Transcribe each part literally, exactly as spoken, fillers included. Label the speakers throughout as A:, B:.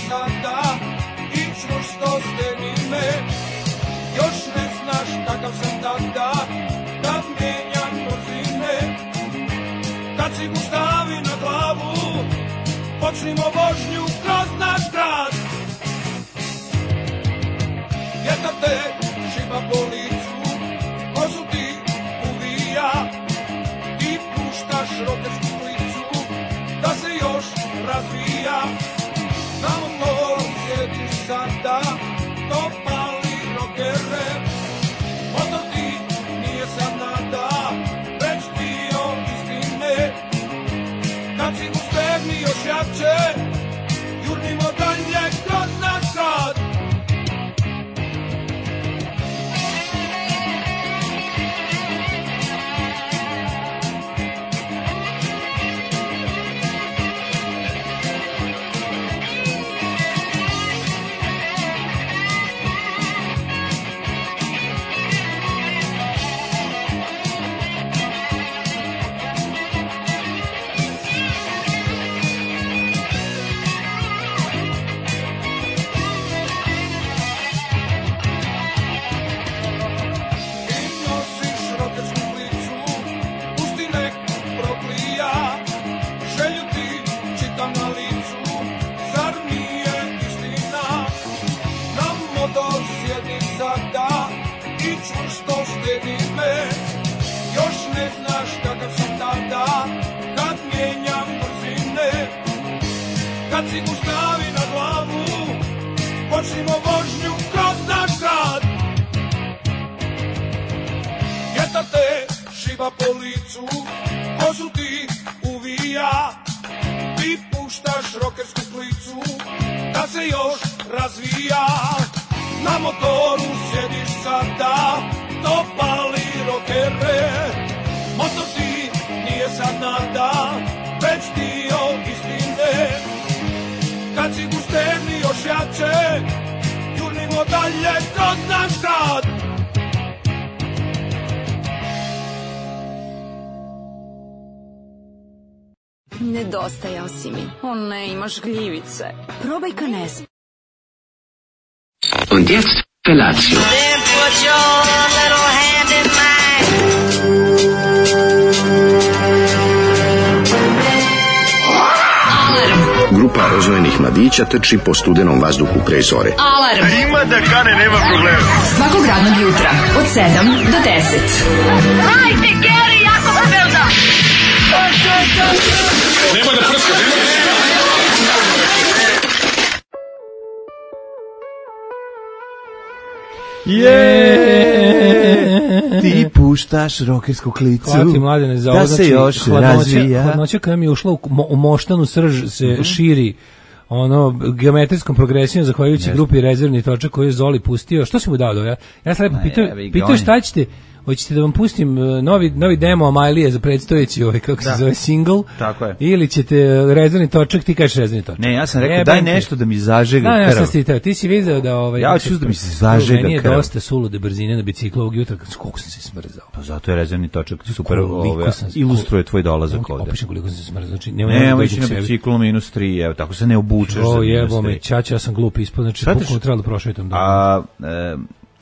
A: sada i čvrsto steni me. Još ne znaš kakav sam tada, kad mijenjam brzine. Kad si mu stavi na glavu, počnimo vožnju kroz naš grad. Vjetar te šiba po licu, kozu ti uvija i puštaš rokersku klicu da se još razvija. Na motoru sjediš sada, to pali rokere. Motor ti nije sad nada, već dio istine. Kad si mu stegni još jače, jurnimo dalje kroz naš grad. Kad si mu stavi na glavu, počnimo vožnju kroz naš grad. Vjetar te šiba po licu, kozu ti uvija, ti puštaš rokersku klicu da se još razvija. Na motoru sjediš sada, to pali rokere. Motor ti nije sad nada, već dio istine. Kad si mu stegni još jače, jurnimo dalje kroz naš grad.
B: Nedostajao si mi. O ne, imaš gljivice. Probaj Canes.
C: Und jetzt Felatio.
D: Then put your little hand in mine.
C: Grupa rozvojenih mladića trči po studenom vazduhu pre zore.
E: Alarm! Ima da kane, nema problema.
B: Svakog radnog jutra, od sedam do deset.
D: Hajde, Geri, jako se velda!
E: Nema da prska, nema da prska!
F: Je, ti puštaš rokersku klicu.
G: Hvala ti, Mladene, za ovo.
F: Da se
G: znači,
F: još
G: hladnoća,
F: razvija.
G: Hladnoća koja mi je ušla u, mo, u moštanu srž se mm-hmm. širi ono geometrijskom progresijom zahvaljujući yes. grupi rezervni točak koji je Zoli pustio. Što si mu dao do ja? Ja sam lepo pitao, pitao šta ćete. Hoćete da vam pustim novi, novi demo Amailije za predstojeći ovaj, kako da. se zove, single?
F: Tako je.
G: Ili ćete rezervni točak, ti kažeš rezervni točak.
F: Ne, ja sam rekao, daj nešto da mi zažega krv.
G: Da, ja sam ti teo, ti si vidio da... Ovaj,
F: ja ću da mi se zažega krv.
G: Meni je dosta sulude brzine na biciklu ovog jutra, koliko sam se smrzao.
F: Pa zato je rezervni točak super, ove, ilustruje tvoj dolazak ovde.
G: Opišem koliko sam se smrzao. Znači,
F: ne, ovo ići na biciklu minus tri, evo, tako se ne obučeš za minus tri.
G: Čača, ja sam glup ispod, znači, bukvalno trebalo da prošetam.
F: A...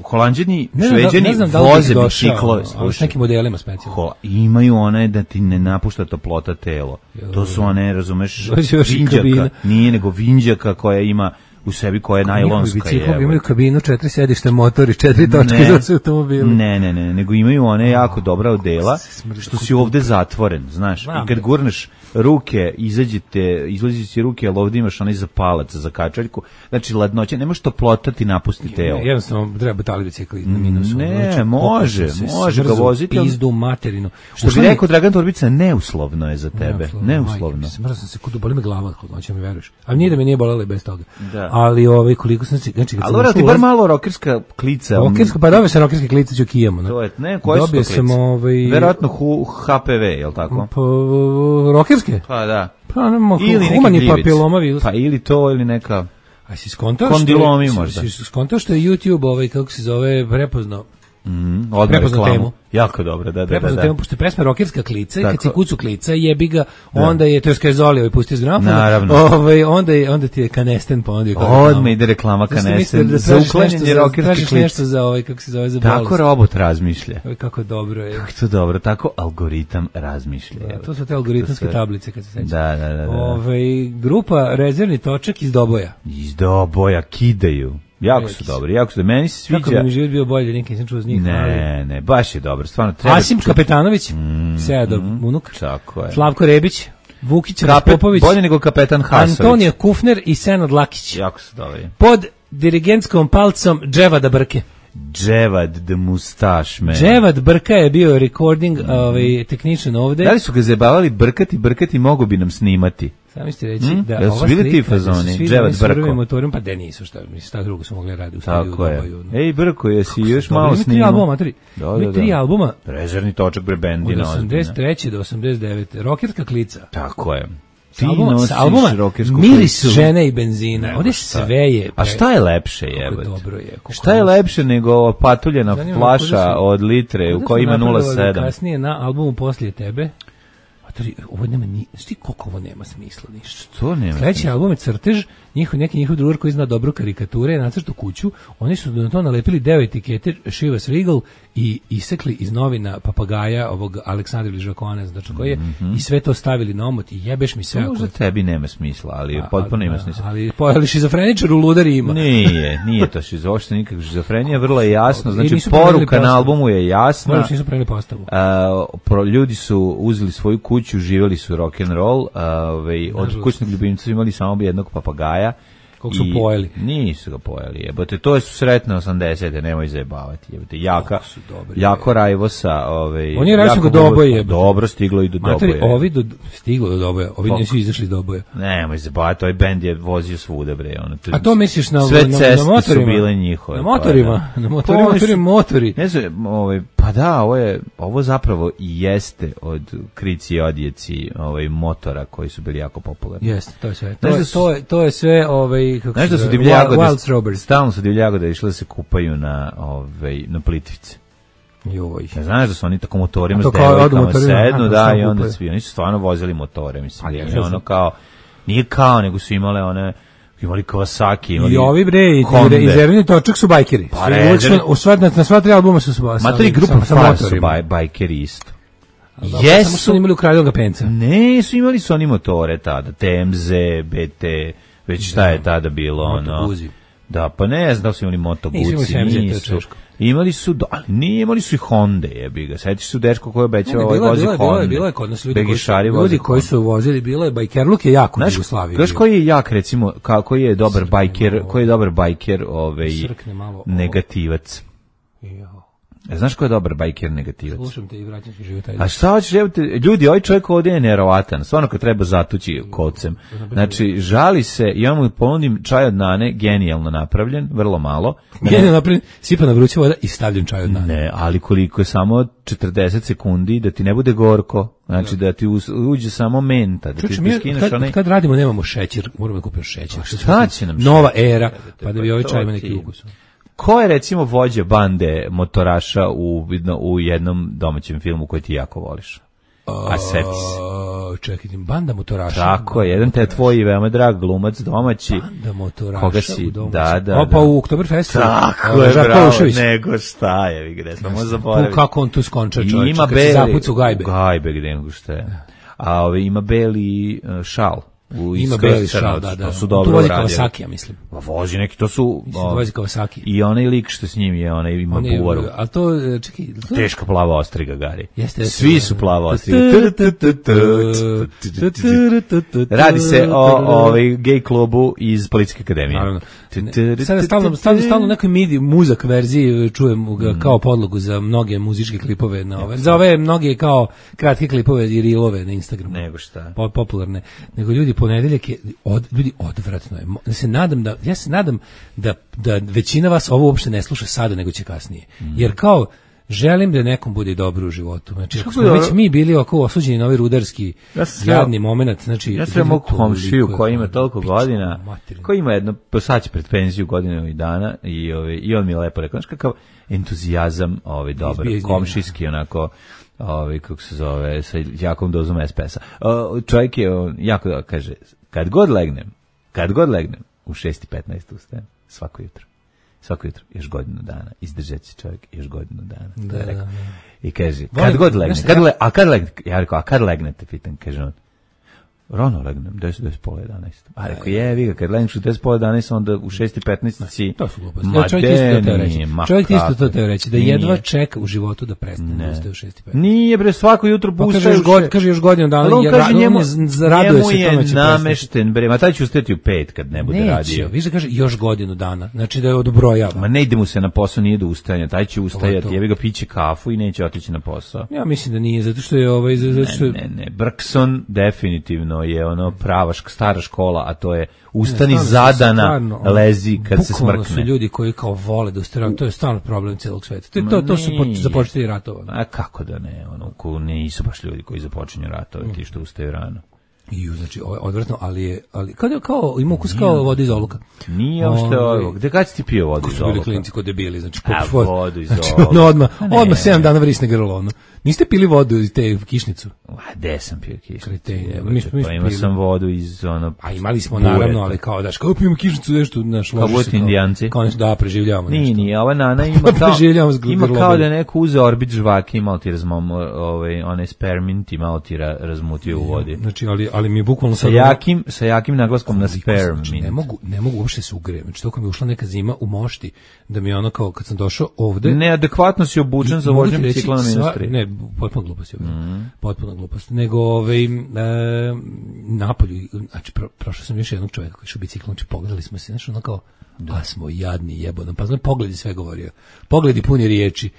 F: Holanđani, Šveđani da, voze biciklove
G: s nekim modelima specijalno.
F: Imaju one da ti ne napušta toplota telo. Jo, to su one, razumeš, vinđaka. Nije nego vinđaka koja ima u sebi, koja je najlonska.
G: Biciklovi imaju kabinu, četiri sedišta, motor i četiri točke za sve automobile.
F: Ne, ne, ne, nego imaju one jako dobra odela, što si ovde zatvoren, znaš. I kad gurneš ruke, izađete, izlazi si ruke, ali ovdje imaš onaj zapalac za kačaljku, znači ladnoća, ne možeš toplotati napustiti telo.
G: Jednostavno treba batali bicikli na minusu.
F: Ne, znači, može, može ga voziti.
G: Pizdu materinu.
F: Što bi rekao Dragan Torbica, neuslovno je za tebe, neuslovno.
G: Smrzao sam se, kudu, boli me glava, hladnoća mi veruješ. Ali nije da me nije bolelo i bez toga. Da. Ali ovaj, koliko sam se... Znači,
F: ali vrati, bar malo rokerska klica.
G: Rokerska, pa dobio sam rokerske klice ću kijamo.
F: To je, ne, koje su to klice? Ovaj... Verovatno H P V, je li tako?
G: Pa, rokerske?
F: Pa da.
G: Pa nema, humani papiloma virus.
F: Pa ili to, ili neka...
G: A si skontao
F: kondilomi možda.
G: Si skontao što je YouTube, ovaj, kako se zove, prepoznao
F: Mm, odmah
G: prepoznao temu.
F: Jako dobro, da, da,
G: prepoznao
F: da.
G: temu, pošto je pesma rokerska klica, i kad si kucu klica, jebi ga, onda je, to je Skazoli, ovaj pusti iz gramofona, ovaj, onda, je, onda ti je Kanesten, pa onda je
F: odmah ide reklama Kanesten,
G: da
F: za uklanjanje rokerske klice.
G: Nešto za ovaj, kako se zove, za bolest.
F: Tako robot razmišlja.
G: Kako dobro je.
F: Kako to dobro, tako algoritam razmišlja.
G: Da, to su te algoritamske tablice, kad se sećam.
F: Da, da, da. da.
G: Ove, grupa Rezervni točak iz Doboja.
F: Iz Doboja, kidaju. Jako su dobri, jako su dobri. Meni se sviđa.
G: Kako bi mi život bio bolje, nikad nisam čuo z njih.
F: Ne, ali... ne, baš je dobro. Stvarno treba.
G: Asim ču... Kapetanović, mm, Seadov mm, unuk.
F: Tako je.
G: Slavko Rebić, Vukić
F: Kapet,
G: Popović.
F: Bolje nego kapetan Hasović.
G: Antonija Kufner i Senad Lakić.
F: Jako su dobri.
G: Pod dirigentskom palcom Dževada Brke.
F: Dževad the mustache man.
G: Dževad Brka je bio recording, mm. ovaj, technician ovde.
F: Da li su ga zabavali brkati, brkati, mogu bi nam snimati?
G: Sami ste reći
F: mm?
G: da
F: ova
G: slika,
F: bili ti fazoni, Dževad Brko.
G: Motorom, pa da nisu, šta, mislim, šta drugo su mogli raditi u studiju.
F: Tako je. Dobaju, no. Ej, Brko, jesi još malo snimao?
G: Tri albuma, tri.
F: Da, da, da.
G: tri albuma.
F: Rezervni točak bre bendina.
G: Od osamdeset treće do osamdeset devete Rokerska klica.
F: Tako je.
G: Ti nosiš albuma Miris žene i benzina. Ovdje sve je.
F: A šta je lepše, jebote?
G: Dobro je.
F: Šta je lepše nego patuljena flaša od litre u kojoj ima nula sedam?
G: Kasnije na albumu Poslije tebe. Ovo nema ni, šti koliko ovo nema smisla ništa.
F: Što nema?
G: Sledeći album je Crtež, njihov neki njihov drugar koji zna dobro karikature, nacrtu kuću. Oni su na to nalepili deo etikete Chivas Regal i isekli iz novina papagaja ovog Aleksandra Ližakona, znači koji je mm -hmm. i sve to stavili na omot i jebeš mi sve.
F: To možda tebi nema smisla, ali a, potpuno ima smisla.
G: Ali pojeli šizofreničar u ludari ima.
F: Nije, nije to šizo, uopšte nikakva šizofrenija, vrlo je jasno, znači poruka na albumu je jasna.
G: Moram nisu preneli postavu.
F: A, pro, ljudi su uzeli svoju kuću, živjeli su rock and roll, ovaj od kućnog ljubimca su imali samo jednog papagaja.
G: Kog su pojeli?
F: Nisu ga pojeli, jebote, to su sretne osamdesete, nemoj zajebavati, jebote, jaka, dobri, jako Rajvosa, ovaj,
G: on je rečeno do Doboja,
F: dobro, stiglo i do Doboja.
G: Ovi do, stiglo do Doboja, ovi Fok. Nisu izašli do Doboja.
F: Nemoj zajebavati, ovaj bend je vozio svuda, bre, ono.
G: A to misliš na,
F: sve
G: na,
F: ceste
G: na motorima?
F: Su bile njihove.
G: Na motorima, pa, na motorima, motori, motori.
F: Ne znam, ovaj, pa da, ovo je, ovo zapravo i jeste od Krici i Odjeci, ovaj, motora koji su bili jako popularni.
G: Jeste, to je sve. To, je, to, je, to je sve, ovaj, kako
F: Znaš da su divlje jagode, stalno su divlje jagode išle da se kupaju na, ovaj, na Plitvice.
G: Joj.
F: Ne znaš da su oni tako motorima s devojkama sednu, da, i onda svi, oni su stvarno vozili motore, mislim, da je ono kao, nije kao, nego su imale one, imali Kawasaki, imali
G: i ovi bre, i Rezervni točak su bajkeri.
F: Pa rezervni...
G: U sva, na, na sva tri albuma su su
F: Ma tri grupa Far su baj, bajkeri isto.
G: Jesu. Samo su imali ukradenog penca.
F: Ne, su imali su oni motore tada, T M Z, B T, već šta je tada bilo, ono. Da, pa ne znam da su imali Moto Guzzi, nisu. Imali su, ali nije, imali su i Honda, jebi ga. Sjetiš su dečko koji obećao ovaj vozi Honda.
G: Bilo je, bilo je kod nas ljudi koji su, ljudi koji su vozili, bilo je bajkerluk je jako u Jugoslaviji.
F: Znaš koji je jak, recimo, koji je dobar bajker, koji je dobar bajker, ovaj, negativac. Znaš ko je dobar bajker negativac?
G: Slušam te i vraćam se života.
F: A šta hoćeš, ljudi, ovaj čovjek ovdje je neverovatan, stvarno kad treba zatući kocem. Znači, žali se, ja mu ponudim čaj od nane, genijalno napravljen, vrlo malo.
G: Genijalno napravljen, sipa na vruća voda i stavljam čaj od nane.
F: Ne, ali koliko je samo četrdeset sekundi, da ti ne bude gorko, znači da, da ti uđe samo menta, da
G: Čuči,
F: ti
G: mi,
F: skineš
G: kad,
F: onaj...
G: kad radimo nemamo šećer, moramo da kupimo šećer.
F: A šta će nam šećer?
G: Nova era, pa da bi ovaj čaj ima neki ukus.
F: Ko je recimo vođa bande motoraša u, u jednom domaćem filmu koji ti jako voliš? A seti se.
G: Čekaj, banda motoraša.
F: Tako je, jedan te tvoj veoma drag glumac domaći.
G: Banda motoraša
F: koga si,
G: u domaći.
F: Da, da,
G: Opa, u Oktoberfestu.
F: Tako je, bravo, nego šta je, vi gde smo zaboravili.
G: Kako on tu skonča čovječ,
F: ima
G: kad se zapuca u gajbe.
F: U gajbe, gde nego šta je. A ove, ima beli uh, šal. U
G: ima beli šal, da, da.
F: To su dobro
G: tu vozi
F: uradili.
G: Kawasaki, ja mislim.
F: Pa vozi neki, to su...
G: Mislim, o, vozi Kawasaki.
F: I onaj lik što s njim je, onaj ima
G: on
F: buvaru.
G: Ali to, čekaj... To...
F: Teška plava ostriga, Gari.
G: Jeste, jeste.
F: Svi su plava ostriga. Radi se o ovaj gej klubu iz Policijske akademije.
G: Naravno. Sada stalno, stalno, stalno nekoj midi muzak verziji čujem ga kao podlogu za mnoge muzičke klipove na ove. Za ove mnoge kao kratke klipove i rilove na Instagramu.
F: Nego šta?
G: Popularne. Nego ljudi ponedeljak je od, ljudi odvratno je. Ja se nadam da ja se nadam da da većina vas ovo uopšte ne sluša sada nego će kasnije. Jer kao želim da nekom bude dobro u životu. Znači, ako smo već mi bili oko osuđeni na ovaj rudarski
F: ja
G: jadni moment, znači...
F: Ja sam mog komšiju koji ima toliko godina, koji ima jedno, sad će pred penziju godinu i dana, i, ove, i on mi je lepo rekao, znaš kakav entuzijazam ovaj, dobar, komšijski, onako, ovaj, kako se zove, sa jakom dozom es pe es a. Čovjek je, on, jako da kaže, kad god legnem, kad god legnem, u šest i petnaest ustajem, svako jutro. Svako jutro, još godinu dana, izdržat će čovjek još godinu dana.
G: Da, da, da.
F: I kaže, kad god legne, kad le, a kad legne, ja rekao, a kad legnete, pitan, kaže on, rano legnem, deset, deset, pola jedanaest. A rekao, je, vi ga, kad legneš u deset, pola jedanaest, onda u šest i petnaest si...
G: To su gluposti. Ma čovjek isto to reći. Čovjek isto to teo reći, da jedva čeka u životu da prestane da ustaje u šest i petnaest.
F: Nije, bre, svako jutro pa ustaje...
G: God, kaže još godinu dana,
F: on kaže, njemu,
G: raduje
F: njemu je namešten, bre, ma taj će ustati u pet kad ne bude radio.
G: Neće, vi da kaže još godinu dana, znači da je odbrojava.
F: Ma ne ide mu se na posao, nije do ustajanja, taj će ustajati, jebi ga piće kafu i neće otići na posao.
G: Ja mislim da nije, zato što je ovaj... Zato što...
F: Ne, ne, ne, Brkson definitivno je ono prava stara škola, a to je ustani ne, zadana, stvarno, lezi kad se smrkne.
G: Su ljudi koji kao vole da ustaju, to je stvarno problem celog sveta. To, to, to su započeli ratova.
F: A kako da ne, ono, ko nisu baš ljudi koji započinju ratove, ti što ustaju rano.
G: I znači odvratno, ali je ali kao kao ima ukus kao voda iz oluka.
F: Nije uopšte ovo. Gde kad si ti pio vodu iz oluka?
G: Klinci kod debili, znači
F: poput vodu iz oluka.
G: Znači, no, odmah, odmah sedam dana vrisne grlo ono. Niste pili vodu iz te kišnicu?
F: A gde sam pio kišnicu?
G: Kretenje.
F: Mi smo pa imao sam vodu iz ono.
G: A imali smo naravno, ali kao daš kao pijemo kišnicu nešto naš loše.
F: Kao budete Indijanci.
G: Kao nešto da preživljavamo nešto.
F: Nije, nije, ova nana ima kao ima kao da neko uzeo orbit žvake i malo ti razmom ovaj onaj spermint i malo ti razmutio u vodi.
G: Znači, ali ali mi bukvalno
F: sa jakim sa jakim naglaskom na spermint.
G: Ne mogu ne mogu uopšte se ugrejem. Znači toko mi ušla neka zima u mošti da mi ono kao kad sam došao ovde
F: neadekvatno si obučen za vožnju bicikla na minus tri.
G: Ne, potpuno glupost je. Mm. Potpuno glupost. Nego ovaj e, napolju, znači pro, prošao sam još jednog čovjeka koji je biciklom, znači pogledali smo se, znači ono kao da smo jadni jebano. Pa znam pogledi sve govorio. Pogledi puni riječi.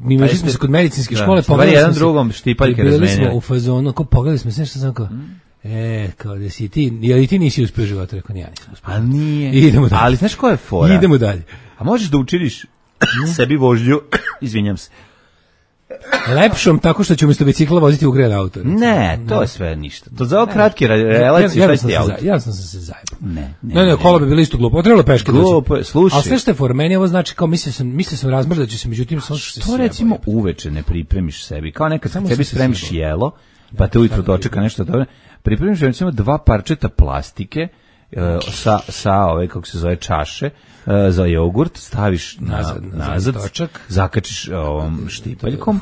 G: Mi imali smo se kod medicinske škole,
F: pogledali jedan drugom štipaljke razmenjali.
G: Bili smo u fazonu, kao pogledali smo se, nešto sam kao mm. E, kao da si ti, je li ti nisi uspio život? Rekao, ja nisam uspio.
F: A nije.
G: Idemo dalje.
F: Ali znaš koja je fora?
G: Idemo dalje.
F: A možeš da učiniš sebi vožnju, izvinjam se,
G: lepšom tako što ću umjesto bicikla voziti ugrejan auto.
F: Ne, to je sve ništa. To za ovo kratke relacije, šta ti auto?
G: Ja sam se zajebao.
F: Ne, ne.
G: Ne, ne, kola bi bilo isto glupo. Trebalo peške doći.
F: Glupo, slušaj.
G: A sve što je for meni, ovo znači kao mislio sam, mislio sam razmrdat ću se, međutim sam što
F: to recimo uveče ne pripremiš sebi. Kao nekad sebi spremiš jelo, pa te ujutro dočeka nešto dobro. Pripremiš recimo dva parčeta plastike sa sa ove kako se zove čaše za jogurt, staviš na, nazad, nazad točak, zakačiš ovom štipaljkom,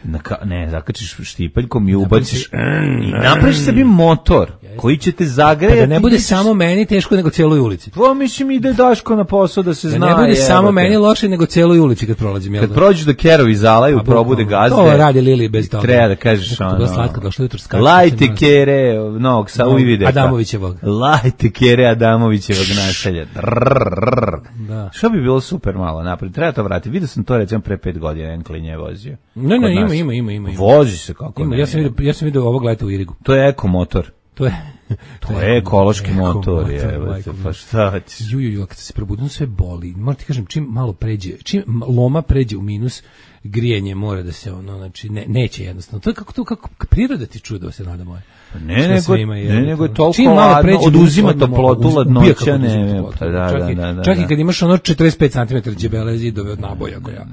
F: na, ne, zakačiš štipaljkom i ubaciš i napraviš sebi motor koji će te zagrejati.
G: Pa da ne bude samo meni teško nego celoj ulici.
F: Pa mislim ide Daško na posao da se
G: da
F: zna.
G: Ne bude je, samo jebate. Meni loše nego celoj ulici kad prolazim.
F: Kad prođeš da kerovi zalaju, pa, probude gazde.
G: To radi Lili bez toga.
F: Treba da kažeš ono.
G: To slatko došlo jutro skače.
F: Lajte kere, nog sa uvide.
G: Adamovićevog.
F: Lajte kere Adamovićevog naselja.
G: Da.
F: Što bi bilo super malo napred. Treba to vratiti. Vidio sam to recimo pre pet godina, en klinje je vozio.
G: Ne, ne, ima, ima, ima, ima.
F: Vozi se kako
G: ima,
F: ne.
G: Ja sam vidio, ja sam vidio ovog leta u Irigu.
F: To je ekomotor.
G: To je
F: to je ekološki motor, je, pa šta ćeš?
G: Ju, ju, ju, kad se probudim sve boli. Moram ti kažem, čim malo pređe, čim loma pređe u minus, grijanje mora da se ono, znači ne, neće jednostavno. To je kako to kako priroda ti čudo se nada moje.
F: Ne, nego, ne, nego je toliko ladno, oduzima toplotu, ladnoća, ne, pa da, da, da, da.
G: Čak i kad imaš ono četrdeset pet centimetara džebele zidove od naboja koja.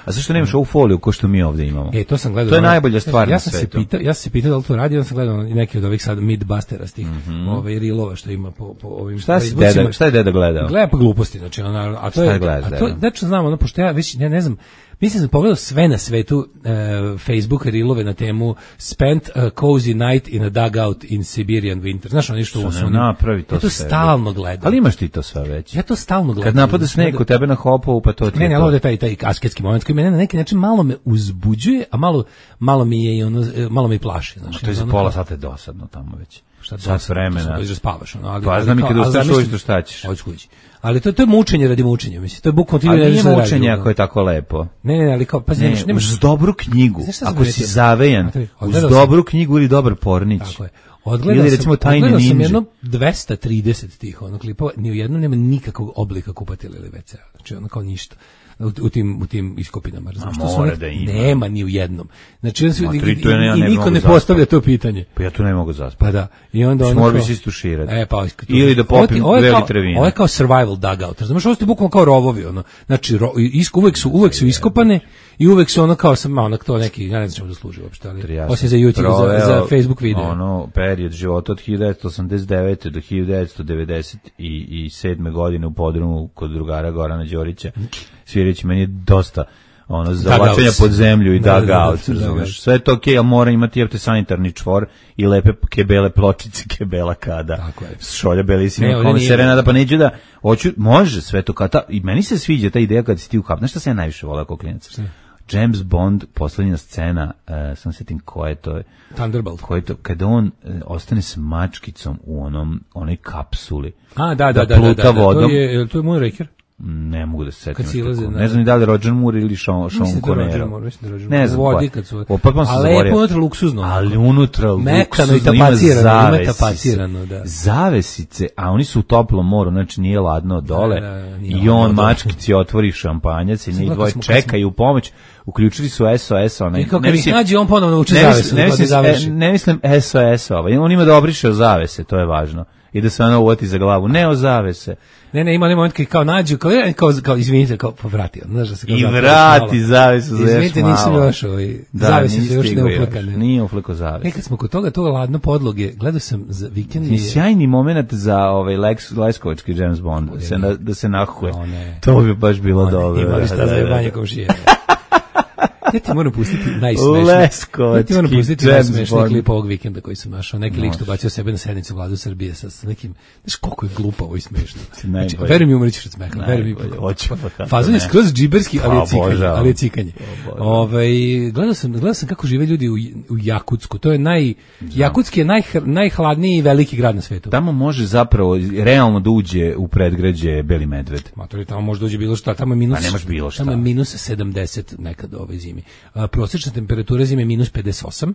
F: A zašto nemaš ovu foliju ko što mi ovdje imamo?
G: E, to sam gledao.
F: To je najbolja stvar
G: ja
F: na
G: sam
F: svetu.
G: Se pitao, ja sam se pitao da li to radi, ja sam gledao neke od ovih sad midbusterastih, mm-hmm. ove rilova što ima po, po ovim...
F: Šta, si deda, šta je deda gledao?
G: Gleda pa gluposti, znači, ono, a to je... A to, znači, znam, ono, pošto ja već, ne, ne znam, mislim da sam pogledao sve na svetu uh, Facebook rilove na temu Spent a cozy night in a dugout in Siberian winter. Znaš ono ništa u osnovu?
F: Napravi to
G: ja to
F: sve.
G: stalno gledam.
F: Ali imaš ti to sve već?
G: Ja to stalno gledam.
F: Kad napada sneg kod tebe na hopovu, pa to ti
G: ne,
F: je
G: ne,
F: to.
G: Ne, ne, taj, taj asketski moment koji mene na neki način malo me uzbuđuje, a malo, malo mi je i ono, malo me i plaši. Znaš,
F: to je za pola sata je dosadno tamo već.
G: Šta
F: sat vremena.
G: Da spavaš, ono, ali
F: pa znam i kada ustaš ujutro šta ćeš.
G: Hoćeš kući. Ali to to je mučenje radi mučenja, mislim. To je bukvalno ti
F: ne znaš. Ali nije mučenje ako je tako lepo.
G: Ne, ne, ali kao pa
F: ne, nemaš uz dobru knjigu. Ako si zavejan, uz dobru knjigu ili dobar pornić.
G: Tako je. Odgledao sam, recimo odgledao sam jedno dvesta trideset tih ono klipova, ni u jednom nema nikakvog oblika kupatila ili ve ce a. Znači ono kao ništa. U, u tim u tim iskopinama, razumiješ, što su
F: da ima.
G: Nema ni u jednom. Znači on se i,
F: i,
G: i niko ne postavlja to pitanje.
F: Pa ja tu ne mogu zaspati.
G: Pa da. I onda on
F: mora se istuširati.
G: E pa
F: ili da popim dve litre vina.
G: Ovo je kao survival dugout. Razumiješ, ovo su bukvalno kao rovovi, ono. Znači ro, isk, uvek su uvek su iskopane i uvek su ono kao sam ono to neki, ja ne znam čemu da služi uopšte, ali osim za YouTube, za, za Facebook video.
F: Ono period života od hiljadu devetsto osamdeset devete do hiljadu devetsto devedeset sedme godine u podrumu kod drugara Gorana Đorića. Svirić meni je dosta ono zavlačenja pod zemlju i da, dugout, da, da, da, da, sve to okej, okay, ali mora imati jevte sanitarni čvor i lepe kebele pločice, kebela kada šolja belisima, kome se renada, pa neću da hoću, može sve to kata, i meni se sviđa ta ideja kad si ti u kap, znaš šta se ja najviše volao kao klinac? James Bond, poslednja scena, uh, sam setim ko je to,
G: Thunderbolt,
F: ko je to, kada on uh, ostane s mačkicom u onom, onoj kapsuli,
G: a da, da, da,
F: pluta
G: da, da, da,
F: vodom,
G: to je, to je Moonraker.
F: Ne mogu da se setim.
G: Ne,
F: ne znam ni da li Roger Moore ili Sean, Sean Connery. Ne znam.
G: Vodi kad su.
F: Ali
G: je unutra luksuzno.
F: Ali unutra luksuzno.
G: Mekano i tapacirano, ima tapacirano, da.
F: Zavesice, a oni su u toplom moru, znači nije ladno dole. Da, da, i on mačkici otvori šampanjac i njih dvoje čekaju u pomoć. Uključili su es o es, onaj.
G: I kako ih nađe, on ponovno uči zavese.
F: Ne mislim es o es, on ima da obriše o zavese, to je važno. I da se ona uvoti za glavu, ne o zavese.
G: Ne, ne, ima onaj moment kad kao nađu, kao, kao, kao izvinite, kao povrati, znaš da se kao
F: i vrati zavesu za još malo.
G: Izvinite, nisam još ovaj,
F: da,
G: zavese su još ne uflekane.
F: Nije ufleko zavese.
G: Nekad smo kod toga, to ladno podloge, gledao sam za vikend.
F: I sjajni moment za ovaj Lex, Leskovački James Bond, da se, na, da se nahuje. To bi baš bilo dobro.
G: Imali šta za jebanje komšije. Ja ti moram pustiti najsmešniji.
F: Leskovački
G: ja ti moram pustiti najsmešniji klip ovog vikenda koji sam našao. Neki lik što bacio sebe na sednicu Vladu Srbije sa, sa nekim, znaš koliko je glupavo i smešno. Znači, verujem mi umrećiš od smeha. Verujem mi. Fazon je skroz džiberski, ali je cikanje. Ali je cikanje. Ove, gledao, sam, gledao sam kako žive ljudi u, u Jakutsku. To je naj, Jakutski je naj, najhladniji veliki grad na svetu.
F: Tamo može zapravo realno da uđe u predgrađe Beli medved.
G: Matori, tamo može da uđe bilo šta. Tamo je minus,
F: pa nemaš bilo šta.
G: Tamo je minus sedamdeset nekad ove zimi. A, prosječna temperatura zime je minus pedeset osam,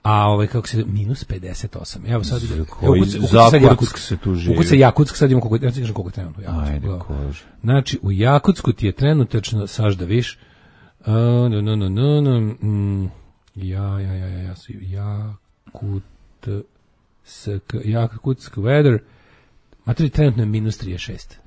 G: a ovaj kako se minus pedeset osam. Evo sad ide.
F: Koji Jakutsk se tu živi.
G: Ukuca Jakutsk, sad imamo koliko, ja ti kažem koliko je trenutno u Jakutsku.
F: Ajde, kože.
G: Znači, u Jakutsku ti je trenutačno, saš da viš, uh, no, no, no, no, no, mm, ja, ja, ja, ja, ja, Jakut, sk, Jakutsk weather, materi trenutno je minus trideset šest.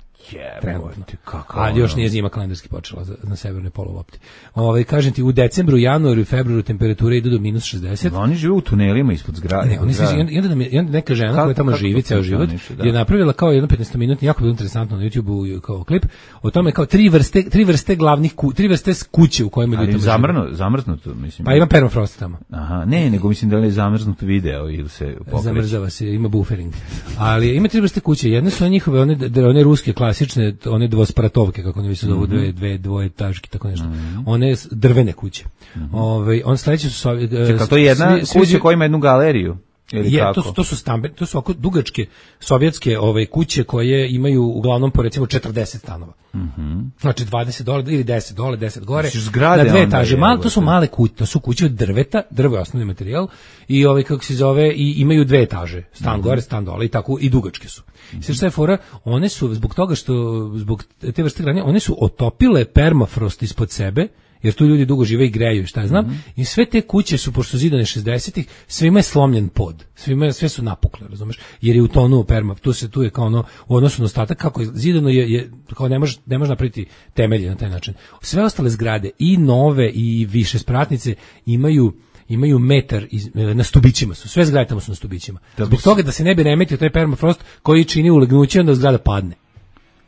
F: Trenutno.
G: Ali još nije zima kalendarski počela za, na severnoj polulopti. Ovaj kažem ti, u decembru, januaru i februaru temperature idu do minus šezdeset.
F: Oni žive u tunelima ispod zgrade.
G: Ne, oni se jedan nam je neka žena kako, koja tamo živi ceo život da. je napravila kao jedno petnaestominutni, jako bilo interesantno na YouTubeu kao klip o tome kao tri vrste tri vrste glavnih ku, tri vrste kuće u kojima ljudi tamo
F: zamrnu, zamrznuto, mislim.
G: Pa ima permafrost tamo.
F: Aha, ne, nego mislim da je zamrznuto video ili se pokreće.
G: Zamrzava se, ima buffering. Ali ima tri vrste kuće, jedne su njihove one one ruske klasične, one dvospratovke, kako oni se zovu, mm-hmm. dve, dve, dvoje taški, tako nešto. Mm-hmm. One drvene kuće. Mm-hmm. Ove, on sledeće su... Sovjet,
F: Čekaj, to je jedna svi, kuća koja ima jednu galeriju? Ili
G: je,
F: kako?
G: To su, to su stambe, to su oko dugačke sovjetske ove, kuće koje imaju uglavnom po recimo četrdeset stanova.
F: Mm-hmm.
G: Znači dvadeset dole ili deset dole, deset gore.
F: Zgrade,
G: na dve etaže. Mal, to su male kuće, to su kuće od drveta, drvo je osnovni materijal i ovaj kako se zove i imaju dve etaže, stan mm-hmm. gore, stan dole i tako i dugačke su. Mm-hmm. Sve što je fora, one su zbog toga što zbog te vrste granja, one su otopile permafrost ispod sebe. Jer tu ljudi dugo žive i greju, šta ja znam, mm-hmm. i sve te kuće su, pošto zidane šezdesetih, svima je slomljen pod, svima, sve su napukle, razumeš, jer je utonuo perma, tu se, tu je kao ono, u odnosu na ostatak, kako je zidano je, je kao ne može, ne može napraviti temelje na taj način. Sve ostale zgrade, i nove, i više spratnice, imaju imaju metar iz, na stubićima su, sve zgrade tamo su na stubićima. Da Zbog toga da se ne bi remetio taj permafrost koji čini ulegnuće, onda zgrada padne.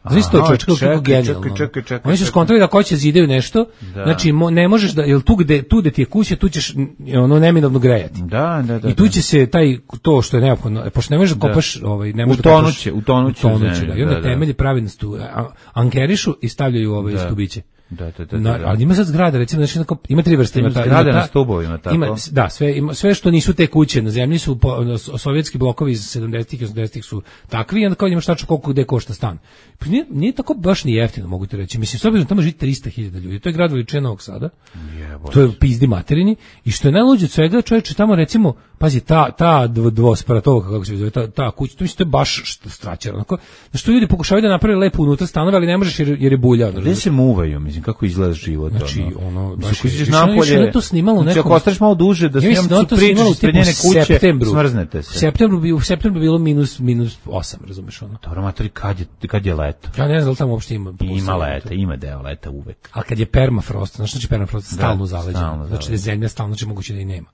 G: Znaš to čovječ, kako genijalno. Oni su skontrali da ko će zidaju nešto, da. Znači mo, ne možeš da, jel tu gde, tu gde ti je kuća, tu ćeš ono neminovno grejati.
F: Da, da, da.
G: I tu će se taj, to što je neophodno, pošto ne možeš da kopaš, ovaj, ne možeš da kopaš.
F: Utonuće, utonuće.
G: Da. I onda temelji pravi na stu, ankerišu i stavljaju ovaj da. Stubiće.
F: Da, da, da,
G: Na,
F: da.
G: ali ima sad zgrada, recimo, znači, ima tri vrste.
F: Ima
G: Ima ta,
F: zgrade
G: ima ta,
F: na stubovima, tako?
G: Ima, da, sve, ima, sve što nisu te kuće na zemlji su po, sovjetski blokovi iz sedamdesetih i osamdesetih su takvi, i onda kao imaš tačno koliko gde košta stan. Pa nije, nije tako baš ni jeftino, mogu ti reći. Mislim, s obzirom tamo živi trista hiljada ljudi. To je grad veličine Novog Sada.
F: Jebote.
G: To je pizdi materini. I što je najluđe od svega, čovječe, tamo recimo, pazi, ta, ta dvosparatova, kako se zove, ta, ta kuća, to mislim, to je baš straćer. Onako, znači, ljudi pokušavaju da naprave lepo unutra stanove, ali ne možeš jer, jer je bulja.
F: Gde se muvaju, mislim, kako izgleda život?
G: Znači, ono,
F: ono
G: baš
F: je,
G: je,
F: napolje,
G: je to snimalo u nekom...
F: Znači, ako ostaneš malo duže da
G: ja
F: snimam
G: da
F: tu priču ispred njene kuće,
G: septembru,
F: smrznete se.
G: U septembru, bi, u septembru bilo minus, minus osam, razumeš ono?
F: Dobro, matori, kad je, kad je leto?
G: Ja ne znam da li tamo uopšte ima.
F: Ima leta, ima deo leta uvek.
G: A kad je permafrost, znači znači permafrost stalno zaleđen,
F: stalno
G: znači da je zemlja stalno, znači moguće da i nema.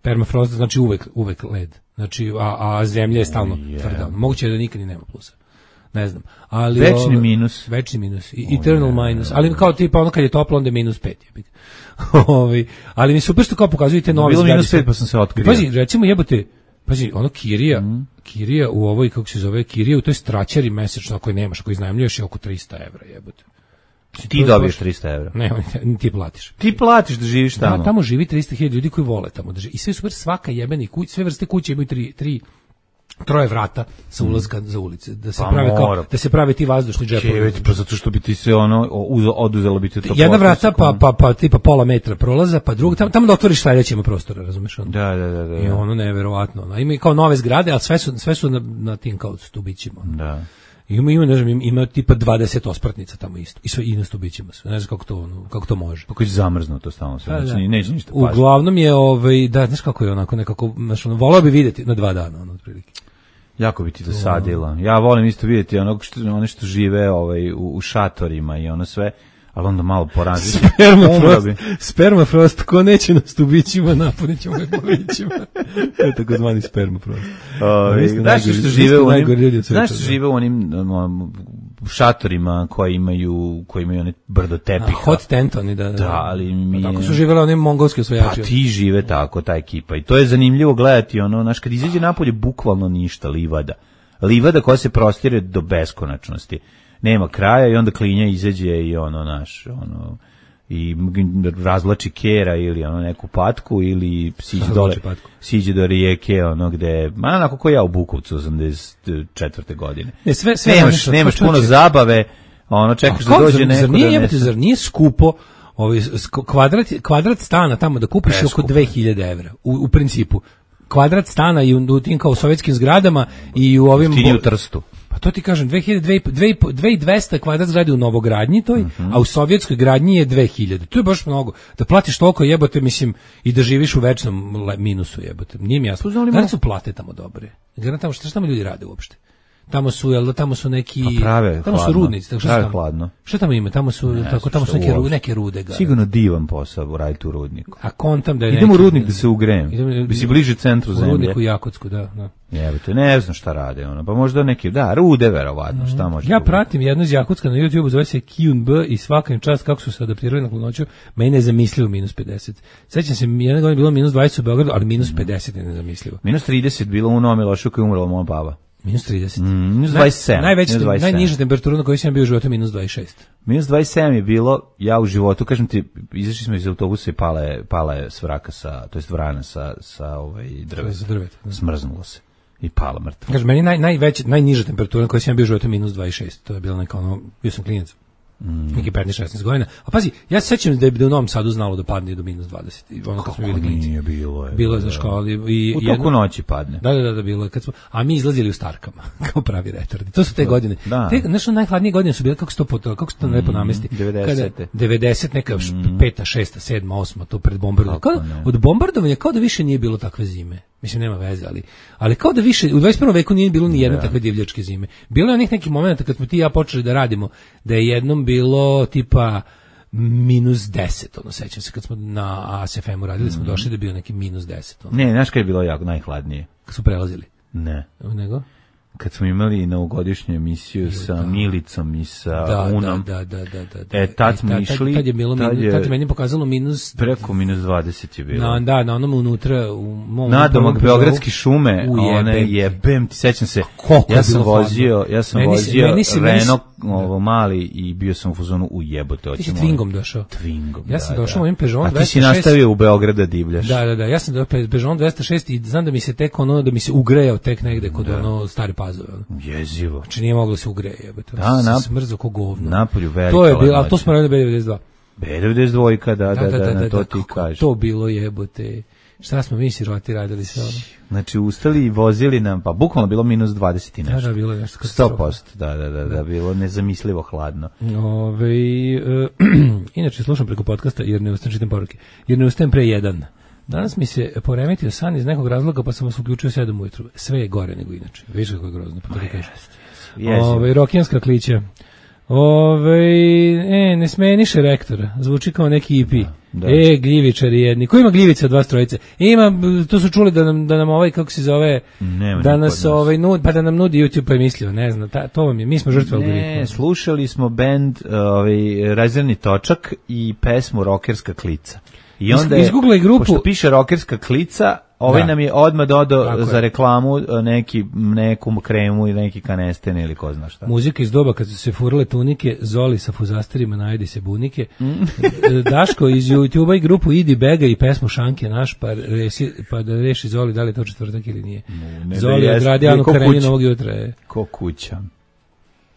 G: Permafrost znači uvek, uvek led, znači, a, a zemlja je stalno
F: yeah.
G: tvrda. Moguće da nikad i nema plusa. Ne znam. Ali,
F: večni
G: ove,
F: minus.
G: Večni minus. I, eternal oh, minus. Ali kao tipa ono kad je toplo, onda je minus pet. Ovi, ali mi super što kao pokazujete novi
F: zgradi. Bilo minus pet pa sam se otkrio.
G: Pazi, recimo jebote, pazi, ono Kirija, mm. Kirija u ovoj, kako se zove, Kirija u toj straćari mesečno ako je nemaš, ako iznajmljuješ je oko trista evra, jebote.
F: Ti dobiješ trista evra.
G: Ne, ti platiš.
F: Ti platiš da živiš tamo.
G: Da, tamo živi trista hiljada ljudi koji vole tamo da živi. I sve super, svaka jebeni kuća, sve vrste kuće imaju tri, tri troje vrata sa ulaska mm. za ulice, da se
F: pa
G: prave kao
F: mora.
G: da se prave ti vazdušni džepovi.
F: Pa zato što bi ti se ono oduzelo bi ti to.
G: Jedna vrata pa pa pa tipa pola metra prolaza, pa druga tamo, tamo da otvoriš sledeći ima prostora, razumeš ono.
F: Da, da, da, da.
G: I ono neverovatno. Ono. Ima i kao nove zgrade, al sve su sve su na, na tim kao stubićima. Ono.
F: Da.
G: Ima ima ne znam, ima, ima tipa dvadeset ospratnica tamo isto. I sve i na stubićima sve. Ne znam kako to ono, kako to može.
F: Pa koji zamrzno to stalno sve. Znači da. Neće ništa pasti.
G: Uglavnom je ovaj da znaš kako je onako nekako znači ono voleo bi videti na dva dana ono otprilike.
F: Jako bi ti dosadilo. Ja volim isto vidjeti onog što one što žive ovaj u, u šatorima i ono sve, ali onda malo porazi.
G: Spermafrost, spermafrost, ko neće na stubićima, napunit ćemo ga polićima. To je takozvani spermafrost.
F: Znaš što žive u onim, znaš što žive u onim um, šatorima koji imaju, koji imaju one brdo tepiha.
G: A, hot tent oni, da. Da,
F: da ali mi...
G: Tako su živjeli oni mongolski osvajači.
F: Pa ti žive tako, ta ekipa. I to je zanimljivo gledati, ono, znaš, kad izađe napolje, bukvalno ništa, livada. Livada koja se prostire do beskonačnosti. Nema kraja i onda klinja izađe i ono, naš, ono, i razvlači kera ili ono neku patku ili siđe dole, siđe do rijeke, ono gde, ma onako ko ja u Bukovcu osamdeset četvrte godine.
G: Ne, sve, sve
F: nemaš,
G: nešto,
F: nemaš puno
G: čoče.
F: Zabave, ono čekaš da dođe
G: zar,
F: neko
G: zar nije,
F: da
G: jebate, zar nije skupo ovaj, kvadrat, kvadrat stana tamo da kupiš
F: Preskupo.
G: oko dve hiljade evra, u, u principu. Kvadrat stana i u, u tim kao sovjetskim zgradama i u ovim...
F: Stini u Trstu.
G: Pa to ti kažem, dve hiljade, dve hiljade dvesta kvadrat zgrade u novogradnji toj, uh-huh. a u sovjetskoj gradnji je dve hiljade. To je baš mnogo. Da platiš toliko jebote, mislim, i da živiš u večnom minusu jebote. Nije mi jasno. Garant su plate tamo dobre. Garant tamo, šta tamo ljudi rade uopšte? Tamo su, jel, tamo su neki,
F: pa prave,
G: tamo
F: hladno.
G: su rudnici, tako
F: prave
G: šta
F: hladno.
G: Šta tamo ima? Tamo su, ne, tako, tamo su neke, ru, neke rude. Garant.
F: Sigurno divan posao raditi u rudniku.
G: A kontam da je
F: idemo
G: neki...
F: u rudnik da se ugrejem. Bi si bliže centru zemlje.
G: U rudniku Jakotsku, da. da.
F: Jebate, ne znam šta rade ono. Pa možda neki, da, rude verovatno, šta može.
G: Ja pratim jednu iz Jakutska na YouTubeu, zove se Q and B i svaka im čast kako su se adaptirali na hladnoću. Meni je nezamislivo minus pedeset. Sećam se, jedna godina bilo minus dvadeset u Beogradu, ali minus pedeset je nezamislivo.
F: minus trideset bilo u Novom Milošu koji je umrla moja baba.
G: minus trideset.
F: Mm, minus dvadeset sedam.
G: Najveća, najniža temperatura na kojoj sam bio u životu je minus dvadeset šest.
F: minus dvadeset sedam je bilo, ja u životu, kažem ti, izašli smo iz autobusa i pala je, pala je svraka sa, to jest vrana sa, sa ovaj drveta.
G: drveta da.
F: Smrznulo se. I pala mrtva.
G: Kažem, meni naj, najveća, najniža temperatura na kojoj sam bio u životu je minus dvadeset šest. To je bilo neka ono, bio sam klinac. Mm. Neki petnaest šesnaest godina. A pazi, ja se sećam da je u Novom Sadu znalo da padne do minus dvadeset. I ono kad smo bili klinci.
F: Nije bilo je.
G: Bilo je za školi. I
F: u toku noći padne.
G: Da, da, da, da, bilo je. Kad smo, a mi izlazili u Starkama, kao pravi retardi. To su te godine.
F: Da.
G: Te, nešto najhladnije godine su bile, kako se to, kako se to mm. lepo namesti.
F: devedesete.
G: devedeset, neka mm. peta, šesta, sedma, osma, to pred bombardovanjem. Kao, od bombardovanja kao da više nije bilo takve zime. Mislim, nema veze, ali, ali kao da više, u dvadeset prvom veku nije bilo ni jedne yeah. takve divljačke zime. Bilo je onih nekih momenta kad smo ti i ja počeli da radimo, da je jednom bilo tipa minus deset, ono, sećam se, kad smo na A S F M-u radili, smo mm. došli da je bio neki minus deset. Ono.
F: Ne, znaš kad je bilo jako najhladnije?
G: Kad su prelazili?
F: Ne.
G: Nego?
F: kad smo imali novogodišnju emisiju sa da. Milicom i sa
G: da,
F: Unom.
G: Da, da, da, da, da.
F: E, tad smo
G: tad,
F: išli...
G: Tad je bilo, tad je, tad je meni pokazalo minus...
F: Preko minus dvadeset je bilo.
G: Na, da, na onom unutra... U mom
F: nadomak Beogradski šume, one jebem, ti sećam se,
G: koliko
F: ja sam vozio, ja sam
G: meni
F: vozio
G: meni si,
F: Renault ovo mali i bio sam u fazonu u jebote.
G: Ti si Twingom došao.
F: Twingom,
G: ja sam
F: da,
G: došao
F: da.
G: ovim Peugeot
F: dvesta šest. A ti si nastavio u Beograd da divljaš.
G: Da, da, da, ja sam došao Peugeot dvesta šest i znam da mi se tek ono, da mi se ugrejao tek negde kod da. ono Stare Pazove. Ono.
F: Jezivo.
G: Znači nije moglo se ugreje, jebote.
F: Da, na,
G: smrzo ko govno.
F: Napolju velika.
G: To je bilo, a to smo radili B devedeset dva.
F: B devedeset dva, da, da, da, da, da, na to
G: da,
F: ti kažeš.
G: To bilo jebote. Šta smo mi siroti radili sve ono?
F: Znači ustali i vozili nam, pa bukvalno bilo minus dvadeset i nešto.
G: Da, da, bilo je nešto
F: sto posto, da, da, da, da, bilo nezamislivo hladno.
G: Ove, uh, inače slušam preko podcasta jer ne ustajem, čitam poruke. Jer ne ustajem pre jedan. Danas mi se poremetio san iz nekog razloga pa sam vas uključio sedam ujutru. Sve je gore nego inače. Viš kako je grozno, pa to kažeš. Ove, rokijanska klića. Ove, e, ne smeniše rektora. Zvuči kao neki E P. Da, da. E, gljivičari jedni. Ko ima gljivice od vas trojice? Ima, to su čuli da nam, da nam ovaj, kako se zove,
F: nema
G: da nas ovaj, nud, pa da nam nudi YouTube, pa je mislio, ne znam, ta, to vam je, mi smo žrtve algoritma.
F: Ne, slušali smo band ovaj, Rezervni točak i pesmu Rokerska klica. I onda je,
G: izgooglaj grupu,
F: pošto piše Rokerska klica, ovaj da. nam je odmah dodao
G: Tako
F: za
G: je.
F: reklamu neki, neku kremu ili neki kanesten ili ko zna šta.
G: Muzika iz doba kad su se furale tunike, Zoli sa fuzasterima, najedi se bunike. Mm. Daško iz YouTube-a i grupu Idi Bega i pesmu Šanke naš, pa, resi, pa da reši Zoli da li je to četvrtak ili nije.
F: Ne,
G: Zoli je odradi Anu Karenjinu ovog jutra. Je.
F: Ko kuća.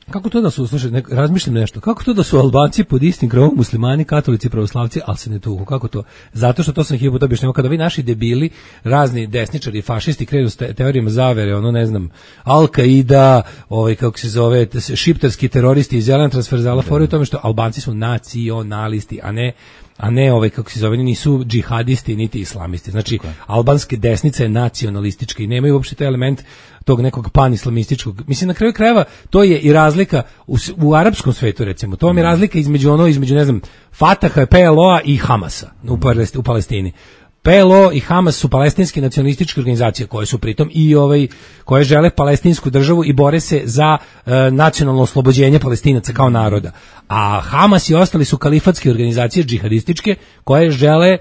G: Kako to da su, slušaj, ne, razmišljam nešto, kako to da su Albanci pod istim krovom, muslimani, katolici, pravoslavci, ali se ne tuku, kako to? Zato što to sam hiljadu puta objašnjavao, kada vi naši debili, razni desničari, fašisti krenu s te, teorijama zavere, ono ne znam, Al-Qaida, ovaj, kako se zove, šiptarski teroristi iz Zelena transverzala, fore u tome što Albanci su nacionalisti, a ne a ne ovaj kako se zove, nisu džihadisti niti islamisti. Znači okay. albanske desnice je nacionalistička i nemaju uopšte taj element tog nekog panislamističkog. Mislim na kraju krajeva to je i razlika u, u arapskom svetu recimo. To vam je razlika između ono između ne znam Fataha, P L O-a i Hamasa u, u Palestini. P L O i Hamas su palestinske nacionalističke organizacije koje su pritom i ovaj koje žele palestinsku državu i bore se za e, nacionalno oslobođenje Palestinaca kao naroda. A Hamas i ostali su kalifatske organizacije džihadističke koje žele e,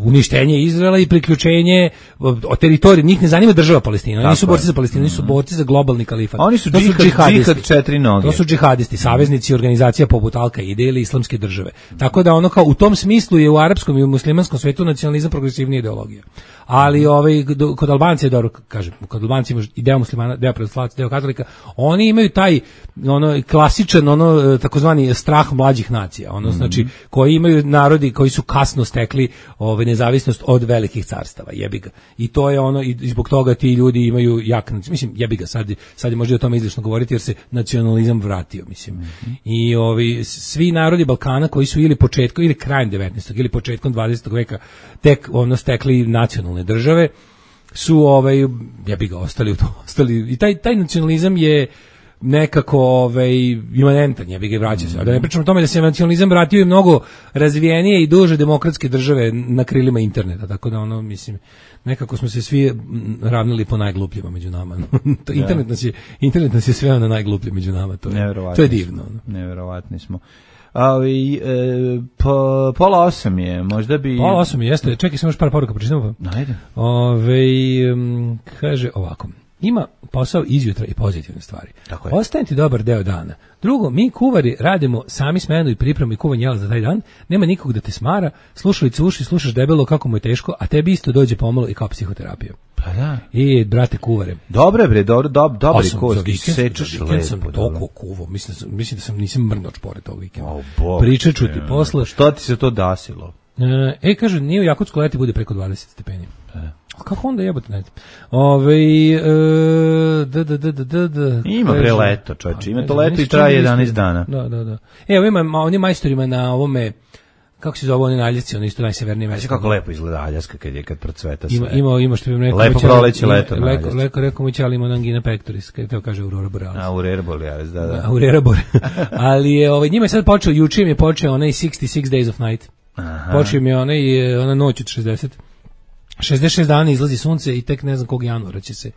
G: uništenje Izraela i priključenje o teritoriji. Njih ne zanima država Palestina. Oni nisu borci za Palestinu, oni su borci za globalni kalifat.
F: Oni su, džihad, su džihadisti. Džihad četiri noge.
G: To su džihadisti, saveznici organizacija poput Al-Qaide ili islamske države. Tako da ono kao u tom smislu je u arapskom i u muslimanskom svetu nacionalizam progresivnija ideologija. Ali ovaj kod Albancija je dobro, kažem, kod Albancija ima i deo muslimana, deo pravoslavaca, deo katolika, oni imaju taj ono klasičan ono takozvani strah mlađih nacija, ono mm-hmm. znači koji imaju narodi koji su kasno stekli ovaj nezavisnost od velikih carstava, jebi ga. I to je ono i zbog toga ti ljudi imaju jak, mislim jebi ga, sad sad je možda o tome izlišno govoriti jer se nacionalizam vratio, mislim. Mm-hmm. I ovi svi narodi Balkana koji su ili početkom ili krajem devetnaestog ili početkom dvadesetog veka tek ono stekli nacionalne države su ovaj ja bih ga ostali u to ostali i taj taj nacionalizam je nekako ovaj imanentan, ja bih ga vraćao se. A da ne pričamo o tome da se nacionalizam vratio i mnogo razvijenije i duže demokratske države na krilima interneta, tako da ono mislim nekako smo se svi ravnili po najglupljima među nama. to, internet nas je internet nas je sveo na najgluplje među nama, to je to je divno.
F: Neverovatni smo. Ali e, po, pola osam je, možda bi...
G: Pola osam je, jeste, čekaj sam još par poruka, pročitamo pa.
F: Ajde.
G: Ove, um, kaže ovako, ima posao izjutra i pozitivne stvari. Ostaje ti dobar deo dana. Drugo, mi kuvari radimo sami smenu i pripremu i kuvanje jela za taj dan, nema nikog da te smara, slušalice uši, slušaš debelo kako mu je teško, a tebi isto dođe pomalo i kao psihoterapija.
F: Pa da.
G: I, brate, kuvare.
F: Dobre, bre, dobro, dob, dobri kosti, sečeš lepo.
G: Sam toliko kuvo, mislim, mislim da sam nisam mrnoč pored tog vikenda. Oh, pričat ću ti posle.
F: Što ti se to dasilo?
G: E, e kaže, nije u Jakutsku leti bude preko dvadeset stepeni. E. Kako onda jebote, ne znam. Ove, e, da, da, da, da, da.
F: Ima bre leto, čovječe, ima to leto i traje jedanaest dana.
G: Da, da, da. Evo ima, oni majstorima na ovome, kako se zove, oni na Aljasci, ono isto najsevernije mesto.
F: Kako lepo izgleda Aljaska kad je, kad procveta sve.
G: Ima, ima, ima što bi rekao.
F: Lepo proleće leto na
G: Aljasci. Leko, rekao mu će, ali ima angina pectoris, kad to kaže Aurora Borealis.
F: Aurora Borealis, da, da.
G: Aurora Borealis. Ali je, ovaj, njima je sad počeo, juče im je počeo onaj šezdeset šest Days of Night. Aha. Počeo im je onaj, ona noć od šezdeset. šezdeset šest dana izlazi sunce i tek ne znam kog januara će se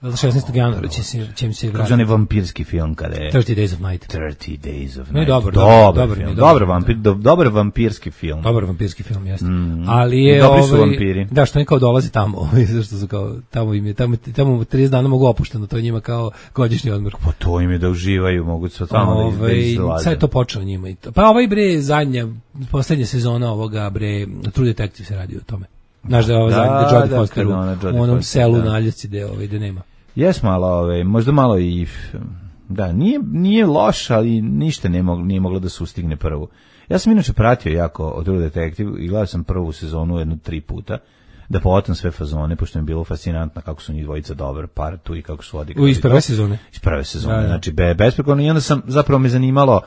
G: šesnaestog januara će se će mi se vratiti.
F: Kaže onaj vampirski film kada je
G: thirty Days of Night.
F: thirty Days of Night.
G: No, dobar,
F: dobar,
G: dobar,
F: film.
G: dobar,
F: dobar vampir, do, dobar vampirski film.
G: Dobar vampirski film, jeste.
F: Mm.
G: Ali je
F: Dobri su
G: ovaj,
F: vampiri.
G: da, što oni kao dolazi tamo, ovaj, zašto su kao tamo im je tamo tamo trideset dana mogu opušteno, to je njima kao godišnji odmor.
F: Pa to im je da uživaju, mogu se tamo
G: ovaj,
F: da izlaze.
G: Sad je to počelo njima i to. Pa ovaj bre zadnja poslednja sezona ovoga bre True Detective se radi o tome. Znaš da je ovo zadnje Jodie
F: da,
G: Foster u
F: ona, Jodie
G: onom
F: Foster,
G: selu
F: da.
G: na Aljasci gde ovaj gde nema.
F: Jes malo, ove, možda malo i da, nije, nije loš, ali ništa nije moglo, nije moglo da se ustigne prvu. Ja sam inače pratio jako od True Detective i gledao sam prvu sezonu jedno tri puta, da povatam sve fazone, pošto mi je bilo fascinantno kako su njih dvojica dobar par tu i kako su odigrali.
G: U iz prve sezone?
F: Iz prve sezone,
G: da, da.
F: znači be, besprekorno. I onda sam, zapravo me zanimalo,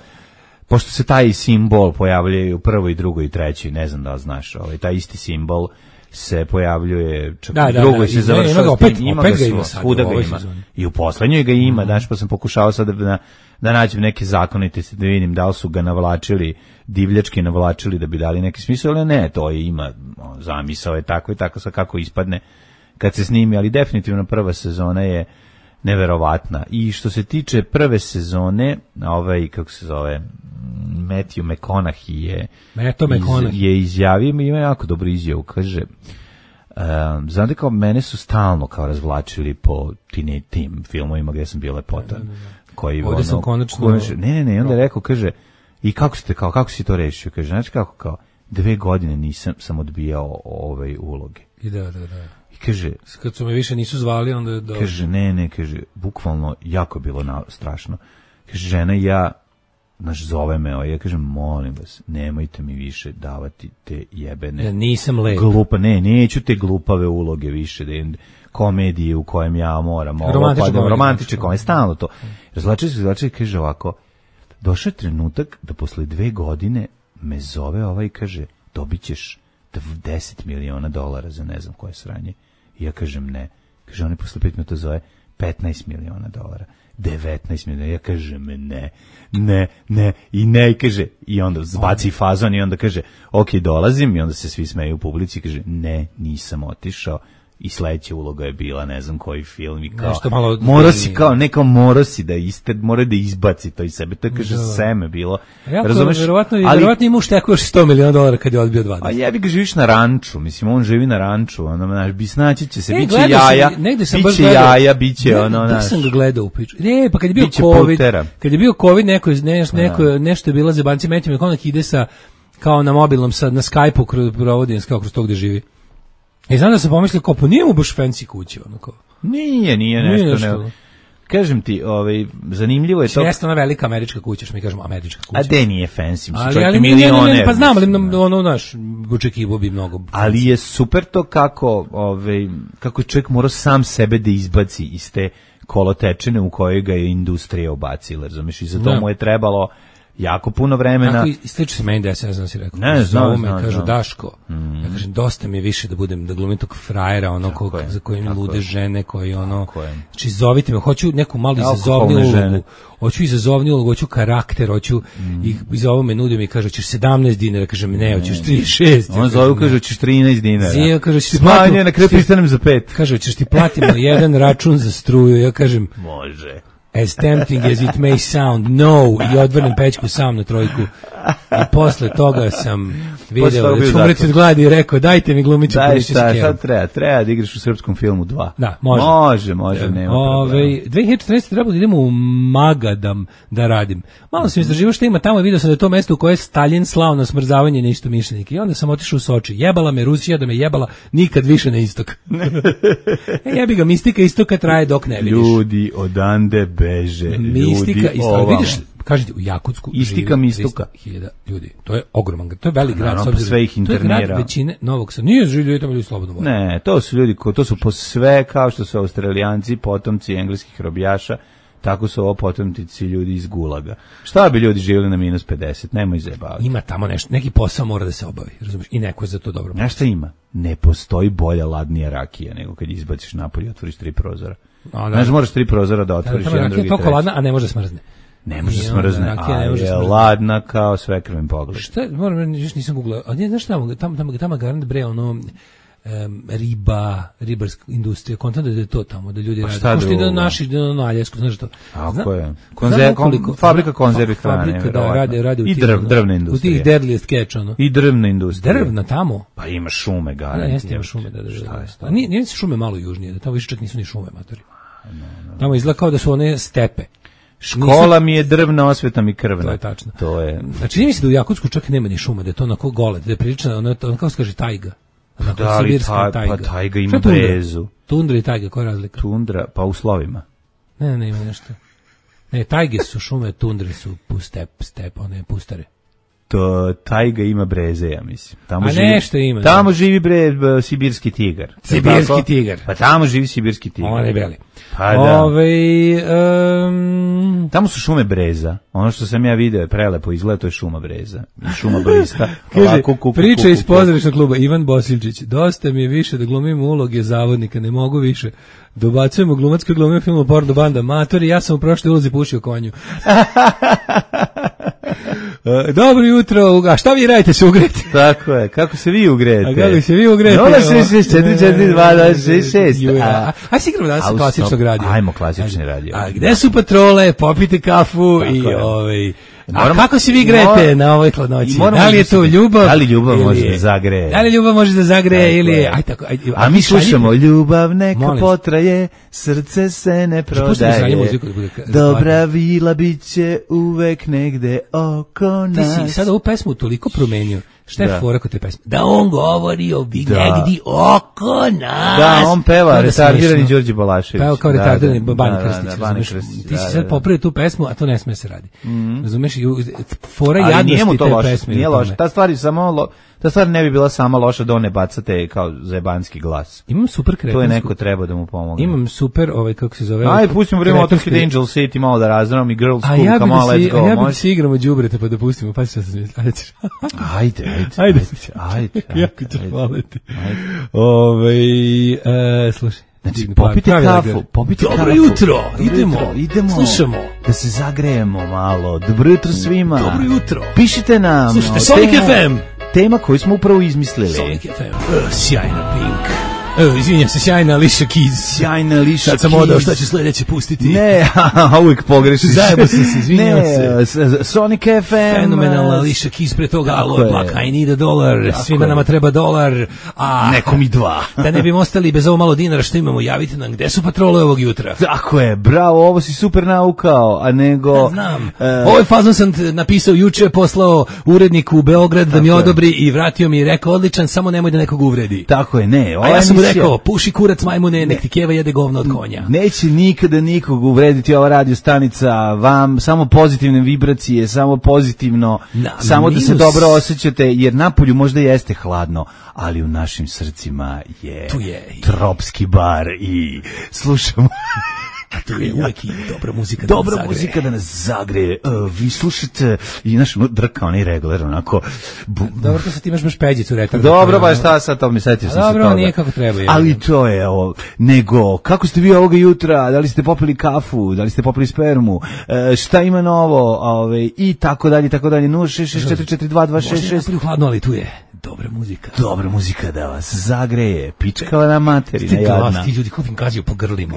F: pošto se taj simbol pojavljuje u prvoj, drugoj i trećoj, ne znam da li znaš, ovaj, taj isti simbol se pojavljuje čak
G: da,
F: u
G: da,
F: drugoj
G: da,
F: se
G: i,
F: završava,
G: ima ga opet,
F: ima
G: opet
F: ga,
G: ga ima
F: sad, svuda ga ima.
G: Sezoni.
F: I u poslednjoj ga ima,
G: mm.
F: daš, pa sam pokušao sad da, da nađem neke zakonitosti, da vidim da li su ga navlačili, divljački navlačili da bi dali neki smisao, ali ne, to je, ima, o, zamisao je tako i tako, sa kako ispadne kad se snimi, ali definitivno prva sezona je neverovatna. I što se tiče prve sezone, ovaj, kako se zove, Matthew McConaughey je, iz, je izjavio, ima jako dobru izjavu, kaže, um, znate kao, mene su stalno kao razvlačili po tine, tim filmovima gdje sam bio lepota.
G: Da, da, da.
F: Koji,
G: ovdje
F: ono,
G: sam konačno...
F: konačno... Ne, ne, ne, onda je rekao, kaže, i kako ste, kao, kako si to rešio? Kaže, znači kako, kao, dve godine nisam sam odbijao ove uloge.
G: I da, da, da.
F: I kaže...
G: Kad su me više nisu zvali, onda... Da...
F: Kaže, ne, ne, kaže, bukvalno jako je bilo na, strašno. Kaže, žena i ja, naš zove me, a ja kažem, molim vas, nemojte mi više davati te jebene...
G: Ja nisam lep.
F: Glupa, ne, neću te glupave uloge više, da je komedije u kojem ja moram...
G: Romantične komedije.
F: Romantične komedije, stalno to. Razlači se, razlači se, kaže ovako, došao je trenutak da posle dve godine me zove ovaj i kaže, dobit ćeš deset miliona dolara za ne znam koje sranje. I ja kažem ne. Kaže, on je posle pet minuta zove petnaest miliona dolara. devetnaest miliona. Ja kažem ne, ne, ne, i ne, i kaže, i onda zbaci fazon i onda kaže, ok, dolazim, i onda se svi smeju u publici i kaže, ne, nisam otišao. I sledeća uloga je bila, ne znam koji film, i kao,
G: malo...
F: mora si kao, neko mora si da iste, mora da izbaci to iz sebe, to je, kaže, seme bilo.
G: Jako, razumeš, verovatno, ali, verovatno ima uštekao još sto miliona dolara kad je odbio dvadeset.
F: A jebi ga, živiš na ranču, mislim, on živi na ranču, ono, znaš, bisnaći će se, e, biće jaja,
G: sam,
F: biće jaja, biće, ono,
G: znaš. Da sam ga gledao u piču. Ne, pa kad je bio COVID, putera. Kad je bio COVID, neko, neko, neko, nešto je bila zebanci, Matthew McConaughey ide sa, kao na mobilnom, sa, na Skype-u provodi, kao kroz to gde živi. I znam da sam pomislio, kao, pa nije mu baš fancy kuće, ono kao.
F: Nije, nije nešto, nije nešto. Ne. Kažem ti, ovaj, zanimljivo je to...
G: Jeste ona velika američka kuća, što mi kažemo američka kuća.
F: A de nije fancy, mislim,
G: ali,
F: čovjek
G: ali,
F: milioner.
G: Ne, ne, pa znam, ali ne. ono, naš, očekivo bi mnogo... Fancy.
F: Ali je super to kako, ovaj, kako je čovjek morao sam sebe da izbaci iz te kolotečine u kojoj ga je industrija obacila, razumiješ, i za to mu je trebalo... jako puno vremena.
G: Tako i slično se meni desi, ne znam si rekao.
F: Ne, znam,
G: me,
F: znam,
G: kažu,
F: znam.
G: Daško,
F: mm.
G: ja kažem, dosta mi je više da budem, da glumim tog frajera, ono, ko, za kojim lude žene, koji, ono, znači, zovite me, hoću neku malu izazovniju ulogu, hoću izazovniju ulogu, hoću karakter, hoću, mm. i izovu me nudio mi, kaže, hoćeš sedamnaest dinara, kažem, ne, hoćeš trideset šest.
F: On zove, kaže, hoćeš trinaest dinara.
G: Zio, kaže, ćeš ti
F: platim, na kraju pristanem za pet.
G: Kaže, hoćeš ti platimo jedan račun za struju, ja kažem,
F: može.
G: As tempting as it may sound, no, i odvrnem pećku sam na trojku. I posle toga sam video da ću umreti od gladi i rekao, dajte mi glumicu.
F: Daj šta, šta treba? Treba da igraš u srpskom filmu dva.
G: Da, može.
F: Može, može, nema problema.
G: dve hiljade četrnaeste. trebalo da idemo u Magadam da radim. Malo sam istraživao što ima tamo i vidio sam da je to mesto u koje je Stalin slao na smrzavanje neistomišljenike. I onda sam otišao u Soči. Jebala me Rusija da me jebala nikad više na istok. E, jebi ga, mistika istoka traje dok ne vidiš.
F: Ljudi odande beže.
G: Mistika istoka. Vidiš, kažete, u Jakutsku
F: Istika
G: živi
F: mistuka.
G: dvesta hiljada ljudi. To je ogroman grad. To je velik grad.
F: Naravno, sve ih internira.
G: To je grad većine Novog Sada. Nije živi ljudi tamo ljudi slobodno vole.
F: Ne, to su ljudi, to su po sve kao što su Australijanci, potomci engleskih robijaša, tako su ovo potomci ljudi iz Gulaga. Šta bi ljudi živjeli na minus pedeset? Nemoj zajebavati.
G: Ima tamo nešto, neki posao mora da se obavi, razumiješ? I neko je za to dobro.
F: Znaš šta ima? Ne postoji bolja, ladnija rakija nego kad izbaciš napolje i otvoriš tri prozora. Znaš, moraš tri prozora da otvoriš, jedan, drugi, treći.
G: Toliko ladna, a ne može smrzne.
F: Ne može smrzne, a je ladna kao svekrvim pogled.
G: Šta, moram, još nisam googlao, a ne, znaš tamo, tamo, tamo, tamo garant bre, ono, Um, riba, ribarska industrija, kontent da je to tamo, da ljudi rade.
F: Šta
G: drugo? Da naši, da na Aljesku, znaš što?
F: Tako je. Konzer, kon, fabrika konzervi hrane.
G: Fabrika, da, rade, rade u
F: I
G: tih,
F: drv, drvna industrija.
G: U tih deadliest catch, ono.
F: I drvna industrija.
G: Drvna tamo?
F: Pa ima šume, garant.
G: Ne, jeste ima šume, da, da, da. Šta je to? Nije, nije se šume malo južnije, da tamo više čak nisu ni šume, matori. Tamo izgleda kao da su one stepe.
F: Škola mi je drvna, osveta mi krvna.
G: To je tačno.
F: To je.
G: Znači, nije mi se da u Jakutsku čak nema ni šuma, da je to onako gole, da je prilično, ono, ono kao se kaže tajga.
F: Da li ta, tajga. Pa tajga ima brezu.
G: Tundra i tajga, koja je razlika?
F: Tundra, pa u slovima.
G: Ne, ne, ne, ima nešto. Ne, tajge su šume, tundre su step, step, one pustare.
F: To tajga ima breze, ja mislim. Tamo
G: A
F: živi,
G: nešto ima.
F: Tamo da. živi bre b, sibirski tigar.
G: Sibirski tigar.
F: Pa tamo živi sibirski tigar.
G: On je beli.
F: Pa da.
G: Ove, um...
F: Tamo su šume breza. Ono što sam ja video je prelepo izgleda, to je šuma breza. I šuma brista.
G: Kaže, priča iz pozorišnog kluba Ivan Bosilčić. Dosta mi je više da glumim uloge zavodnika, ne mogu više. Dobacujemo glumatske glume u filmu Porno banda. Matori, ja sam u prošloj ulozi pušio konju. Uh, dobro jutro, a šta vi radite, se ugrete?
F: Tako je, kako se vi ugrete?
G: A kako se vi ugrete?
F: nula šest šest četiri četiri dva dva šest šest.
G: A si igramo danas klasičnog radija.
F: Ajmo klasični radio.
G: A gde su patrole, popite kafu tako i ovaj... A kako se vi grete na ovoj hladnoći? Da li je to ljubav?
F: Da li ljubav može da zagreje?
G: Da li ljubav može da zagreje ili... Aj, tako, aj,
F: a mi slušamo ljubav neka potraje, srce se ne prodaje. Dobra vila bit će uvek negde oko nas.
G: Ti si sad ovu pesmu toliko promenio. Šta je da. fora kod te pesme? Da on govori o bi da. negdje oko nas.
F: Da, on peva, retardirani Đorđe Balašević.
G: Peva kao retardirani
F: da,
G: Bani
F: da,
G: Krstić.
F: Da, da, Bani Krstić.
G: Ti si sad popravio tu pesmu, a to ne sme se radi.
F: Mm.
G: Razumeš, fora jadnosti te
F: loše,
G: pesme.
F: Nije loše, ta stvar je samo... Lo, ta stvar ne bi bila sama loša da on ne bacate kao zajebanski glas.
G: Imam super kretansku.
F: To je neko treba da mu pomogne.
G: Imam super, ovaj, kako se zove...
F: Aj, pustimo vreme Otorskid Angel City malo da razdravom i Girls School,
G: ja
F: come on, let's go.
G: A ja bih da se igramo đubrete pa da pustimo, pa se sam ajde.
F: Ajde, ajde.
G: Ajde.
F: Ajde.
G: Jako ću hvaliti. Ovaj, e, slušaj.
F: Znači, popite kafu, popite kafu.
G: Dobro jutro, idemo,
F: idemo,
G: slušamo.
F: Da se zagrejemo malo. Dobro jutro svima.
G: Dobro jutro.
F: Pišite nam.
G: Slušajte, Sonic F M.
F: Tema koju smo upravo izmislili.
G: Sonic F M. Uh, sjajna Pink. Evo, izvinjam se, sjajna Alicia Keys.
F: Sjajna Alicia Keys.
G: Sad sam odao, šta će sledeće pustiti?
F: Ne, uvijek pogrešiš.
G: Zajebo sam se, izvinjam
F: ne, se. Sonic F M.
G: Fenomenalna Alicia Keys, pre toga Aloe Black, I need a dollar, tako svima je. Nama treba dolar. A,
F: nekom i dva.
G: Da ne bi ostali bez ovo malo dinara što imamo, javite nam gde su patrole ovog jutra.
F: Tako je, bravo, ovo si super naukao, a nego...
G: Ja znam, uh, ovaj fazon sam napisao juče, poslao uredniku u Beograd da mi odobri i vratio mi i rekao, odličan, samo nemoj da nekog uvredi.
F: Tako je, ne.
G: A ja sam mu rekao, puši kurac majmune, nek ti keva jede govno od konja.
F: Neće nikada nikog uvrediti ova radio stanica, vam samo pozitivne vibracije, samo pozitivno, na, samo minus. Da se dobro osjećate, jer napolju možda jeste hladno, ali u našim srcima je,
G: tu je
F: tropski bar i slušamo...
G: A tu je uvijek i dobra muzika
F: da dobra nas muzika da nas zagreje. Uh, vi slušate i naš drka onaj regler, onako... Bu,
G: dobro, to sad imaš baš peđicu retarda.
F: Dobro, ba šta sad, to mi setio sam se toga.
G: Dobro, nije kako treba. Je.
F: Ali to je ovo. Nego, kako ste vi ovoga jutra? Da li ste popili kafu? Da li ste popili spermu? Uh, šta ima novo? Ove, I tako dalje, tako dalje. nula šest šest četiri četiri dva dva šest šest.
G: Možda je hladno, ali tu je dobra muzika.
F: Dobra muzika da vas zagreje. Pičkala na materina jadna.
G: Ti ljudi kupim gađaju po grlima.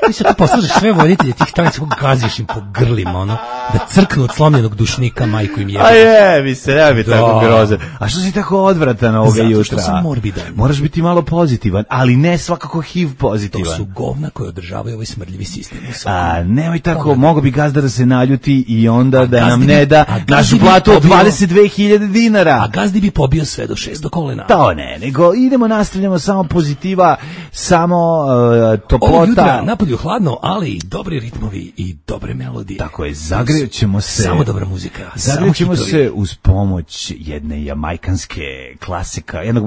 G: Ti se tu poslužeš sve voditelje tih stanica kako gaziš im po grlima, ono, da crknu od slomljenog dušnika, majku im jebe.
F: A je, mi se ne bi tako grozan. A što si tako odvratan ovoga
G: zato
F: jutra?
G: Zato što sam morbidan.
F: Moraš biti malo pozitivan, ali ne svakako H I V pozitivan.
G: To su govna koje održavaju ovaj smrdljivi sistem.
F: A nemoj tako, mogo bi gazda da se naljuti i onda a da nam ne bi, da našu platu od dvadeset dve hiljade dinara.
G: A gazdi bi pobio sve do šesto kolena.
F: To ne, nego idemo, nastavljamo samo pozitiva, samo uh, toplota.
G: Ovo jutra napolju hladno, ali dobri ritmovi i dobre melodije.
F: Tako je, zagrećemo se.
G: Samo dobra muzika.
F: Zagrećemo se uz pomoć jedne jamajkanske klasika, jednog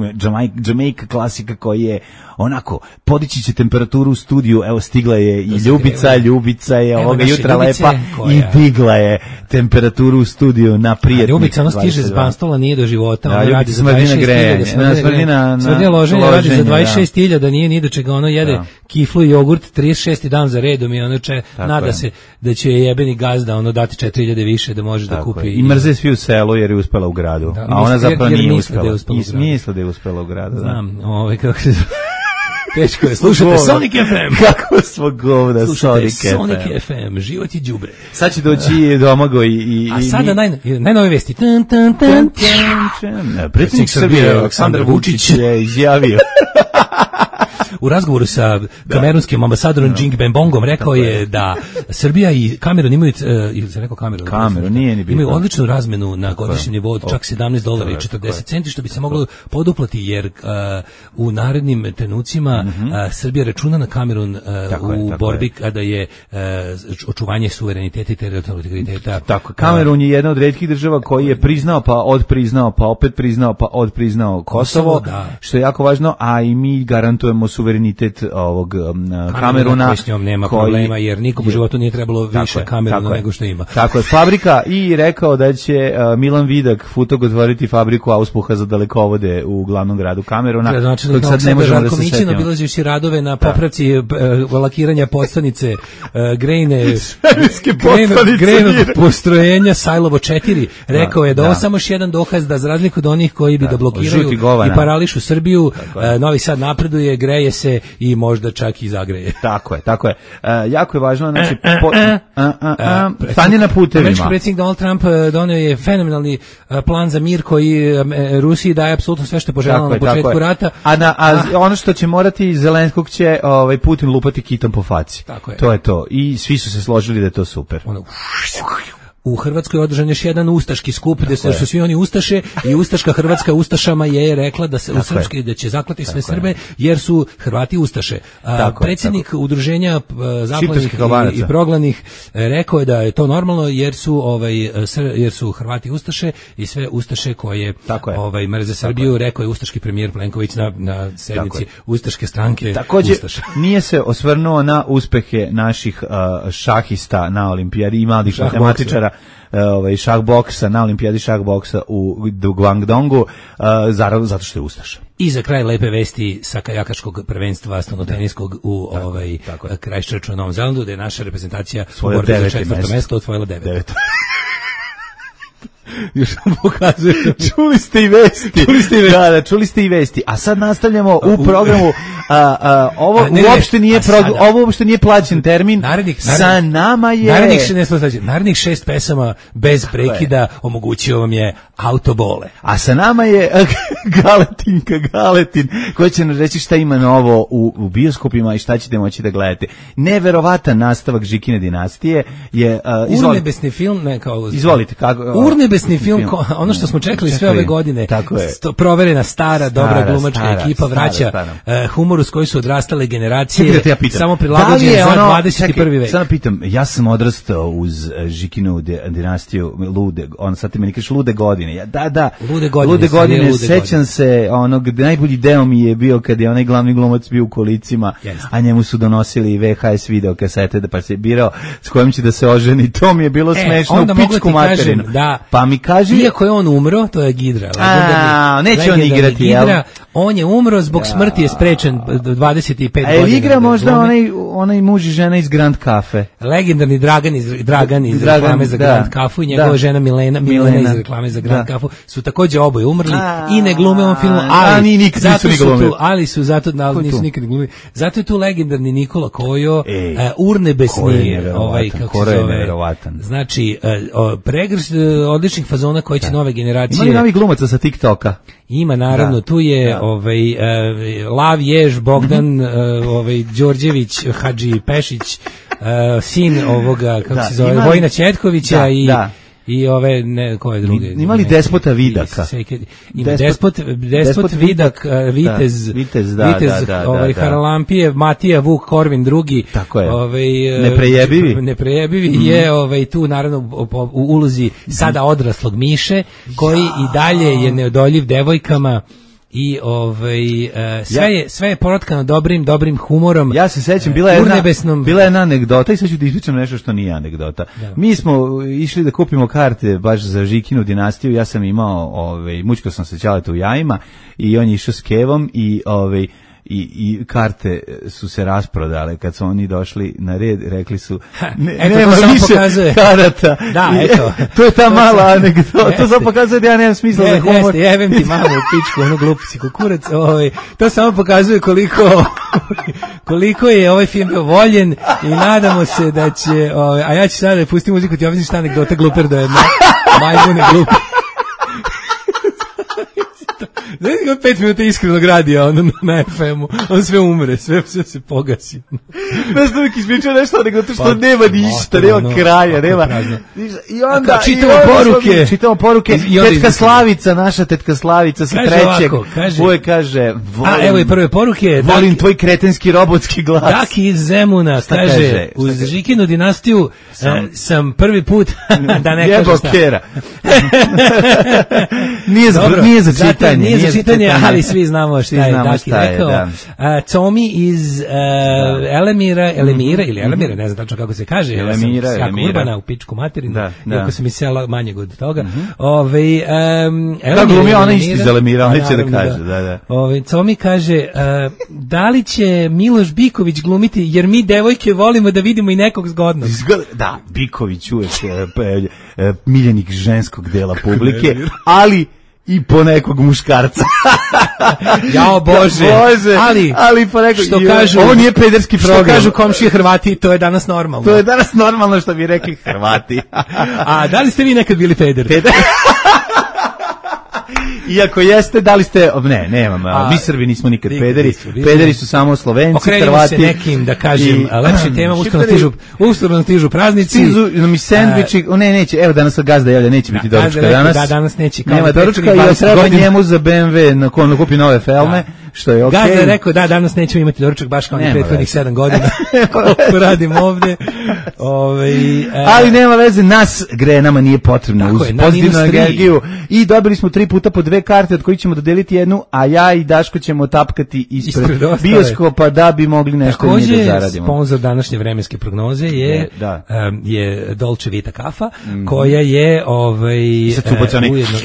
F: Jamaica klasika koji je onako, podići će temperaturu u studiju, evo stigla je i Ljubica, Ljubica je ovoga jutra lepa i digla je temperaturu u studiju na prijetnih.
G: Ljubica, ono stiže z Banstola, nije do života, ona radi za
F: dvadeset šest hiljada.
G: Smrdina loženja radi za dvadeset šest hiljada, nije ni do čega, ono jede kiflu i jogurt, trideset šesti dan za redom i ono če, nada je. se da će jebeni gazda ono dati četiri hiljade više da može tako da kupi.
F: Je. I mrze svi u selu jer je uspela u gradu, da, a ona zapravo jer, jer nije uspela. Da uspela I misle da je uspela u gradu.
G: Znam, ovaj kako se teško je. Slušajte Sonic F M.
F: Kako smo govna Sonic F M.
G: Sonic F M, život je đubre.
F: Sad će doći Domago i... i
G: A sada naj, najnove vesti. Tan, tan, tan, tan.
F: Predsjednik Srbije Aleksandar Vučić je izjavio...
G: U razgovoru sa kamerunskim ambasadorom Jing Bembongom rekao je da Srbija i Kamerun imaju, ili se rekao Kamerun,
F: Kamerun nije ni
G: imaju odličnu razmenu na godišnjem nivou od čak sedamnaest dolara i četrdeset centi, što bi se moglo poduplati, jer uh, u narednim trenucima uh, Srbija računa na Kamerun uh, u je, borbi je. kada je uh, očuvanje suvereniteta i teritorijalnog integriteta.
F: Tako, Kamerun je jedna od retkih država koji je priznao, pa odpriznao, pa opet priznao, pa odpriznao Kosovo, da. što je jako važno, a i mi garantujemo suverenitet ovog um, Kameruna
G: koji s njom nema koji, problema, jer nikom u životu nije trebalo više Kameruna nego što ima.
F: Tako je, fabrika i rekao da će uh, Milan Vidak Futog otvoriti fabriku auspuha za dalekovode u glavnom gradu Kameruna.
G: Da, znači da sad ne možemo da se setimo. Obilazivši radove na popravci uh, lakiranja postanice uh, grejne grejnog postrojenja Sajlovo četiri. Rekao je da, da ovo samo još jedan dokaz da za razliku od onih koji bi da, da blokiraju i parališu Srbiju, uh, Novi Sad napreduje, greje se i možda čak i zagreje.
F: Tako je, tako je. Uh, jako je važno, znači, po, uh, uh, uh, stanje na putevima.
G: Američki predsjednik Donald Trump donio je fenomenalni uh, plan za mir koji um, Rusiji daje apsolutno sve što je poželjeno na početku rata.
F: A, na, a, a ono što će morati Zelenskog će ovaj, Putin lupati kitom po faci.
G: Tako je.
F: To je to. I svi su se složili da je to super.
G: Ono, u Hrvatskoj je održan još jedan ustaški skup gde su svi oni ustaše i ustaška Hrvatska ustašama je rekla da se u srpski da će zaklati sve Srbe jer su Hrvati ustaše. A, predsjednik tako. udruženja zaklanih i, i proglanih rekao je da je to normalno jer su ovaj jer su Hrvati ustaše i sve ustaše koje ovaj mrze Srbiju, rekao je ustaški premijer Plenković na na sednici ustaške stranke.
F: Takođe nije se osvrnuo na uspehe naših uh, šahista na olimpijadi i mladih matematičara ovaj šah boksa na olimpijadi šah boksa u Guangdongu, uh, zato što je ustaša.
G: I za kraj lepe vesti sa kajakačkog prvenstva stolnoteniskog u tako, ovaj Christchurchu na Novom Zelandu, da je naša reprezentacija u borbi za četvrto mesto osvojila devet. devet.
F: Još vam pokazujem. Čuli ste i vesti. Čuli ste i vesti. Da, da, čuli ste i vesti. A sad nastavljamo u programu. A, a, ovo a, ne, uopšte nije prog, ovo uopšte nije plaćen termin.
G: Narednih,
F: sa nama je
G: narednih šest, narednih šest pesama bez tako prekida je. Omogućio vam je Autobole.
F: A sa nama je Galetinka Galetin koja će nam reći šta ima novo u, u bioskopima i šta ćete moći da gledate. Neverovatan nastavak Žikine dinastije je uh, izvolite.
G: Urnebesni film, ne kao
F: izvolite kako
G: Urnebesni film, film. Ko, ono što smo čekali sve ove godine. Tako je. Sto, proverena stara, stara dobra glumačka stara, ekipa vraća stara, stara. Uh, humor uz koji su odrastale generacije, ja samo prilagođen da za ono, dvadeset prvi vek.
F: Samo pitam, ja sam odrastao uz Žikinu dinastiju, lude, on sad ti meni kažeš lude godine. Ja, da, da,
G: lude godine,
F: lude godine lude sećam godine. se, onog, najbolji deo mi je bio kad je onaj glavni glumac bio u kolicima, yes. a njemu su donosili V H S video kasete da pa se birao s kojim će da se oženi. To mi je bilo e, smešno u pičku materinu.
G: Da,
F: pa mi kaži...
G: Iako je on umro, to je Gidra.
F: A, neće on igrati,
G: jel? On je umro, zbog ja. smrti je sprečen dvadeset pet godina.
F: A je igra možda onaj, onaj muž i žena iz Grand Cafe?
G: Legendarni Dragan iz, Dragan iz Dragan, reklame za da, Grand Cafu i njegova da. žena Milena, Milena, Milena iz reklame za Grand da. Cafu su takođe oboje umrli a, i ne glume ovom filmu, ali, a, ni, nikad zato su tu, ali su zato, ali nisu nikad glumili. Zato je tu legendarni Nikola Kojo, Ej, uh, urnebesni, ovaj, kako se zove, znači, uh, pregršt uh, odličnih fazona koji će da. nove generacije...
F: Ima li novi glumaca sa TikToka?
G: Ima, naravno, da. tu je da. ovaj uh, Lav Jež, Bogdan, uh, ovaj Đorđević, Hadži Pešić, uh, sin ovoga, kako da. se zove, Imali... Vojina Ćetkovića da, i da. i ove ne koje druge.
F: Ima li Despota Vidaka?
G: Ima Despot, Despot, Despot Vidak, uh, Vitez,
F: da, Vitez, da,
G: Vitez
F: da, da,
G: ovaj
F: da,
G: Haralampije, Matija Vuk Korvin drugi.
F: Tako je.
G: Ovaj
F: neprejebivi.
G: Neprejebivi mm. je ovaj tu naravno u ulozi sada odraslog Miše koji ja. i dalje je neodoljiv devojkama. I ovaj uh, sve ja. je sve je poratkano dobrim dobrim humorom.
F: Ja se sećam, bila je jedna bila je jedna anegdota i sad ću ti ispričam nešto što nije anegdota. Da. Mi smo išli da kupimo karte baš za Žikinu dinastiju. Ja sam imao ovaj mučko sam se ćaleta u jajima i on je išao s kevom i ovaj i, i karte su se rasprodale. Kad su oni došli na red, rekli su ne,
G: eto,
F: nema
G: to
F: više
G: pokazuje.
F: karata.
G: Da, eto.
F: To je ta mala anegdota. To samo pokazuje da ja nemam smisla
G: ne,
F: za humor.
G: Jeste, jebem ti mamu u pičku, ono glupici kukurac. Ovaj, to samo pokazuje koliko koliko je ovaj film bio voljen i nadamo se da će, ovaj, a ja ću sada da pustim muziku, ti objasnim šta anegdota gluper do jedna majmune glupi. Znaš kako pet minuta iskrenog radija ono, na ef emu, on sve umre, sve, sve se pogasi.
F: Znaš da uvijek ispričao nešto, nego to što pa, nema ništa, nema no, kraja, nema. I onda,
G: Ako, čitamo,
F: i onda
G: poruke.
F: čitamo poruke. I tetka Slavica, naša tetka Slavica sa
G: kaže
F: trećeg.
G: Ovako, kaže,
F: Uvijek kaže, volim,
G: a evo i prve poruke.
F: Volim
G: Daki,
F: tvoj kretenski robotski glas.
G: Daki iz Zemuna kaže, kaže uz Žikinu dinastiju sam, uh, sam prvi put, da ne kaže šta.
F: Kera. nije, za,
G: Dobro,
F: nije za čitanje.
G: Zato, nije, nije za čitanje, čitanje, ali svi znamo šta je Daki rekao.
F: Da.
G: Uh, Tomi iz uh, Elemira, Elemira ili Elemira, ne znam tačno kako se kaže.
F: Elemira,
G: ja sam
F: Elemira.
G: Urbana u pičku materinu,
F: da, da.
G: iako sam iz sela manjeg od toga. Mm-hmm. Ove, um,
F: da, glumi ona isti iz Elemira, on će da kaže. Da, da.
G: Ove, Tomi kaže, uh, da li će Miloš Biković glumiti, jer mi devojke volimo da vidimo i nekog zgodnog.
F: Da, Biković uvek je miljenik ženskog dela publike, ali i po nekog muškarca.
G: Jao Bože.
F: Bože.
G: Ali,
F: ali po nekog,
G: što kažu,
F: ovo nije pederski program.
G: Što kažu komšije Hrvati, to je danas normalno.
F: To je danas normalno što bi rekli Hrvati.
G: A da li ste vi nekad bili peder?
F: Peder. Iako jeste, da li ste, ne, nemam, a, mi Srbi nismo nikad pederi, pederi su samo Slovenci,
G: okrenimo
F: Hrvati.
G: Okrenimo se nekim, da kažem, i, lepše tema, uskoro stižu, uskoro stižu praznici.
F: Stižu mi sendviči, o ne, neće, evo danas gazda javlja, neće biti da, doručka danas.
G: Da, danas neće.
F: Nema doručka i treba godina. Njemu za be em ve na kojem kupi nove felme, da. Što je okej. Okay.
G: Gazda je rekao, da, danas nećemo imati doručak, baš kao ni prethodnih sedam godina, koliko radim ovde. Ove, e,
F: ali nema veze, nas gre, nama nije potrebno, uz je, pozitivnu energiju. I dobili smo tri puta po dve karte, od kojih ćemo dodeliti jednu, a ja i Daško ćemo tapkati ispred, ispred bioskopa da bi mogli nešto
G: takođe,
F: mi da zaradimo.
G: Sponsor današnje vremenske prognoze je, je,
F: da.
G: um, je Dolce Vita kafa, mm. koja je ovaj,
F: uh, ujedno...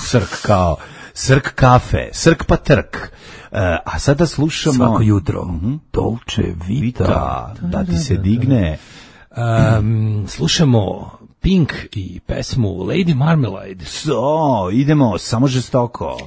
F: srk kao, srk kafe, srk pa trk. Uh, a sada slušamo
G: svako jutro
F: mm-hmm.
G: Dolce Vita,
F: Vita da ti se digne.
G: Um, slušamo Pink i pesmu Lady Marmalade.
F: So, idemo, samo žestoko.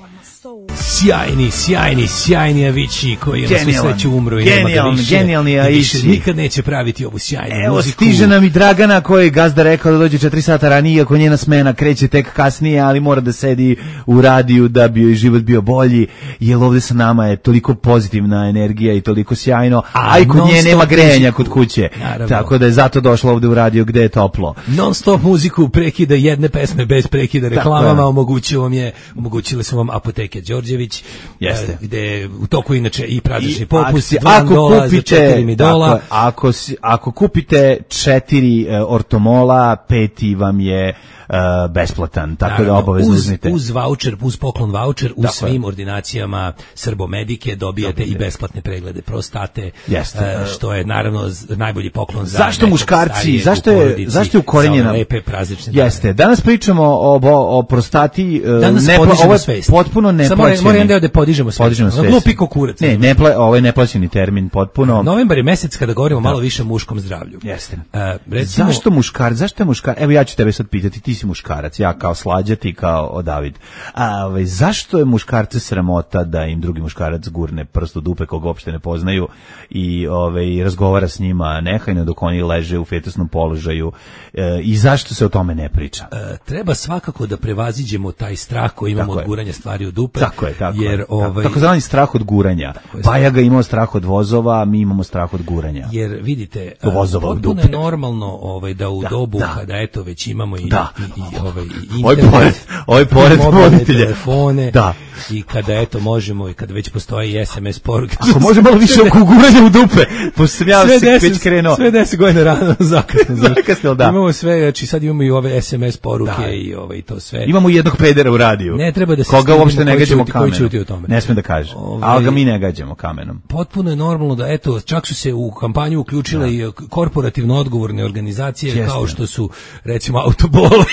G: Sjajni, sjajni, sjajni Avicii koji je na svu sreću umro i nema ga više.
F: Genijalni Avicii.
G: Nikad neće praviti ovu sjajnu
F: Evo,
G: muziku.
F: Evo, stiže nam i Dragana koji je gazda rekao da dođe četiri sata ranije, iako njena smena kreće tek kasnije, ali mora da sedi u radiju da bi joj život bio bolji, jer ovde sa nama je toliko pozitivna energija i toliko sjajno, a, a i kod nje nema grejanja kod kuće. Naravno. Tako da je zato došla ovde u radio gde je toplo.
G: Non stop muziku prekida jedne pesme bez prekida reklamama, omogućilo vam je, omogućile su vam Apoteke Đorđević,
F: jeste.
G: Gde u toku inače i praznični popust, dva dola za četiri midola.
F: Ako, ako kupite četiri uh, ortomola, peti vam je Uh, besplatan, tako naravno, da obavezno uzmite.
G: Uz voucher, uz poklon voucher, u svim ordinacijama Srbomedike dobijate Dobite. i besplatne preglede prostate,
F: Jeste.
G: Uh, što je naravno najbolji poklon za
F: zašto muškarci, zašto je, zašto je ukorenjena
G: lepe praznične
F: Jeste, dane. Danas pričamo o, o, o prostati,
G: danas
F: ne,
G: ovo je
F: svest. Potpuno neplaćeni.
G: Samo moram da podižemo svest. Podižemo svest. Glupi kukurac.
F: Ne, ne pla, ovo je neplaćeni termin, potpuno.
G: Novembar je mesec kada govorimo da. malo više o muškom zdravlju.
F: Jeste.
G: Uh, recimo,
F: zašto muškar, zašto je muškar? Evo ja ću tebe sad pitati, ti si muškarac, ja kao Slađa, ti kao o David. A ovaj, zašto je muškarce sramota da im drugi muškarac gurne prst u dupe koga uopšte ne poznaju i ovaj, razgovara s njima nehajno dok oni leže u fetusnom položaju e, i zašto se o tome ne priča?
G: E, treba svakako da prevaziđemo taj strah koji imamo tako od guranja stvari u dupe.
F: Tako je, tako
G: jer,
F: je.
G: Ovaj,
F: tako zvani strah od guranja. Bajaga imao strah od vozova, mi imamo strah od guranja.
G: Jer vidite,
F: potpuno
G: je normalno ovaj, da u da, dobu da. kada eto već imamo i,
F: da.
G: i, i ovaj,
F: Oj pored, oj pored voditelja.
G: Telefone.
F: Da.
G: I kada eto možemo i kada već postoji es em es poruke.
F: Ako može malo više oko guranja u dupe. Pošto sam ja se već krenuo.
G: Sve deset godina rano zakasno.
F: Zakasno, da.
G: Imamo sve, znači sad imamo i ove es em es poruke da. i ove i to sve.
F: Imamo jednog pedera u radiju.
G: Ne treba da se
F: koga uopšte ne gađamo kamenom.
G: Tome.
F: Ne smem da kažem. Ove, ali ga mi ne gađamo kamenom.
G: Potpuno je normalno da eto čak su se u kampanju uključile da. i korporativno odgovorne organizacije Česte. kao što su recimo Autobole.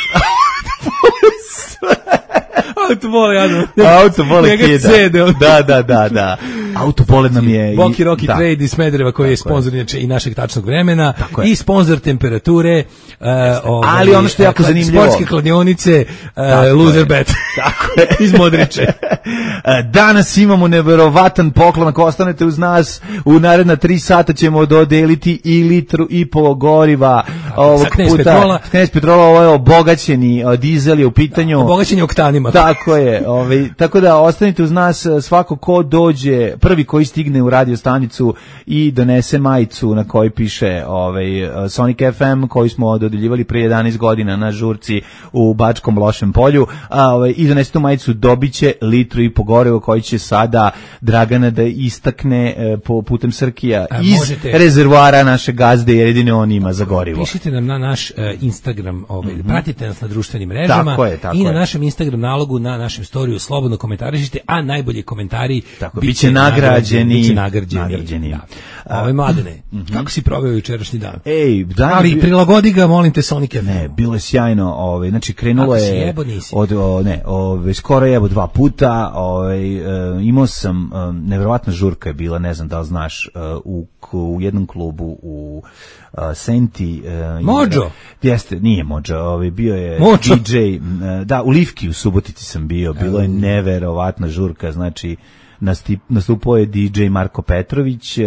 G: Autobole, ja.
F: Autobole kida. Da, da, da, da. Autobole nam je...
G: Boki Rocky da. Trade iz Smedereva koji tako je sponsor i našeg tačnog vremena i sponsor temperature. Uh, ovaj,
F: ali ono što je jako zanimljivo.
G: Sportske kladionice, uh, Loser Bet.
F: Tako je.
G: Iz Modriče.
F: Danas imamo neverovatan poklon, ako ostanete uz nas, u naredna tri sata ćemo dodeliti i litru i pol goriva ovog puta. Petrola. Knez Petrola, ovo je obogaćeni dizel je u pitanju.
G: Obogaćeni oktanima.
F: Tako je. Ovaj, tako da ostanite uz nas, svako ko dođe, prvi koji stigne u radio stanicu i donese majicu na kojoj piše ovaj, Sonic F M, koji smo dodeljivali prije jedanaest godina na žurci u Bačkom Lošem polju, a, ovaj, i donese tu majicu, dobiće litru i po goriva koji će sada Dragana da istakne e, po putem Srkija a, iz možete... rezervoara naše gazde, jer jedino on ima za gorivo.
G: Pišite nam na naš uh, Instagram, ovaj, mm-hmm. pratite nas na društvenim mrežama
F: tako je, tako
G: i na
F: je.
G: našem Instagram nalogu, na našem storiju slobodno komentarišite, a najbolji komentari
F: tako, biće, biće nagrađeni.
G: Biće nagrađeni.
F: nagrađeni.
G: Da. Ove Mladene, mm-hmm. kako si proveo jučerašnji dan?
F: Ej, dan
G: ali bi... prilagodi ga, molim te, Sonic F M.
F: Ne, bilo je sjajno, ovaj, znači krenulo je
G: jebo,
F: od o, ne, ovaj skoro jebo dva puta, ovaj e, imao sam e, neverovatna žurka je bila, ne znam da li znaš, e, u u jednom klubu u uh, Senti uh,
G: Mođo
F: jeste, nije Mođo, ovaj bio je
G: Mođo.
F: D J uh, da, u Livki u Subotici sam bio, bilo je neverovatna žurka, znači nastupao je D J Marko Petrović, uh,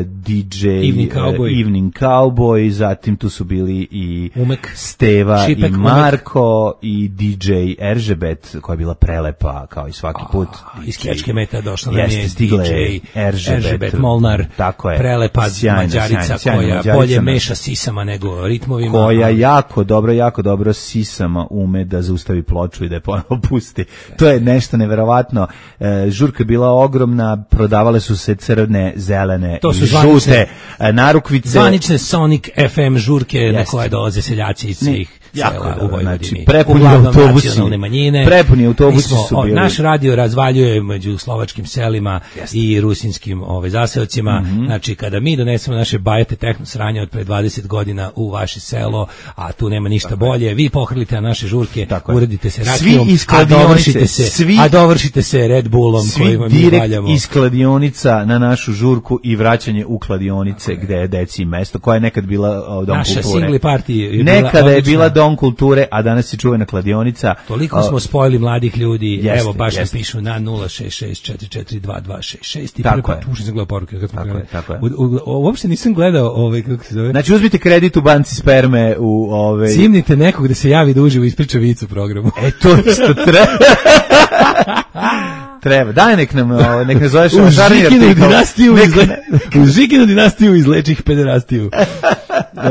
F: D J
G: Evening Cowboy.
F: Evening Cowboy, zatim tu su bili i
G: Umek.
F: Steva
G: Šipek,
F: i Marko Umek. I D J Eržebet koja je bila prelepa kao i svaki put.
G: A, iz Kečke Meta došla nam je
F: stigle
G: D J
F: Eržebet,
G: Eržebet Molnar,
F: tako je.
G: prelepa
F: sjajna,
G: Mađarica
F: sjajna, sjajna,
G: koja
F: Mađarica
G: bolje
F: na...
G: meša sisama nego ritmovima.
F: Koja jako dobro, jako dobro sisama ume da zaustavi ploču i da je ponovo pusti. To je nešto neverovatno. E, žurka je bila ogromna, prodavale su se crne, zelene
G: to
F: i
G: zvanične,
F: žute narukvice.
G: Zvanične Sonic F M žurke Jeste. Na koje dolaze seljaci iz svih sela u Vojvodini.
F: Znači, prepuni autobusi, prepuni autobusi su bili.
G: Naš radio razvaljuje među slovačkim selima Jeste. I rusinskim ovaj, zaseocima. Mm-hmm. Znači, kada mi donesemo naše bajete tehno sranje od pre dvadeset godina u vaše selo, a tu nema ništa Tako bolje, vi pohrlite na naše žurke, uredite se rakijom, a dovršite se, svi, a dovršite se Red Bullom kojima mi valjamo.
F: Svi iz kladionica na našu žurku i vraćanje u kladionice gde je deci mesto, koja je nekad bila o, dom
G: naša
F: kulture.
G: Naša singli party
F: nekada je bila dom kulture, a danas je čuvena kladionica.
G: Toliko smo spojili mladih ljudi, jeste, evo baš nas pišu na nula šest šest četiri četiri dva dva šest šest i prvi put pušim sam gledao poruke. Kad
F: tako je, tako je.
G: U, u, uopšte nisam gledao ovaj, kako se zove.
F: Znači uzmite kredit u banci sperme u ove...
G: Cimnite nekog da se javi da uživo ispriča vicu programu.
F: E to što treba. Treba. Daj nek nam, nek ne zoveš
G: u Žikinu dinastiju u Žikinu dinastiju izlečih pederastiju.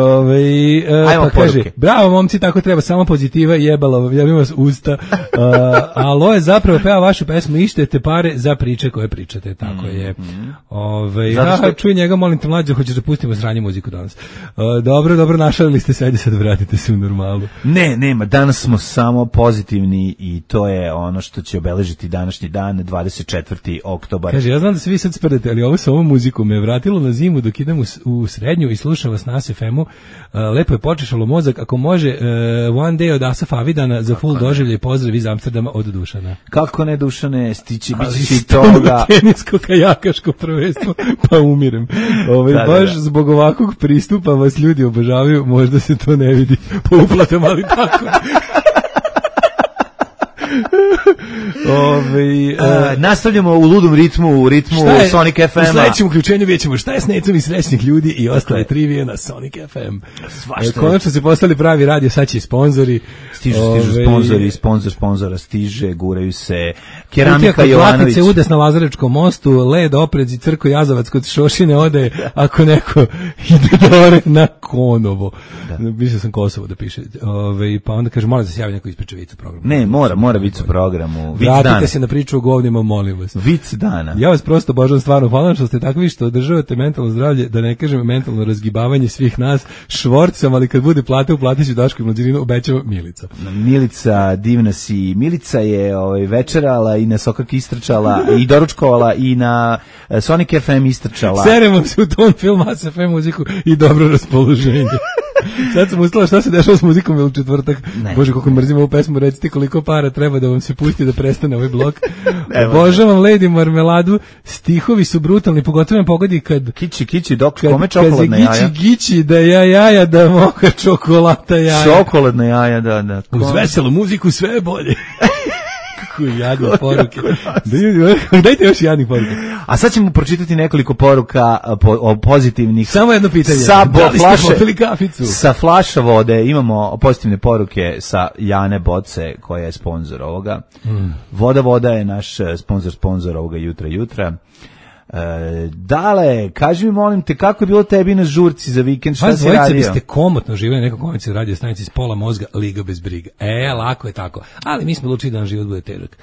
G: Ove, uh, pa kaže, bravo momci, tako treba, samo pozitiva i jebala, ja bih vas usta. Uh, alo je zapravo peva vašu pesmu, ištete pare za priče koje pričate, tako je. Ove, što... aha, čuj njega, molim te mlađe, hoćeš da pustimo sranje muziku danas. Uh, dobro, dobro, našalili ste se, ajde sad vratite se u normalu.
F: Ne, nema, danas smo samo pozitivni i to je ono što će obeležiti današnji dan, dvadeset četvrti oktobar.
G: Kaže, ja znam da se vi sad sprdete, ali ovo sa ovom muzikom me vratilo na zimu dok idem u, u srednju i slušam vas na F M-u. Uh, lepo je počešalo mozak, ako može uh, One Day od Asaf Avidana za full doživlje i pozdrav iz Amsterdama od Dušana.
F: Kako ne, Dušane, stići biće i toga.
G: Tenisko kajakaško prvenstvo, pa umirem. Ove, da, baš da, da. Zbog ovakvog pristupa vas ljudi obožavaju, možda se to ne vidi po uplatama, ali tako. Ove, uh,
F: nastavljamo u ludom ritmu, u ritmu je, Sonic F M-a.
G: U sledećem uključenju vidjet ćemo šta je s necom i srećnih ljudi i ostale trivije na Sonic F M. E, konačno se postali pravi radio, sad će i sponzori.
F: Stižu, stižu Ove, sponzori, sponzor sponzora stiže, guraju se Keramika Jovanović.
G: Se udes na Lazarečkom mostu, led oprezi Crko Jazavac kod Šošine ode, ako neko ide dore na Konovo. Mislio sam Kosovo da piše. Ove, pa onda kaže, moram da se javi neko ispriča vicu programu.
F: Ne, mora, mora vicu programu. Vic
G: Vratite
F: dana.
G: Se na priču o govnima, molim vas.
F: Vic dana.
G: Ja vas prosto božam stvarno, hvala što ste takvi što održavate mentalno zdravlje, da ne kažem mentalno razgibavanje svih nas švorcom, ali kad bude plate, uplatit ću Daško i Mlađaninu, obećava Milica.
F: Milica, divna si. Milica je ovaj, večerala i na Sokak istrčala i doručkovala i na Sonic F M istrčala.
G: Seremo se u ton film, A S F M muziku i dobro raspoloženje. Sad sam ustala šta se dešava s muzikom u četvrtak.
F: Ne.
G: Bože, koliko mrzim ovu pesmu, recite koliko para treba da vam se pusti da prestane ovaj blok. Obožavam Lady Marmeladu, stihovi su brutalni, pogotovo me pogodi kad...
F: Kići, kići, dok,
G: kad,
F: kome čokoladna
G: kad
F: jaja?
G: Gići, gići, da ja jaja, da moka čokolata jaja.
F: Čokoladna jaja, da, da.
G: Uz veselu muziku sve je bolje. Kako jadne poruke. Dajte još jadnih poruka.
F: A sad ćemo pročitati nekoliko poruka po, o pozitivnih.
G: Samo jedno pitanje.
F: Sa bo,
G: da li
F: flaše,
G: ste popili kaficu?
F: Sa flaša vode imamo pozitivne poruke sa Jane Boce, koja je sponsor ovoga. Mm. Voda Voda je naš sponsor, sponsor ovoga Jutra Jutra. E, dale, kaži mi molim te kako je bilo tebi na žurci za vikend, šta si radio?
G: Biste komotno živjeli neko komici radio stanici s pola mozga, liga bez briga. E, lako je tako. Ali mi smo odlučili da nam život bude težak.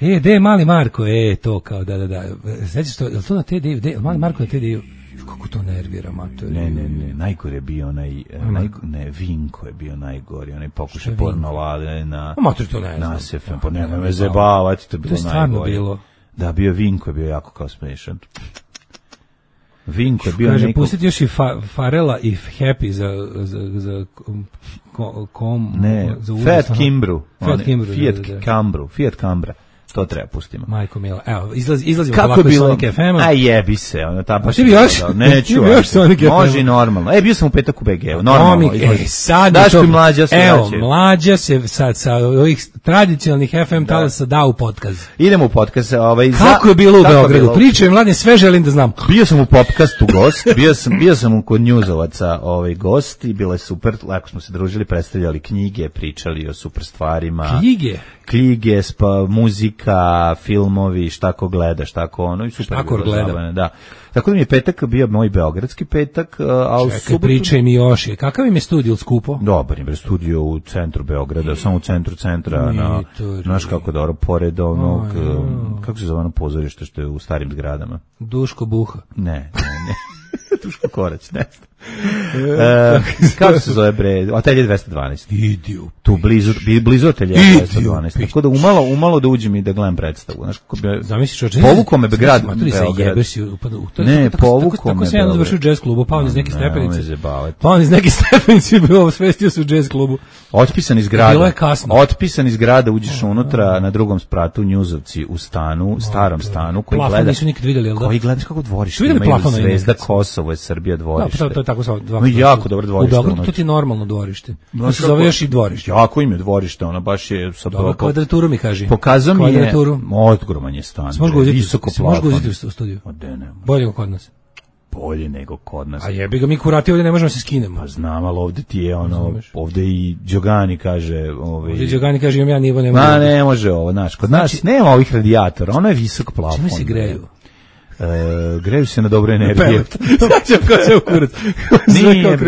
G: E, de mali Marko, e, to kao, da, da, da. Sećaš to, je li to na te de, de, mali Marko na te de, kako to nervira, mater.
F: Ne, ne, ne, najgore je bio onaj, naj, ne, Vinko je bio najgori, onaj pokušaj pornovade na...
G: Mater, to ne znam.
F: Na Sefem, pa nema me zebavati, to je bilo najgore.
G: To je stvarno bilo.
F: Da, bio Vinko je bio jako kao smešan. Vinko je bio
G: Kaže,
F: neko...
G: pustiti još i fa, Farela i Happy za, za, za kom... kom
F: ne,
G: za
F: Fiat Kimbru.
G: Fiat Kimbru.
F: Fiat
G: da, da, da.
F: Cambru, Fiat Cambra. To treba pustimo.
G: Majko mila. Evo, izlaz, izlazimo
F: kako
G: polako iz
F: bilo?
G: Sonic F M-a.
F: Aj jebi se, ono ta pa.
G: Ti bi još?
F: Neću.
G: Ti bi još Sonic F M-a.
F: Može normalno. E, bio sam u petak u B G-u, normalno.
G: Komik, e, sad
F: Daško i Mlađa se
G: Evo,
F: vraćaju.
G: Mlađa se sad sa ovih tradicionalnih F M talasa da u podcast.
F: Idemo u podcast. Ovaj,
G: kako je bilo u Beogradu? Pričaj, mladine, sve želim da znam.
F: Bio sam u podcastu gost, bio sam, bio sam kod Njuzovaca ovaj, gost i bilo je super, lako smo se družili, predstavljali knjige, pričali o super stvarima.
G: Knjige?
F: Knjige, spa, muzika, filmovi, šta ko gleda, šta ko ono. I super,
G: šta ko gleda?
F: Da. Tako da mi je petak bio moj beogradski petak, a u subotu...
G: Pričaj mi još je. Kakav im je studio skupo?
F: Dobar im je studio u centru Beograda, samo u centru centra, na, znaš kako dobro, pored onog, oh, kako se zove ono pozorište što je u starim zgradama?
G: Duško Buha.
F: Ne, ne, ne. Duško Korać, ne znam. E, kako se zove bre? Atelje dvesta dvanaest.
G: Idio.
F: Tu blizu, blizu Atelje dvesta dvanaest. Tako da umalo, umalo da uđem i da gledam predstavu. Znaš kako bi...
G: Zamisliš oče.
F: Povuko me grad Beograd. Ne, povuko me.
G: Tako se jedan završio u jazz klubu, pa on iz neke stepenice.
F: Pa
G: on iz neke stepenice bio osvestio se u jazz klubu.
F: Otpisan iz grada.
G: Bilo je kasno.
F: Otpisan iz grada, uđeš unutra na drugom spratu Njuzovci u stanu, starom stanu koji gleda.
G: Nisu nikad videli, jel da?
F: Koji gledaš kako dvorište imaju Zvezda Kosovo je Srbija dvorište.
G: To je tako samo dva.
F: No, jako dobro dvorište.
G: U Beogradu to ti je normalno dvorište. To se zove još i dvorište.
F: Jako im je dvorište, ono baš je sa
G: dobro kvadraturu mi kaže.
F: Pokazao mi je ogroman je stan.
G: Može ga uzeti,
F: visoko plafon.
G: Može ga uzeti u studiju. Bolje nego kod nas.
F: Bolje nego kod nas.
G: A jebi ga, mi kurati ovdje ne možemo se skinemo.
F: Pa znam, ali ovdje ti je ono, ovdje i Đogani kaže... Ovaj,
G: ovdje Đogani kaže imam ja nivo, ne može.
F: Ma ne može ovo, znaš, kod znači, nas nema ovih radijatora, ono je visok plafon.
G: Čime se greju?
F: E, greju se na dobro energije.
G: Znači, ko se u kurac.
F: Nije,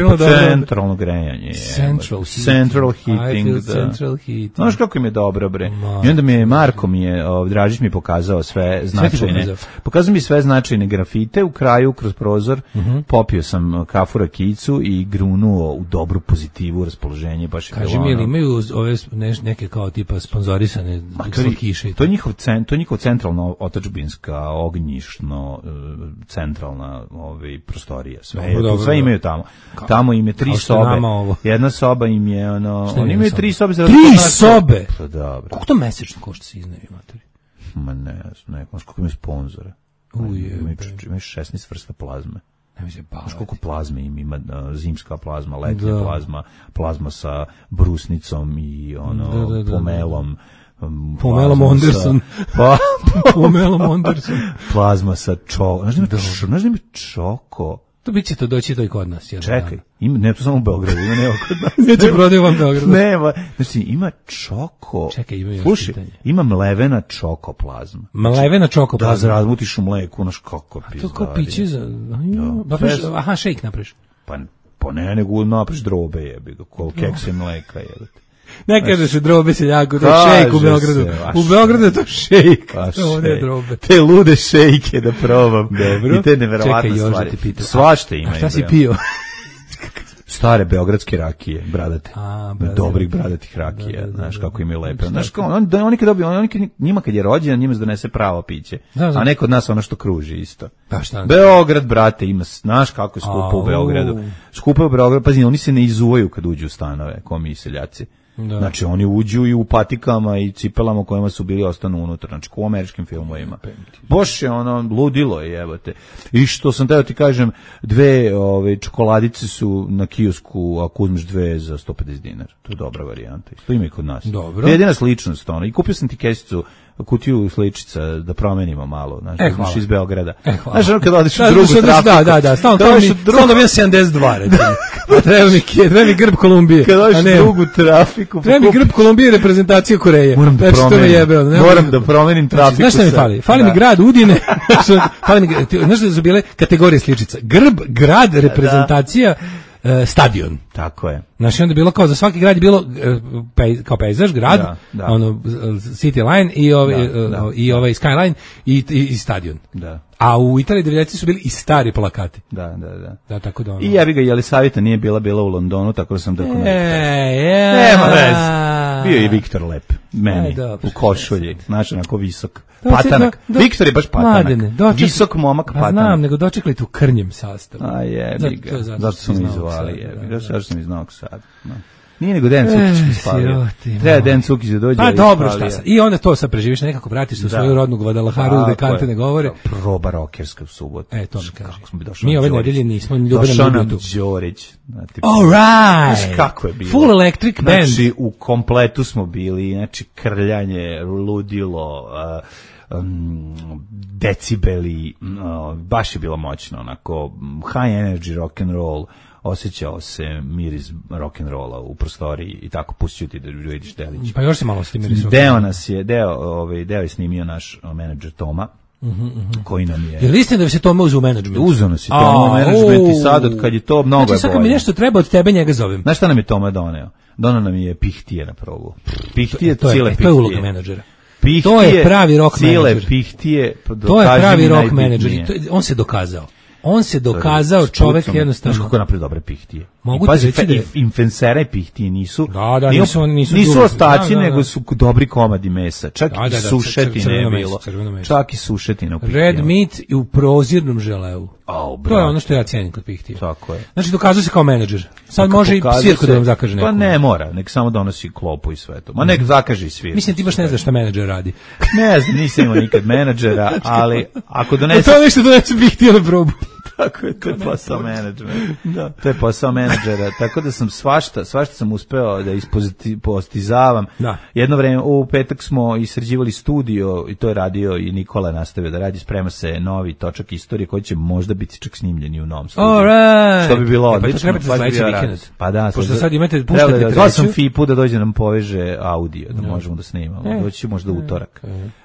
F: centralno grejanje.
G: Central
F: heating. Central heating, da.
G: Central heating.
F: Znaš kako im je dobro, bre. I onda mi je, Marko mi je, Dražić mi je pokazao sve značajne. Pokazao mi sve značajne grafite u kraju, kroz prozor. Popio sam kafu rakicu i grunuo u dobru pozitivu, raspoloženje. Baš je
G: kaži mi, jel imaju ove neke kao tipa sponzorisane kiše?
F: To je njihov, to je njihov centralno otadžbinska, ognjišno centralna ovaj prostorija, sve dobro, dobro, sve imaju tamo. Kao, tamo im je tri sobe. Jedna soba im je ono, oni imaju tri sobe za
G: tri sobe.
F: Pa dobro.
G: Koliko to mesečno košta se iznajmi, matori?
F: Ma ne, ne, znaš koliko imaju sponzora.
G: Uje,
F: imaju šesnaest vrsta plazme.
G: Ne mi se baviti.
F: Znaš koliko plazme im ima, zimska plazma, letnja da. plazma, plazma sa brusnicom i ono, da, da, da, pomelom.
G: Um, Pomelom Anderson.
F: Pa,
G: Pomelom Anderson.
F: Plazma sa čoko. Znaš da ima čoko?
G: To bit će to doći to i kod nas.
F: Čekaj, ima, ne to samo u Beogradu, ima nema kod nas.
G: Neće prodaju vam Beogradu.
F: Nema, znači ima čoko.
G: Čekaj, ima još
F: Slušaj,
G: pitanje.
F: Ima mlevena čoko plazma.
G: Mlevena čoko plazma?
F: Da, zarazmutiš u mleku, naš kako
G: pizda. A to kao piće za... Da, preš, aha, šejk napriš.
F: Pa, pa ne, nego napriš drobe jebi ga, kol keksa i mleka jebate.
G: Ne kažeš drobe seljako, to je šejk u Beogradu. Se, u Beogradu je to šejk. To ne drobe.
F: Te lude šejke da probam. Dobro. I te neverovatne stvari. Svašta ima.
G: A šta si pio?
F: Stare beogradske rakije, bradate.
G: A, bradate.
F: Dobrih bradatih rakija,
G: Da, da, da,
F: znaš
G: da.
F: kako im je lepo. Znaš kao, on, da, oni kad dobiju, oni kad, njima kad je rođendan, njima se donese pravo piće.
G: Da, da.
F: A neko od nas ono što kruži isto.
G: Pa šta?
F: Beograd, brate, ima, znaš kako je skupo u
G: Au.
F: Beogradu. Skupo je u Beogradu, pazi, oni se ne izuvaju kad uđu u stanove, ko mi seljaci.
G: Da.
F: Znači, oni uđu i u patikama i cipelama u kojima su bili ostanu unutra, znači, ko u američkim filmovima. Boš je ono, ludilo je, jebote. I što sam teo ti kažem, dve ove, čokoladice su na kiosku, ako uzmeš dve za sto pedeset dinara. To je dobra varijanta. To ima i kod nas.
G: Dobro.
F: To je jedina sličnost, ono. I kupio sam ti kesicu, kutiju sličica da promenimo malo, znači,
G: E,
F: da
G: hvala.
F: iz Beograda.
G: E, hvala.
F: Znaš, ono kad odeš u
G: Da,
F: drugu
G: da,
F: trafiku.
G: Da, da, da, stalno
F: kad
G: to
F: odeš
G: mi,
F: u drugu-
G: stalno bio sedamdeset dva, recimo. A treba mi, treba mi grb Kolumbije.
F: Kad odeš
G: a
F: u
G: ne,
F: drugu trafiku.
G: treba mi
F: kupi-
G: grb Kolumbije i reprezentacija Koreje.
F: Moram da
G: Znači, to me
F: promenim.
G: jebe, ono, ne
F: Moram
G: mogu-
F: da promenim
G: Znači,
F: trafiku.
G: znaš šta mi
F: sad.
G: fali? Fali
F: Da.
G: mi grad Udine. Fali mi, ti- znaš da su bile kategorije sličica? Grb, grad, reprezentacija, e, stadion.
F: Tako je.
G: Znači, onda je bilo kao za svaki grad je bilo e, pej, kao pejzaž, grad,
F: Da, da.
G: ono, City Line i ovaj,
F: Da,
G: e,
F: da.
G: i ovaj Skyline i, i, i stadion.
F: Da.
G: A u Italiji devedesetih su bili i stari plakati.
F: Da, da, da.
G: Da, tako da ono.
F: I ja bi ga, Jelisavita nije bila bila u Londonu, tako da sam da
G: E,
F: konekta.
G: ja.
F: Nema veze. Bio je i Viktor lep, meni,
G: Aj, dobro,
F: u košulji, znaš, onako visok.
G: Da, se-
F: Patanak.
G: do- do-
F: Viktor je baš patanak.
G: Mladene, dočekaj-
F: Visok momak
G: Pa
F: patanak.
G: znam, nego dočekali tu krnjem sastavu.
F: A jebi
G: Zato-
F: ga,
G: to je zato
F: zato
G: što
F: su
G: si
F: mi
G: iz Novog
F: zvali,
G: Sada,
F: jebi
G: da,
F: ga,
G: da.
F: zato što sam iz Novog Sada. No. Nije nego Dejan Cukić mi spalio.
G: siroti,
F: Treba
G: moj.
F: Dejan Cukić da dođe.
G: Pa
F: ali
G: dobro,
F: spalio.
G: šta sad? I onda to sad preživiš, nekako vratiš se u
F: Da.
G: svoju rodnu Guadalajaru,
F: Tako
G: gde kante
F: je.
G: ne govore.
F: Proba rokerska u subotu.
G: E, to mi
F: Kako
G: kaži.
F: smo bi došli
G: Mi
F: na
G: ove
F: Đorić.
G: nedelje nismo, Ljubena
F: Došao
G: nam
F: nam
G: ljubio tu.
F: Đorić. Znate,
G: All right.
F: Znaš kako je bilo?
G: Full electric band.
F: Znači, u kompletu smo bili, znači, krljanje, ludilo, uh, um, decibeli, uh, baš je bilo moćno, onako, high energy rock and roll, osjećao se miris rock and rolla u prostoriji i tako pustit ću ti da vidiš delić.
G: Pa još se malo s tim mirisom.
F: Deo nas je, deo, ovaj, deo je snimio naš uh, menadžer Toma, koji nam je...
G: Jel istina da se to uze u menadžment?
F: Uzeo nas je
G: A,
F: Toma u menadžment i
G: u.
F: sad od kad je to mnogo
G: Znači,
F: je
G: sad kad mi
F: bolje.
G: nešto treba od tebe, njega zovem.
F: Znaš šta nam je Toma doneo? Doneo nam je pihtije na probu. Pihtije,
G: To je,
F: cile
G: e,
F: pihtije.
G: to je uloga menadžera.
F: Pihtije,
G: To je pravi rock
F: cile
G: menadžer.
F: pihtije, pa
G: To je
F: dokaži
G: pravi
F: mi
G: rock
F: najbitnije.
G: menadžer. i to je- On se dokazao. On se dokazao
F: S
G: čovek
F: pucom.
G: jednostavno.
F: Znaš kako napravi dobre pihtije?
G: Mogu
F: I
G: ti
F: pazi,
G: reći
F: fe-
G: da je-
F: i infensere pihtije nisu,
G: Da, da,
F: nije-
G: nisu oni- nisu
F: nisu
G: dugo.
F: ostaci,
G: Da, da, da.
F: nego su dobri komadi mesa. Čak
G: Da, da,
F: i
G: da,
F: sušetine
G: crveno
F: je
G: meso,
F: bilo.
G: crveno meso.
F: Čak i sušetina u pihtijama.
G: Red meat i u prozirnom želeu.
F: Au,
G: To je
F: bravo.
G: ono što ja cijenim kod pihtije.
F: Tako je.
G: Znači, dokazao se kao menadžer. Sad
F: Kako
G: može i
F: pokazuje
G: svirku da
F: se-
G: vam zakaže neku.
F: Pa ne mora, nek samo donosi klopu i sve to. Ma nek zakaže i svirku.
G: Mislim, ti baš ne znaš šta menadžer radi.
F: Ne znam, nisam imao nikad menadžera, ali ako
G: A
F: donese...
G: to je nešto donese pihtije na probu.
F: Tako je, to je posao menadžera. Da. To je posao menadžera. Tako da sam svašta, svašta sam uspeo da ispoziti- postizavam.
G: Da.
F: Jedno vreme, u petak smo isređivali studio i to je radio i Nikola nastavio da radi. Sprema se novi točak istorije koji će možda biti čak snimljeni u novom studiju.
G: All right.
F: Što bi bilo
G: E, pa to
F: odlično.
G: trebate za
F: baš bi
G: sledeći
F: bio
G: vikend.
F: radost. Pa da.
G: Pošto
F: sad-
G: sad imate-
F: treba
G: puštate
F: da- Zvao sam
G: treću.
F: Fipu da dođe da nam poveže audio, da možemo da snimamo.
G: E.
F: Doći će možda utorak.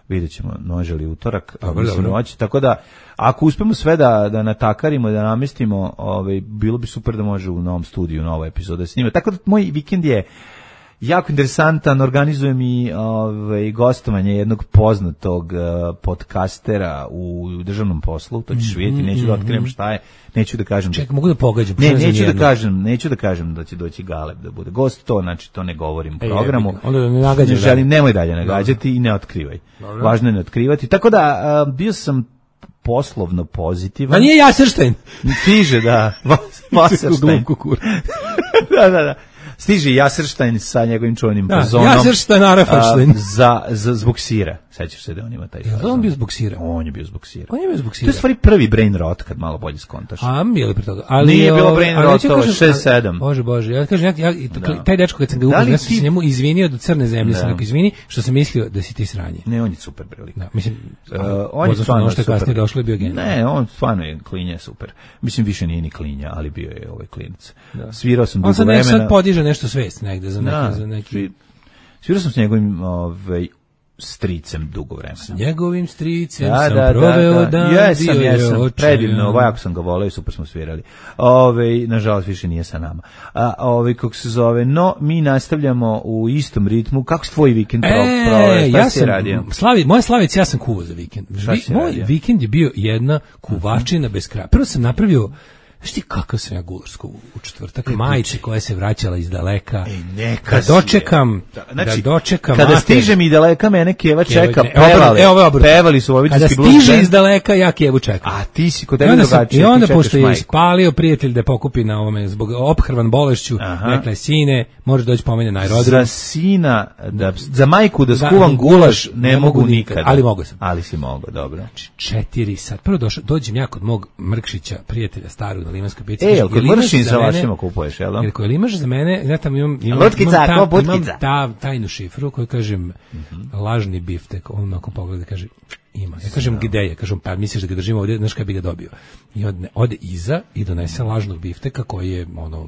F: Vidjet ćemo, može li utorak.
G: Dobro,
F: mislim,
G: dobro.
F: hoće. Tako da, ako uspemo sve da, da natakarimo, da namestimo, ovaj, bilo bi super da može u novom studiju nova epizoda da snima. Tako da moj vikend je jako interesantan, organizujem i ovaj, gostovanje jednog poznatog uh, podcastera u državnom poslu, to ćeš vidjeti, neću da otkrijem šta je, neću da kažem...
G: Čekaj, mogu da pogađam.
F: Ne,
G: šta ne znam
F: neću da
G: nijedno.
F: kažem, neću da kažem da će doći Galeb da bude gost, to znači to ne govorim u
G: E,
F: programu.
G: jebi ga. Onda da ne nagađaš
F: Ne
G: dalje.
F: želim, nemoj dalje nagađati i ne otkrivaj. Važno je ne otkrivati. Tako da a, bio sam poslovno pozitivan.
G: A nije Jaserštajn.
F: Stiže, da. Wasserstein.
G: Glumku kur.
F: da, da, da. Stiže Jaserštajn sa njegovim čuvenim
G: Da,
F: fazonom.
G: Jaserštajn, Arafaštajn.
F: a, za, za, zbog sira. Sećaš se da on ima taj
G: Jel
F: fazon?
G: on bio zbog sira?
F: On je bio zbog sira.
G: On je bio zbog
F: To
G: sira.
F: je stvari prvi brain rot kad malo bolje skontaš.
G: A, bilo je pre toga. Ali,
F: Nije bilo
G: ovaj,
F: brain
G: ali neću
F: rotova,
G: kažem-
F: šest sedam.
G: Bože, bože. Ja kažem, ja, ja,
F: Da.
G: taj dečko kad sam ga
F: Da li
G: upoznao, ja sam
F: ti-
G: se njemu izvinio do crne zemlje, sam
F: Da.
G: rekao, izvini, što sam mislio da si ti sranje.
F: Ne, on je super bre lik.
G: Da, mislim,
F: Uh, on je
G: odnosno
F: stvarno
G: ono što je
F: super.
G: kasnije došlo je bio genij.
F: Ne, on stvarno je klinja super. Mislim, više nije ni klinja, ali bio je ovaj klinac. Svirao sam dugo
G: On sad, nek,
F: vremena.
G: sad podiže nešto svest negde za neki...
F: Da,
G: za neki...
F: svi- Svirao sam s njegovim ovaj, stricem dugo vremena.
G: Njegovim stricem
F: Da,
G: sam
F: da,
G: proveo
F: da, da.
G: dan,
F: Jesam,
G: bio je
F: jesam,
G: očajan.
F: predivno, ovako sam ga voleo i super smo svirali. Ove, nažalost, više nije sa nama. A, ove, kako se zove, no, mi nastavljamo u istom ritmu. Kako si tvoj vikend pro, proveo?
G: E,
F: Šta
G: ja
F: si
G: sam,
F: radio?
G: Slavi, moja Slavic, ja sam kuvao za vikend.
F: Šta
G: Vi,
F: si
G: moj
F: radio?
G: vikend je bio jedna kuvačina bez kraja. Prvo sam napravio Znaš ti kakav sam ja gularsko u četvrtak, majice koja se vraćala iz daleka.
F: Ej, neka
G: da dočekam,
F: da, znači,
G: da dočekam.
F: Kada
G: mater,
F: stižem i daleka, mene Keva čeka,
G: ne,
F: pevali,
G: evo, evo,
F: pevali su vojvođanski blues.
G: Kada stiže iz daleka, ja Kevu čekam.
F: A ti si kod
G: I
F: tebe
G: onda, sam,
F: drugačije.
G: I onda pošto je ispalio prijatelj da pokupi na ovome, zbog ophrvan bolešću, rekla je, sine, možeš doći po mene na aerodrom.
F: Za sina, da, za majku da skuvam da, gulaš, ne, ne mogu nikada.
G: Ali mogu sam.
F: Ali si mogao, dobro.
G: Znači, četiri sat. Prvo došao, dođem ja kod mog Mrkšića, prijatelja starog na Limanskoj pici.
F: E, kod Mrkšića za vašima kupuješ, jel da?
G: Jer koji imaš za mene, ja tam imam, imam,
F: Lutkica,
G: imam, ta,
F: imam
G: ta, tajnu šifru koju kažem, mm-hmm. lažni biftek, on ako pogleda kaže, ima. Ja kažem, gde je? Kažem, pa misliš da ga držimo ovdje, znaš kada bi ga dobio. I ode, ode iza i donese lažnog bifteka koji je ono,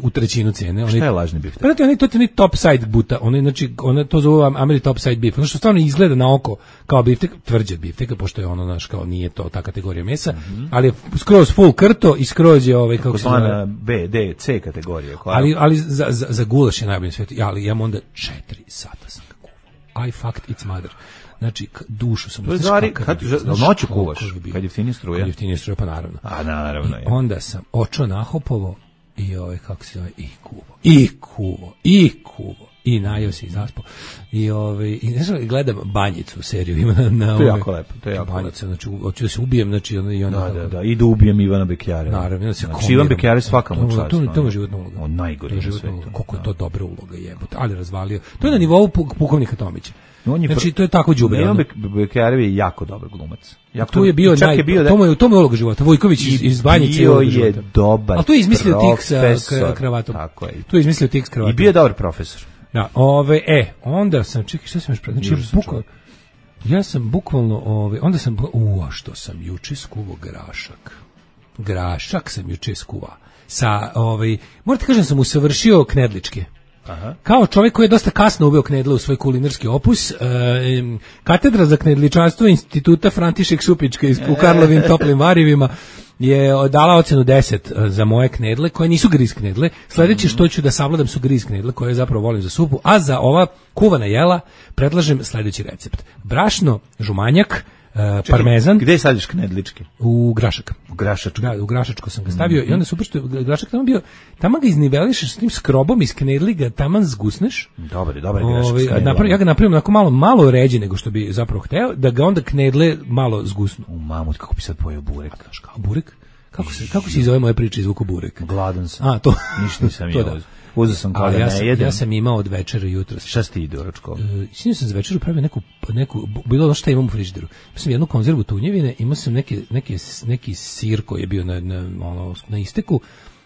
G: u trećinu cijene.
F: Šta je lažni biftek?
G: Pa to je to je top side buta, oni znači ona to zove Ameri top side beef. Ono što stvarno izgleda na oko kao biftek, tvrđi od bifteka, pošto je ono naš kao nije to ta kategorija mesa, mm-hmm. ali je skroz full krto i skroz je ovaj kako se zove
F: B, D, C kategorije. Koja?
G: Ali ali za za, za gulaš je najbolji na svijetu. Ali ja onda četiri sata sam ga kuvao. I fucked its mother. Znači, dušu sam...
F: To je stvari, kad noću kuvaš, kad je ftini struje?
G: Kad je ftini struje, pa naravno.
F: A, naravno.
G: I onda sam očo nahopovo i ovaj, kako se zove, i kuvo, i kuvo, i kuvo, i najeo se i zaspao. I, ovaj, i ne znam, gledam Banjicu seriju, ima na... na
F: to je jako lepo, to je jako
G: Banjica, znači, hoću da se ubijem, znači, ona... I ona
F: da, da, da, i da ubijem Ivana Bekjara.
G: Naravno, da se
F: znači, Ivan Bekjara svaka mu čast.
G: To, to je životna uloga.
F: On najgori na svetu.
G: Koliko je to dobra uloga, jebote, ali razvalio. To je na nivou pukovnika Tomića.
F: On je
G: znači, to je tako đubre.
F: Ivan Bekjara je jako dobar glumac.
G: Jako tu je bio, naj, je bio da... to mu je, to mu je uloga života. Vojković iz, iz Banjice
F: bio je dobar.
G: A tu je izmislio tik sa kravatom.
F: Tako je.
G: Tu je izmislio tik s kravatom.
F: I bio je dobar profesor.
G: Da, ove, e, onda sam, čekaj, šta sam još pre... Znači, bukvalno, ja sam bukvalno, ove, onda sam, u, a što sam juče skuvao grašak. Grašak sam juče skuvao. Sa, ovaj, morate kažem, sam usavršio knedličke. Aha. Kao čovjek koji je dosta kasno uveo knedle u svoj kulinarski opus, e, katedra za knedličanstvo Instituta František Supička u Karlovim toplim varivima je dala ocenu deset za moje knedle, koje nisu griz knedle. Sljedeće što ću da savladam su griz knedle, koje zapravo volim za supu, a za ova kuvana jela predlažem sljedeći recept. Brašno, žumanjak, Uh, parmezan.
F: Gde sadiš knedličke?
G: U grašak.
F: U grašačku.
G: Da, u grašačko sam ga stavio mm-hmm. i onda super što grašak tamo bio, tamo ga iznivelišeš s tim skrobom iz knedli, ga taman zgusneš.
F: Dobar, dobar grašak.
G: Ove, napravi, ja ga napravim onako malo, malo ređe nego što bi zapravo hteo, da ga onda knedle malo zgusnu.
F: U mamut, kako bi sad pojeo burek?
G: Kao burek? Kako se, kako se izove moje priče izvuku burek?
F: Gladan sam.
G: A, to.
F: Ništa nisam jeo. Uzeo sam kao da
G: ja
F: ne
G: sam,
F: jedem.
G: Ja sam imao od večera jutros.
F: Šta si ti ide u ručku?
G: Uh, Sinoć sam za večeru pravio neku, neku bilo ono što imam u frižideru. Imao sam jednu konzervu tunjevine, imao sam neki, neki, neki sir koji je bio na, na, ono, na isteku,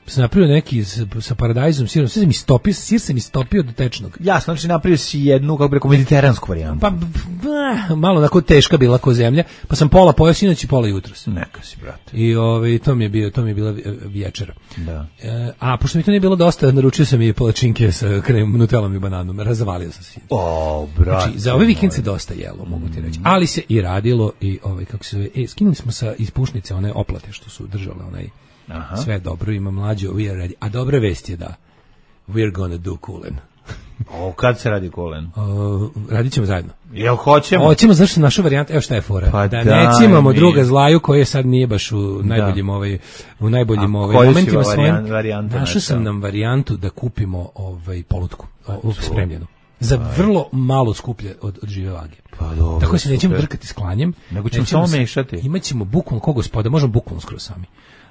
G: sam napravio neki sa paradajzom, sirom, sve sam istopio, sir sam istopio do tečnog.
F: Jasno, znači napravio si jednu, kako bi rekao, mediteransku varijantu.
G: Pa, bah, malo onako teška bila ko zemlja, pa sam pola pojeo sinoć i pola jutros.
F: Neka si, brate.
G: I ovaj, to mi je bio, to mi je bila večera.
F: Da.
G: E, a pošto mi to nije bilo dosta, naručio sam i palačinke sa krem, nutelom i bananom, razvalio sam se.
F: O, brate.
G: Znači, za ovaj vikend se dosta jelo, mogu ti reći. Ali se i radilo i ovaj, kako se zove, e, skinuli smo sa ispušnice one oplate što su držale onaj. Aha. Sve dobro, ima mlađo, we are ready. A dobra vest je da we're gonna do kulen.
F: O, kad se radi kulen?
G: Uh, radit ćemo zajedno.
F: Jel hoćemo?
G: Hoćemo, zašto naša varijanta, evo šta je fora.
F: Pa
G: da ne cimamo druga zlaju koje sad nije baš u najboljim, ovaj, u najboljim ovaj, momentima svojim. Našao sam nam varijantu da kupimo ovaj, polutku, ovaj, spremljenu. Za vrlo malo skuplje od, od žive vage.
F: Pa dobro,
G: tako se nećemo drkati s klanjem.
F: Nego ćemo samo mešati.
G: Imaćemo bukvalno ko gospoda, možemo bukvalno skoro sami.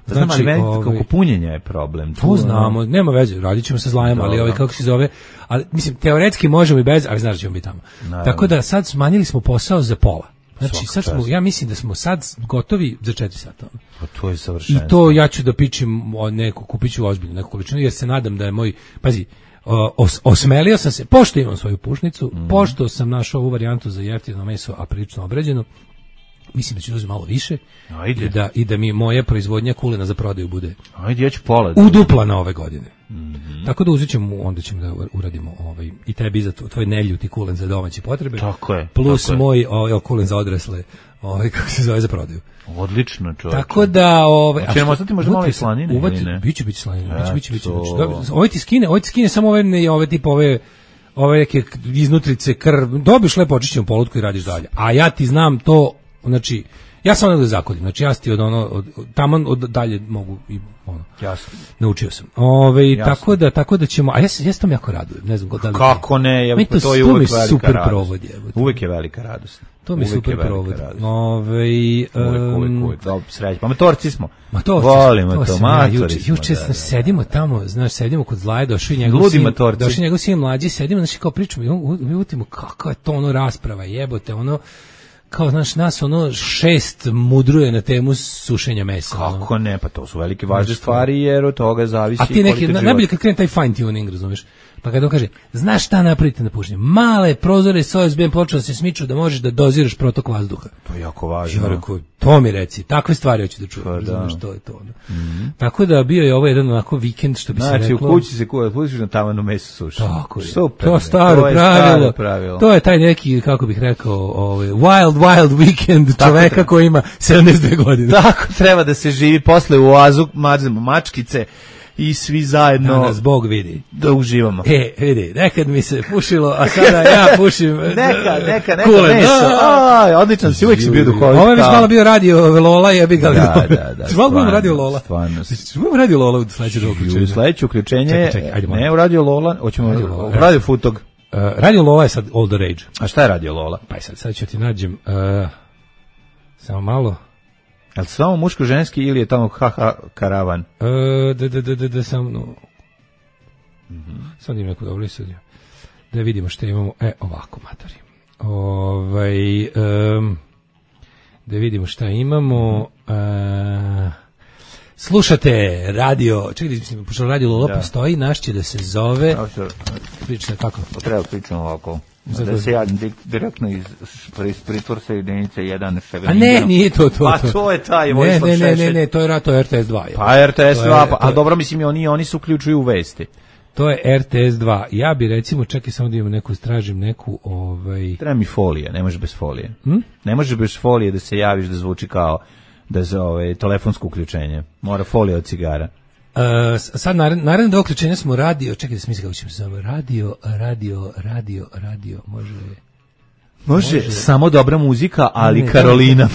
F: Znači, znam, ali ovaj, kako punjenje je problem.
G: To znamo, nema veze, radit ćemo se zlajama, ali ovaj, kako se zove, ali mislim, teoretski možemo i bez, ali znaš da ćemo biti tamo. Naravno. Tako da sad smanjili smo posao za pola. Znači, sad smo, ja mislim da smo sad gotovi za četiri sata.
F: Pa to je savršenstvo.
G: I to ja ću da pičim neku, kupit ću ozbiljnu neku količinu, jer se nadam da je moj, pazi, Os, osmelio sam se, pošto imam svoju pušnicu, mm. pošto sam našao ovu varijantu za jeftino meso, a prilično obređeno, mislim da ću uzeti malo više.
F: Ajde.
G: I da, i da mi moja proizvodnja kulena za prodaju bude.
F: Ajde, ja ću pola.
G: Udupla na ove godine.
F: Mm-hmm.
G: Tako da uzet ćemo, onda ćemo da uradimo ovaj, i tebi za tvoj neljuti kulen za domaće potrebe.
F: Tako je.
G: Plus
F: tako
G: moj ovaj, kulen za odrasle, ovaj, kako se zove, za prodaju.
F: Odlično, čovječe.
G: Tako da, ovaj,
F: ćemo ostati možda malo i slanine,
G: uvati, ne? Biće, biće slanine, biće, biće, biće. Ovo ti skine, ovo ti skine samo ove, ne, ove tip, ove, ove neke iznutrice, krv, dobiš lepo očišćenu polutku i radiš dalje. A ja ti znam to, znači, Ja sam ono da zakodim, znači ja ti od ono, od, od, tamo od dalje mogu i ono.
F: Jasno.
G: Naučio sam. Ove, tako da, tako da ćemo, a ja se ja sam jako radujem, ne znam da li.
F: Kako ne, je,
G: to,
F: to je uvek velika
G: super
F: radost.
G: provod je.
F: Uvek je velika radost.
G: To mi uvek super provod. Ove,
F: uvek, uvek, uvek, dobro, srećno. Pa matorci smo.
G: Matorci.
F: Volimo to, to matori.
G: Juče, juče da, da, da. sedimo tamo, znaš, sedimo kod Zlaje, došao i njegov sin, došao njegov sin mlađi, sedimo, znači kao pričamo i mi utimo kakva je to ono rasprava, jebote, ono kao, znaš, nas ono šest mudruje na temu sušenja mesa.
F: Kako
G: ono.
F: ne, pa to su velike važne stvari, jer od toga zavisi.
G: A ti neki, na, najbolje kad krene taj fine tuning, razumiješ? Pa kada on kaže, znaš šta napravite na pušenje? Male prozore s O S B-em počeo da se smiču da možeš da doziraš protok vazduha.
F: To je jako važno.
G: Ja rekao, to mi reci, takve stvari hoću da čujem, pa, razumiješ, to je to. Mm-hmm. Tako da bio je ovo jedan onako vikend, što bi
F: znači,
G: se reklo.
F: Znači, u kući se kuva, pustiš na tavanu meso suši.
G: Tako je.
F: Super.
G: To staro,
F: to je
G: pravilo.
F: staro pravilo.
G: To je taj neki, kako bih rekao, ovaj, wild, wild weekend čoveka treba. Koji ima sedamdeset dve godine.
F: Tako treba da se živi posle u oazu, mazemo mačkice, i svi zajedno
G: da nas Bog vidi
F: da uživamo.
G: E, vidi, nekad mi se pušilo, a sada ja pušim
F: neka, neka, neka
G: kule,
F: meso. Aj, odličan si, uvijek si bio duhovit.
G: Ovo je već malo bio radio Lola, jebi ga.
F: Da, da, da.
G: Stvarno radio Lola.
F: Stvarno.
G: Stvarno radio Lola u sledećem uključenju.
F: U sledeće uključenje,
G: čekaj, čekaj, ajde,
F: ne u radio Lola, hoćemo radio, Lola, radio Futog.
G: Uh, radio Lola je sad all the rage.
F: A šta je radio Lola?
G: Pa sad, sad ću ti nađem, uh, samo malo.
F: Je li samo muško-ženski ili je tamo haha karavan?
G: Uh, da, da, da, da, da, sam, no. Mm-hmm. Sad im neko dobro sudio. Da vidimo što imamo. E, ovako, matori. Ovaj, um, da vidimo šta imamo. Uh, slušate radio, čekaj, mislim, pošto radio Lola da. Postoji, naš će da se zove... Priča, kako?
F: Treba pričamo ovako. Zato da se ja direktno iz pritvorsa jedinice jedan
G: A ne, nije to to.
F: Pa to je taj
G: Vojislav Šešelj. Ne, ne, ne, ne, to je, to je R T S dva.
F: Pa R T S dva, pa, a dobro, mislim, oni, oni se uključuju u vesti.
G: To je R T S dva. Ja bi recimo, čekaj samo da imam neku, stražim neku... Ovaj...
F: Treba mi folija, ne može bez folije.
G: Hm?
F: Ne može bez folije da se javiš da zvuči kao da za ovaj, telefonsko uključenje. Mora folija od cigara.
G: Uh, sad naredno do uključenja smo radio, čekaj da smislim kako ćemo se zove, radio, radio, radio, radio, može...
F: Može, može samo dobra muzika, ali ne, Karolina.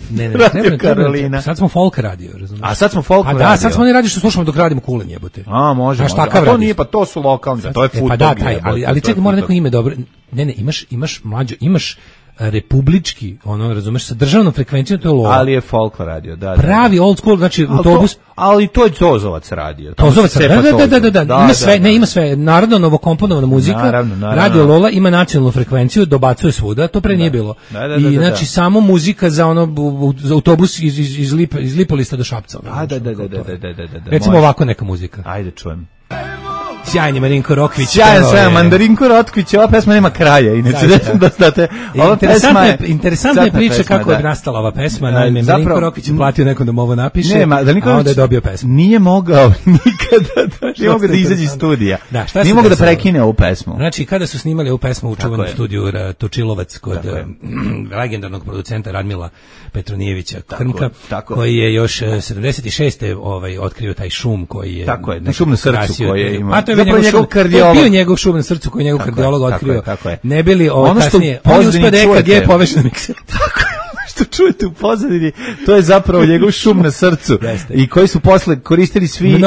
G: Ne, ne, ne, ne, Karolina. Sad smo folk radio, razumiješ?
F: A sad smo folk radio.
G: A da, sad smo ne radio što slušamo dok radimo kulen, jebote.
F: A, može, može. A to nije, pa to su lokalni, to je Futog.
G: E, pa da, taj, ali, ali čekaj, mora neko ime dobro. Ne, ne, imaš, imaš mlađo, imaš republički, ono, razumeš, sa državnom frekvencijom, to je Lola.
F: Ali je folk radio, da.
G: Pravi old school, znači
F: ali
G: autobus.
F: To, ali to je Tozovac radio.
G: Tozovac, da, da, da, da, da, da, ima sve, ne, ima sve, narodno novokomponovana muzika,
F: naravno, naravno.
G: Radio Lola ima nacionalnu frekvenciju, dobacuje svuda, to pre nije bilo.
F: Da, da, da, da,
G: I znači samo muzika za ono, za autobus iz, iz, iz, Lip, iz Lipolista do Šapca.
F: Da, da, da, da, da, da, da, da.
G: Recimo ovako neka muzika.
F: Ajde, čujem.
G: Sjajni Marinko Rokvić.
F: Sjajan sve, Mandarinko Rokvić, ova pesma nema kraja, inače da znate. Ova pesma je
G: interesantna je priča pesma, kako da. Je nastala ova pesma, naime Marinko Rokvić je platio nekom da mu ovo napiše, nema, da a onda je dobio pesmu.
F: Nije mogao nikada da, nije mogao da izađe iz studija. Da, šta nije mogao da prekine ovu pesmu.
G: Znači, kada su snimali ovu pesmu u čuvenom studiju Točilovac kod legendarnog producenta Radmila Petronijevića Krmka, koji je još sedamdeset šeste ovaj otkrio taj šum koji je
F: tako je, šum na srcu koji je imao.
G: To je njegov kardiolog. Bio njegov šum na srcu koji je njegov kardiolog otkrio.
F: Tako je,
G: ne bili ovo kasnije. On uspio da E K G poveže na mikser.
F: Tako je, što čujete u pozadini, to je zapravo njegov šum na srcu.
G: Jeste.
F: I koji su posle koristili svi, um,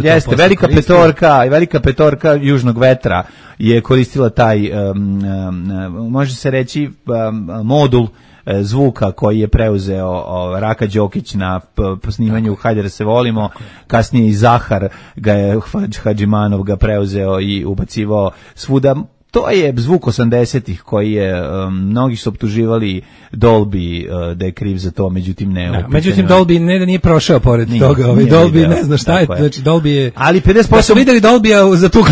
F: jeste, Velika koristili. Petorka i Velika Petorka Južnog vetra je koristila taj, um, um, može se reći, um, modul zvuka koji je preuzeo o, Raka Đokić na p, snimanju Hajde da se volimo, kasnije i Zahar ga je, Hadžimanov ga preuzeo i ubacivao svuda. To je zvuk osamdesetih koji je, um, mnogi su optuživali Dolby uh, da je kriv za to, međutim ne.
G: Da, međutim Dolby ne da nije prošao pored nije, toga, ovaj Dolby video. Ne zna šta je, je, znači Dolby je...
F: Ali pedeset posto...
G: Da su videli Dolby-a za tu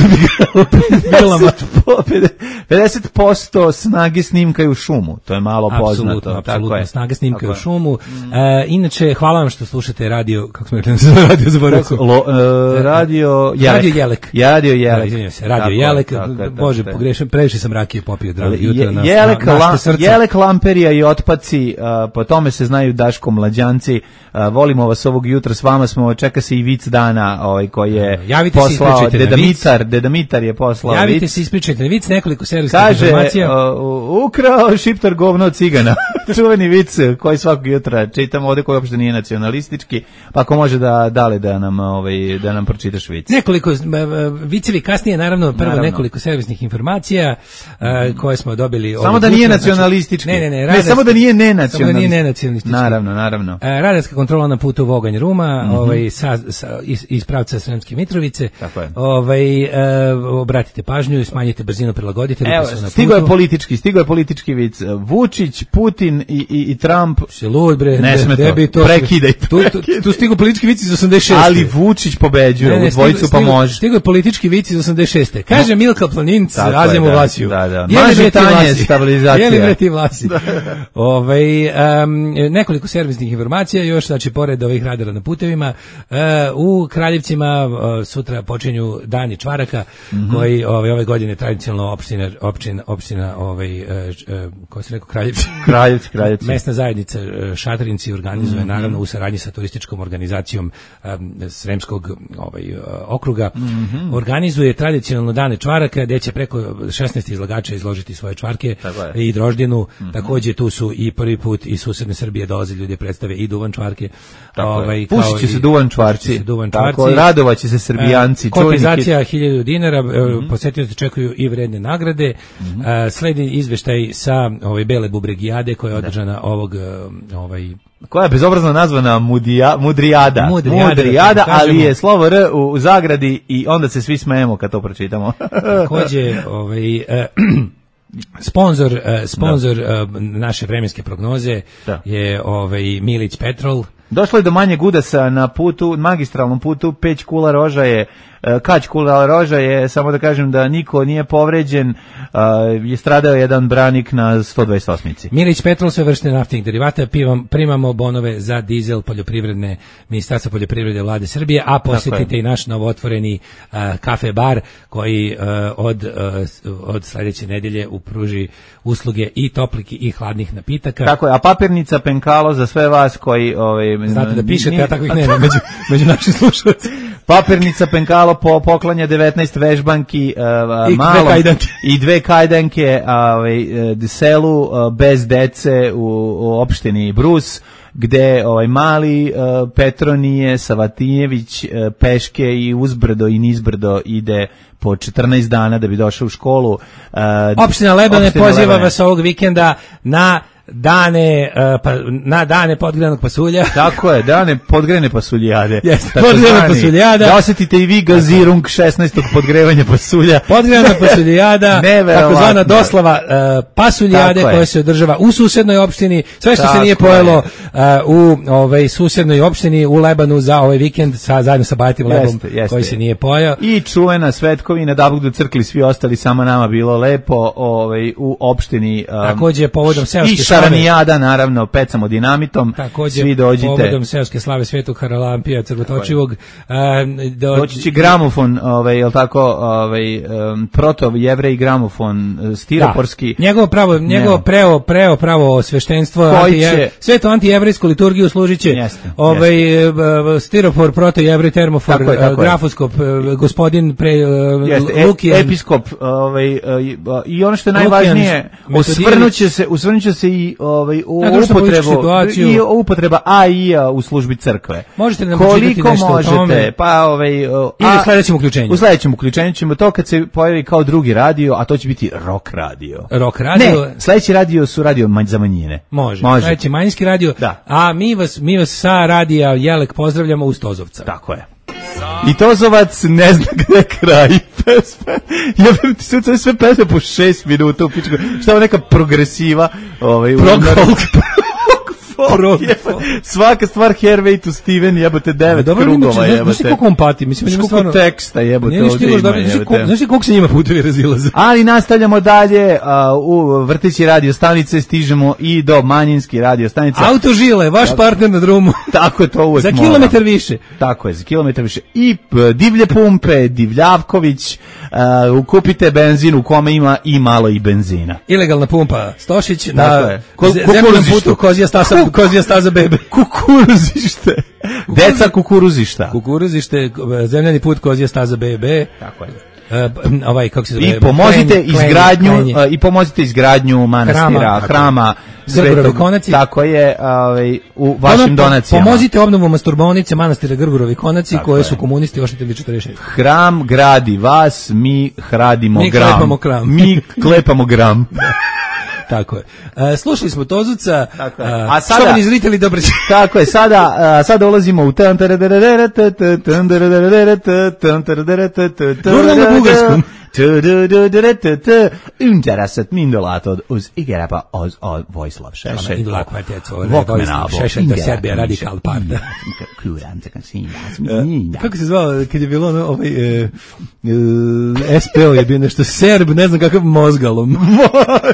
F: pedeset posto snage snimka je u šumu, to je malo
G: apsolutno,
F: poznato.
G: Apsolutno,
F: je.
G: snage snimka je u šumu. Mm. E, inače, hvala vam što slušate radio, kako smo rekli, radio zaboravio.
F: Uh, radio Jelek.
G: Radio Jelek.
F: Radio Jelek.
G: Radio Jelek, Bože, pogrešim, previše sam rakije popio, drago jutro na
F: Jelek,
G: na, na srce.
F: Jelek, Lamperija i otpaci, uh, po tome se znaju Daško mlađanci. Uh, volimo vas ovog jutra, s vama smo, čeka se i vic dana, ovaj koji je
G: javite
F: poslao Dedamitar, Dedamitar je poslao
G: javite
F: vic.
G: se, ispričajte vic, nekoliko servisnih
F: kaže,
G: informacija.
F: Uh, ukrao Šiptar govno od cigana. čuveni vic koji svakog jutra čitam ovde, koji uopšte nije nacionalistički, pa ako može da dale da nam ovaj da nam pročitaš vic.
G: Nekoliko vicevi kasnije, naravno, prvo naravno. nekoliko servisnih informacija uh, koje smo dobili.
F: Samo da nije nacionalistički.
G: Ne, ne, ne,
F: radarska, ne, samo da nije nenacionalistički. Samo da nije
G: nenacionalistički.
F: Naravno, naravno. Uh,
G: radarska kontrola na putu Voganj Ruma, mm-hmm. ovaj sa, sa iz, iz pravca Sremske Mitrovice.
F: Tako je.
G: Ovaj uh, obratite pažnju, smanjite brzinu, prilagodite.
F: Evo, stigo je politički, stigo je politički vic. Vučić, Putin i i, i Trump.
G: Se lud bre.
F: Ne sme to. Prekidaj.
G: Tu tu, tu stigo politički vic iz osamdeset šeste.
F: Ali Vučić pobeđuje, ne, ne, u dvojicu pa može.
G: Stigo je politički vic iz osamdeset šeste. Kaže Milka Planinca, Azemu
F: da,
G: Vlasiju.
F: Da, da. Mažetanje, stabilizacija.
G: Jeli bre ti Vlasi? Ovaj um, nekoliko servisnih informacija još, znači pored ovih radara na putevima, uh, u Kraljevcima uh, sutra počinju dani čvaraka, mm-hmm. koji ovaj ove godine tradicionalno opština opština opština ovaj uh, uh, kako se rekao Kraljevci.
F: Kraljevci, Kraljevci.
G: Mesna zajednica uh, Šatrinci organizuje, mm-hmm. naravno u saradnji sa turističkom organizacijom um, Sremskog ovaj uh, okruga, mm-hmm. organizuje tradicionalno dane čvaraka gde će preko šesnaest izlagača izložiti svoje čvarke i droždinu. Mm-hmm. Takođe tu su i prvi put iz susedne Srbije dolaze ljudi predstave i duvan čvarke.
F: Ovaj pušit će se duvan čvarci. Tako, radovaće se Srbijanci.
G: E, kompenzacija hiljadu dinara, mm-hmm. posetioci čekuju i vredne nagrade. Mm-hmm. Uh, sledi izveštaj sa ovaj Bele Bubregijade koja je održana da. ovog ovaj
F: koja je bezobrazno nazvana Mudija, Mudrijada.
G: Mudrijada,
F: Mudrijada, ali je slovo R u, u zagradi i onda se svi smejemo kad to pročitamo.
G: Takođe, ovaj uh, Sponzor, uh, sponzor uh, naše vremenske prognoze da. je ovaj Milić Petrol.
F: Došlo je do manjeg udesa na putu, magistralnom putu, Peć Kula Roža je, Kać Kula Roža je, samo da kažem da niko nije povređen, je stradao jedan branik na sto dvadeset osmici.
G: Milić Petrol, sve vrste naftnih derivata, pivam, primamo bonove za dizel poljoprivredne, Ministarstva poljoprivrede Vlade Srbije, a posjetite i naš novootvoreni uh, kafe bar koji uh, od, uh, od sledeće nedelje upruži usluge i toplih i hladnih napitaka.
F: Tako je, a papirnica Penkalo za sve vas koji ovaj,
G: znate da pišete, nije, a takvih nema među, među našim slušalcima.
F: Papirnica Penkalo po poklanja devetnaest vežbanki uh,
G: I,
F: malom,
G: dve kajdanke.
F: i dve kajdanke ovaj, selu uh, bez dece u, u opštini Brus, gde ovaj mali uh, Petronije Savatinjević uh, peške i uzbrdo i nizbrdo ide po četrnaest dana da bi došao u školu. Uh,
G: opština Lebane poziva vas ovog vikenda na dane uh, pa, na dane podgrejanog pasulja.
F: Tako je, dane podgrejane pasuljade.
G: Jeste, podgrejana pasuljada.
F: Da osetite i vi gazirung šesnaestog podgrevanja pasulja.
G: Podgrejana pasuljada, takozvana doslava uh, pasuljade koja se održava u susednoj opštini. Sve što tako se nije pojelo uh, u ovaj susednoj opštini u Lebanu za ovaj vikend sa zajedno sa Bajatim Lebom jeste, jeste. koji se nije pojao.
F: I čuvena svetkovina da Bog do crkli svi ostali, samo nama bilo lepo ovaj u opštini. Um,
G: Takođe povodom seoske
F: Šaranijada, naravno, pecamo dinamitom,
G: također,
F: svi dođite.
G: Povodom seoske slave Svetog Haralampija Crvotočivog.
F: Do... Doći će gramofon, ovaj, je li tako, ovaj, um, proto-jevrej gramofon, stiroporski.
G: Da. Njegovo pravo, njegovo preo, preo pravo sveštenstvo, anti će... sveto antijevrijsku liturgiju služit će jeste, ovaj, jeste. stiropor, proto-jevrej, termofor, tako je, tako grafoskop, je. gospodin pre, jeste, Lukijan.
F: Episkop, ovaj, i ono što je najvažnije, osvrnuće se, osvrnuće se i ovaj u upotrebu i upotreba A I-a u službi crkve.
G: Možete nam
F: koliko
G: nešto
F: možete,
G: o tome?
F: pa ovaj ili
G: u sledećem uključenju.
F: U sledećem uključenju ćemo to kad se pojavi kao drugi radio, a to će biti rock radio.
G: Rock radio.
F: Ne, sledeći radio su radio za manjine.
G: Može. Može. Sledeći manjinski radio.
F: Da.
G: A mi vas mi vas sa radija Jelek pozdravljamo uz Tozovca.
F: Tako je. I Tozovac ne zna gde kraj pesme. Ja bih ti sve, sve pesme po šest minuta u pičku. Šta je neka progresiva? Ovaj,
G: Prog folk.
F: Prog folk. Svaka stvar Hervey to Steven jebote devet dobro, krugova jebote.
G: Znaš ti koliko on pati? Mislim,
F: koliko stvarno... teksta jebote ovdje ima jebote.
G: Znaš ti koliko se njima putevi razilaze?
F: Ali nastavljamo dalje. Uh, u vrteći radio stanice stižemo i do manjinski radio stanice.
G: Autožile, vaš tako, partner na drumu.
F: Tako je to uvek.
G: Za kilometar mora. više.
F: Tako je, za kilometar više. I divlje pumpe, Divljavković, uh, kupite benzin u kome ima i malo i benzina.
G: Ilegalna pumpa Stošić na zemljenom putu Kozija Stasa, Kozija Staza bebe.
F: Kukuruzište. Deca kukuruzišta.
G: Kukuruzište, zemljani put Kozija Staza bebe.
F: Tako je.
G: Uh, ovaj kako se zove
F: i pomozite klen, izgradnju klen, i pomozite izgradnju manastira, hrama, hrama
G: Grgurovi konaci.
F: Tako je, ovaj, u vašim donacijama.
G: Pomozite obnovu masturbaonice manastira Grgurovi konaci, tako koje je. Su komunisti oštetili četrdeset šest.
F: Hram gradi vas, mi hradimo
G: mi
F: gram.
G: Klepamo kram.
F: Mi klepamo gram.
G: Tako je. Uh, slušali smo Tozuca,
F: tako je.
G: A sada štovani zritelji, dobro.
F: Tako je. Sada uh, sada ulazimo u tan tan
G: na bugarskom.
F: Interesat mindolatod uz igerapa az a Vojislav Šešelj.
G: Indulak kvarteco, Šešelj da Serbija radikal parta. Kako se zvao kad je bilo ono, ovaj S P O je bio nešto Serb, ne znam kakav mozgalom.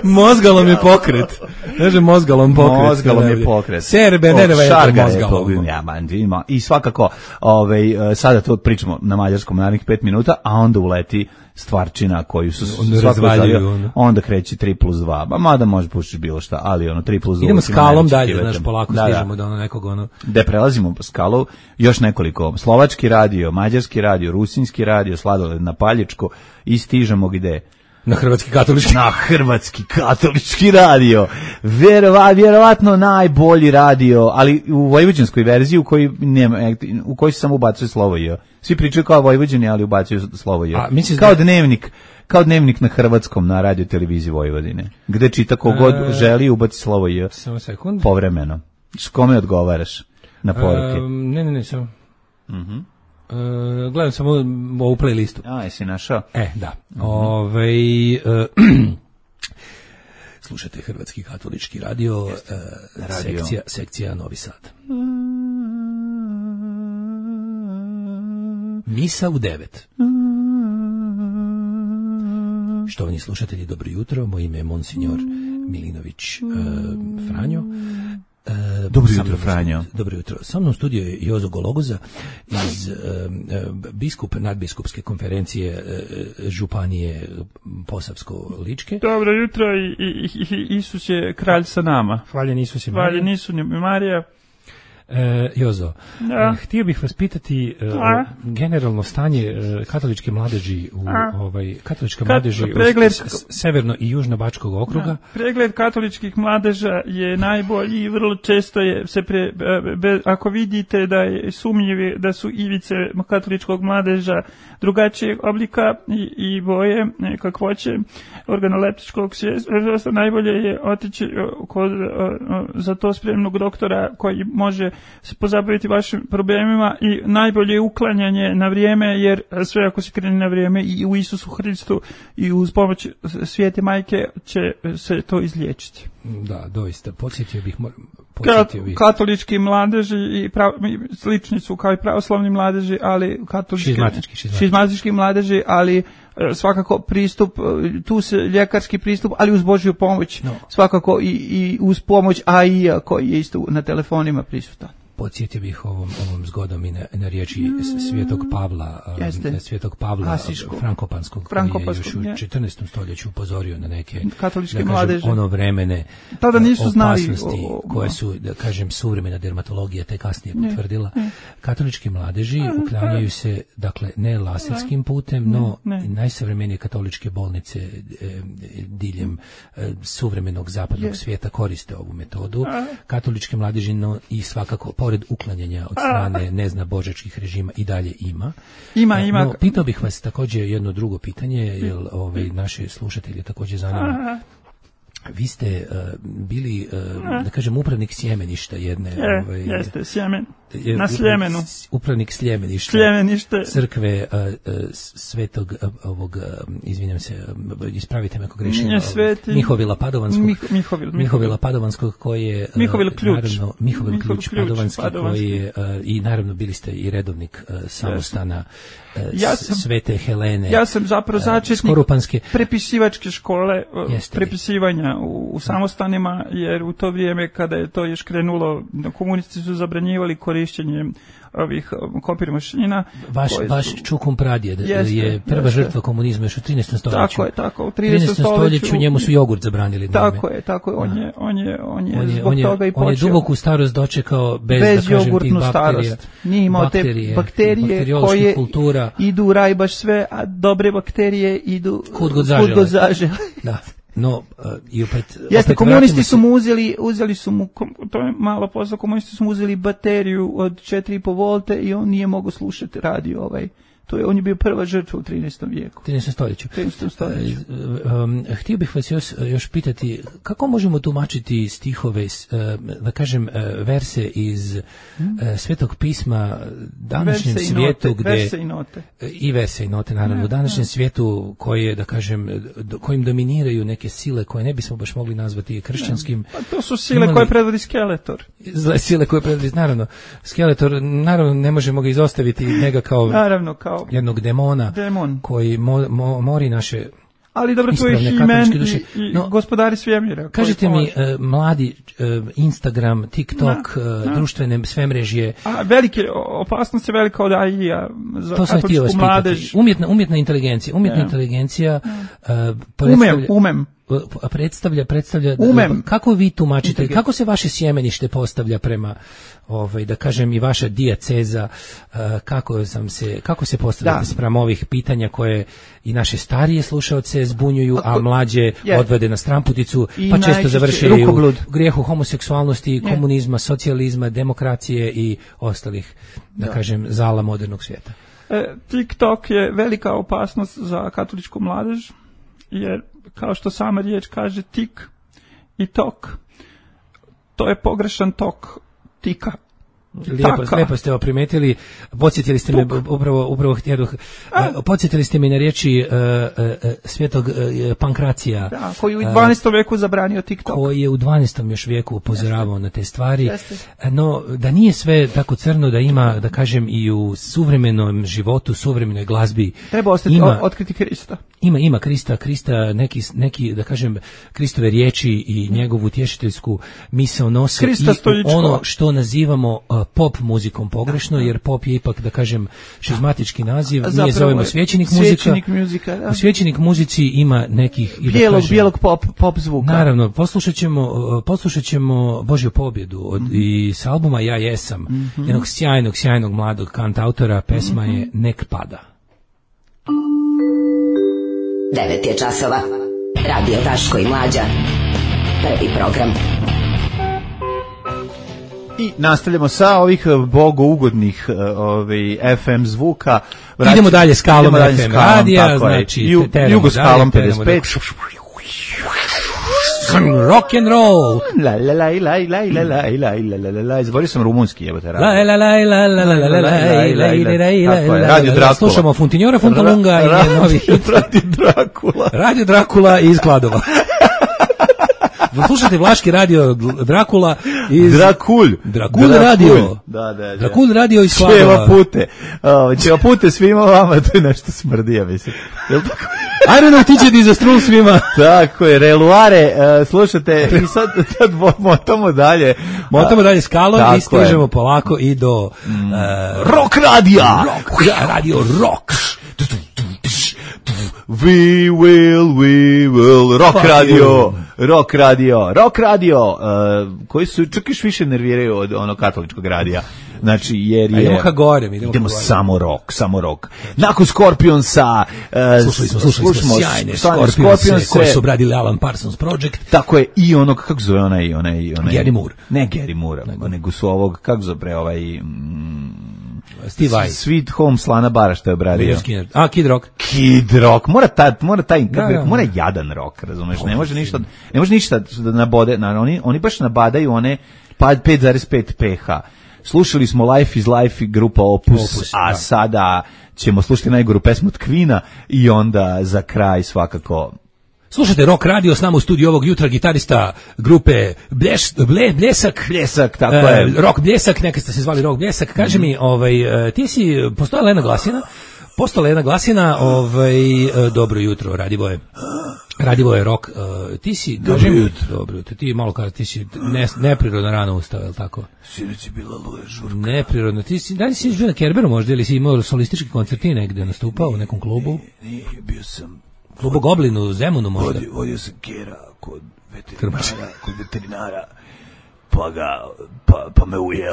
G: Mozgalom je pokret. Kaže mozgalom pokret.
F: Mozgalom je pokret.
G: Serbe, ne nema je mozgalom.
F: I svakako, ovaj, sada to pričamo na mađarskom narednih pet minuta, a onda uleti stvarčina koju su
G: razvaljuju,
F: onda kreće tri plus dva, ba mada može puštiš bilo šta, ali ono tri plus dva.
G: Idemo skalom dalje, znaš, polako da, stižemo do ono nekog ono.
F: Da prelazimo po skalu, još nekoliko, slovački radio, mađarski radio, rusinski radio, sladoled na Paljičko i stižemo gde?
G: Na hrvatski katolički.
F: Na hrvatski katolički radio. Vjerova, vjerovatno najbolji radio, ali u vojvođanskoj verziji u kojoj nema, u kojoj se samo ubacuje slovo J. Svi pričaju kao Vojvođani, ali ubacuju slovo J. A, kao da... dnevnik, kao dnevnik na hrvatskom na radio televiziji Vojvodine, gde čita kogod e... želi ubaci slovo J.
G: Samo sekund.
F: Povremeno. S kome odgovaraš na poruke?
G: E, ne, ne, ne, samo.
F: Mhm. Mm
G: Uh, gledam samo ovu playlistu.
F: A, jesi našao?
G: E, da. Mm-hmm. Ove, uh, slušajte Hrvatski katolički radio, uh, radio. Sekcija, sekcija Novi Sad. Misa u devet. Štovani slušatelji, dobro jutro. Moje ime je Monsignor Milinović uh, Franjo. Uh,
F: Dobro jutro, Franjo.
G: Dobro jutro. Sa mnom u studiju je Jozo Gologoza iz uh, biskup nadbiskupske konferencije uh, Županije Posavsko-Ličke.
H: Dobro jutro i, i, i Isus je kralj sa nama.
G: Hvaljen Isus i Marija.
H: Hvaljen Isus i Marija.
G: E, Jozo,
H: da.
G: Htio bih vas pitati uh, generalno stanje uh, katoličke mladeži u A. ovaj katolička Kat, mladeži pregled, u s, severno i južno Bačkog okruga. Da.
H: Pregled katoličkih mladeža je najbolji i vrlo često je se pre, be, be, ako vidite da je sumnjivi da su ivice katoličkog mladeža drugačijeg oblika i, i boje kakvoće organoleptičkog svijesta, najbolje je otići kod za to spremnog doktora koji može se pozabaviti vašim problemima i najbolje je uklanjanje na vrijeme, jer sve ako se krene na vrijeme i u Isusu Hristu i uz pomoć Svete Majke će se to izliječiti.
G: Da, doista, podsjetio bih, podsjetio bih.
H: Katolički mladeži i prav, slični su kao i pravoslavni mladeži, ali katolički,
G: šizmatički, šizmatički.
H: šizmatički mladeži, ali svakako pristup, tu se ljekarski pristup, ali uz Božju pomoć, no. Svakako i, i uz pomoć A I A koji je isto na telefonima prisutan.
G: Podsjetio bih ovom, ovom zgodom i na, na riječi Svetog Pavla, um, Svetog Pavla Frankopanskog, koji je još u četrnaestom stoljeću upozorio na neke
H: katoličke
G: da
H: mladeže,
G: kažem, ono vremene
H: tada nisu
G: opasnosti
H: znali, o, o,
G: koje su, da kažem, suvremena dermatologija te kasnije potvrdila. Ne, ne. Katolički mladeži uklanjaju se, dakle, ne laserskim putem, no ne, ne. najsavremenije katoličke bolnice e, diljem e, suvremenog zapadnog je. svijeta koriste ovu metodu. Katoličke mladeži, no i svakako pored uklanjanja od strane nezna božačkih režima i dalje ima.
H: Ima, ima.
G: No, pitao bih vas također jedno drugo pitanje, jer ovaj, naši slušatelji također zanima. Vi ste uh, bili, uh, da kažem, upravnik sjemeništa jedne...
H: Je, ovaj, jeste, sjemen. Na Sljemenu.
G: Upravnik Sljemeništa.
H: Sljemenište.
G: Crkve uh, uh, svetog uh, ovog, uh, izvinjam se, uh, ispravite me ako grešim.
H: Nije sveti.
G: Mihovila Padovanskog.
H: Mih, Mihovil,
G: Mihovila Padovanskog koji je... Uh,
H: Mihovil ključ.
G: Naravno, Mihovil, Mihovil ključ, ključ Padovanski,
H: Padovanski
G: koji je, uh, i naravno bili ste i redovnik uh, samostana uh,
H: ja sam,
G: Svete Helene.
H: Ja sam zapravo začetnik
G: uh,
H: prepisivačke škole, uh,
G: Jeste
H: prepisivanja u, u samostanima, jer u to vrijeme kada je to još krenulo, komunisti su zabranjivali korišćenje ovih kopir mašina.
G: Vaš, koje, vaš Čukum pradjed jeste, je prva jeste. žrtva komunizma još u trinaestom stoljeću.
H: Tako je, tako. U trinaestom
G: stoljeću njemu su jogurt zabranili.
H: Tako je, tako je. On je, on je, on je, on je zbog
G: on je,
H: toga i počeo.
G: On je duboku starost dočekao bez,
H: bez
G: da kažem, tih bakterija.
H: Starost. Nije imao
G: bakterije,
H: te bakterije koje
G: kultura.
H: idu u raj baš sve, a dobre bakterije idu
G: kud god zažele.
H: Kud god zažele.
G: Da. no uh, i opet
F: jeste,
G: opet
F: komunisti su
G: se...
F: mu uzeli, uzeli su mu,
H: To je malo posla, komunisti su mu uzeli bateriju od četiri i po volte i on nije mogao slušati radio ovaj. To je, on je bio prva žrtva u trinaestom vijeku.
G: trinaestom stoljeću.
H: trinaestom stoljeću.
G: Um, htio bih vas još, još pitati, kako možemo tumačiti stihove, da kažem, verse iz hmm? Svetog pisma današnjem
H: verse
G: svijetu,
H: note,
G: gde...
H: Verse i note.
G: I verse i note, naravno. U današnjem svijetu koji je, da kažem, kojim dominiraju neke sile koje ne bismo baš mogli nazvati kršćanskim.
H: Pa to su sile imali, koje predvodi Skeletor.
G: Zle sile koje predvodi, naravno. Skeletor, naravno, ne možemo ga izostaviti njega kao...
H: Naravno, kao
G: jednog demona
H: Demon.
G: koji mo, mo, mori naše
H: ali dobro, to je He-Man i, i no, gospodari svemira.
G: Kažite mi, uh, mladi, uh, Instagram, TikTok, na, na. Uh, društvene sve mrežje.
H: A velike, opasnost je velika od A I-a za katoličku mladež.
G: Umjetna, umjetna inteligencija. Umjetna ja. inteligencija uh,
H: predstavlja, umem, umem.
G: predstavlja, predstavlja
H: umem.
G: Kako vi tumačite, kako se vaše sjemenište postavlja prema, ovaj, da kažem, i vaša dijaceza, uh, kako, sam se, kako se postavljate spram ovih pitanja koje i naše starije slušaoce zbunjuju, a mlađe yeah. odvede na stramputicu, I pa često završaju u grijehu homoseksualnosti, yeah. komunizma, socijalizma, demokracije i ostalih, da, da. kažem, zala modernog svijeta.
H: E, TikTok je velika opasnost za katoličku mladež, jer kao što sama riječ kaže, tik i tok, to je pogrešan tok tika.
G: Lijepo, lijepo ste ovo primetili, podsjetili ste me upravo, upravo htjedoh, uh, podsjetili ste me na riječi uh, uh, svetog uh, Pankracija.
H: Da, koji je u dvanaestom veku zabranio TikTok.
G: Koji je u dvanaestom još vijeku upozoravao Jeste. na te stvari. Jeste. No, da nije sve tako crno, da ima, da kažem, i u suvremenom životu, suvremenoj glazbi.
H: Treba ostati, ima, otkriti Krista.
G: Ima, ima Krista, Krista, neki, neki, da kažem, Kristove riječi i njegovu utješiteljsku misao nose
H: Krista
G: i ono što nazivamo uh, pop muzikom pogrešno, jer pop je ipak, da kažem, šizmatički naziv,
H: Zapravo,
G: nije zovemo svećenik muzika.
H: Svećenik muzika, da.
G: U svećenik muzici ima nekih, i da
H: bijelog,
G: kažem,
H: bijelog pop, pop zvuka.
G: Naravno, poslušat ćemo, poslušat ćemo Božju pobjedu od, mm-hmm. i s albuma Ja jesam, mm-hmm. jednog sjajnog, sjajnog mladog kantautora, pesma mm-hmm. je Nek pada.
I: Devet je časova. Radio Daško i Mlađa. Prvi program.
F: I nastavljamo sa ovih bogougodnih ovaj, F M zvuka.
G: Vraći, idemo dalje skalom idemo F M radija, znači
F: Ju, Jugoskalom pedeset pet.
G: Rock and roll.
F: La la la la la la la la la la la. Izborio sam rumunski, jebote.
G: La la la la la la la la la.
F: Radio Drakula.
G: Slušamo Funtinjora Funtalunga i novi hit.
F: Radio Drakula.
G: Radio Drakula iz Kladova. Slušate Vlaški radio Drakula iz
F: Drakulj.
G: Drakulj radio.
F: Da, da, da.
G: Drakulj radio iz Kladova.
F: Čeva pute. Uh, čeva pute svima vama, to je nešto smrdi, ja mislim. Jel tako?
G: Ajde ti će ti za strun svima.
F: Tako je, reluare, uh, slušate, i sad, sad motamo dalje.
G: Motamo dalje skalom i stižemo je. polako i do uh,
F: rock radija.
G: Rock, radio rock.
F: We will, we will, rock Fuck radio, you. rock radio, rock radio, uh, koji su čak još više nerviraju od onog katoličkog radija. Znači, jer je...
G: Idemo ka gorem, idemo,
F: idemo
G: ka gorem.
F: samo rock, samo rock. Nakon Scorpionsa... Uh,
G: slušali smo, slušali smo sjajne Scorpionse koji su obradili Alan Parsons Project.
F: Tako je, i onog, kako zove onaj, onaj, onaj...
G: Gary Moore.
F: Ne Gary Moore, nego, nego su ovog, kako zove ovaj... Mm,
G: Steve Vai.
F: Sweet Home Slana Bara što je obradio.
G: A, Kid Rock.
F: Kid Rock. Mora taj, mora taj, da, da, mora jadan rock, razumeš? Ne može ništa, ne može ništa da nabode, na, oni, oni baš nabadaju one pet zarez pet pH. Slušali smo Life is Life grupa Opus, Opus a da. sada ćemo slušati najgoru pesmu od Queen-a i onda za kraj svakako...
G: Slušajte Rock Radio, s nama u studiju ovog jutra gitarista grupe Bleš, Ble, Bljesak.
F: Bljesak, tako uh, je.
G: Rock Bljesak, nekad ste se zvali Rock Bljesak. Kaže mm. mi, ovaj, uh, ti si, postojala jedna glasina, postojala jedna glasina, ovaj, uh, dobro jutro, Radivoje. Radivoje Rock, uh, ti si, dobro jutro. Dobro jutro, ti malo kada, ti si ne, neprirodno rano ustao, je li tako?
F: Sinoć je bila luja žurka.
G: Neprirodno, ti si, da li si živio na Kerberu možda, ili si imao solistički koncerti negde nastupao u nekom klubu?
F: Nije, nije, bio sam...
G: Klubu Goblinu, u Zemunu možda?
F: Vodio, vodio sam Kera kod veterinara, kod veterinara, pa ga, pa, pa me ujeo,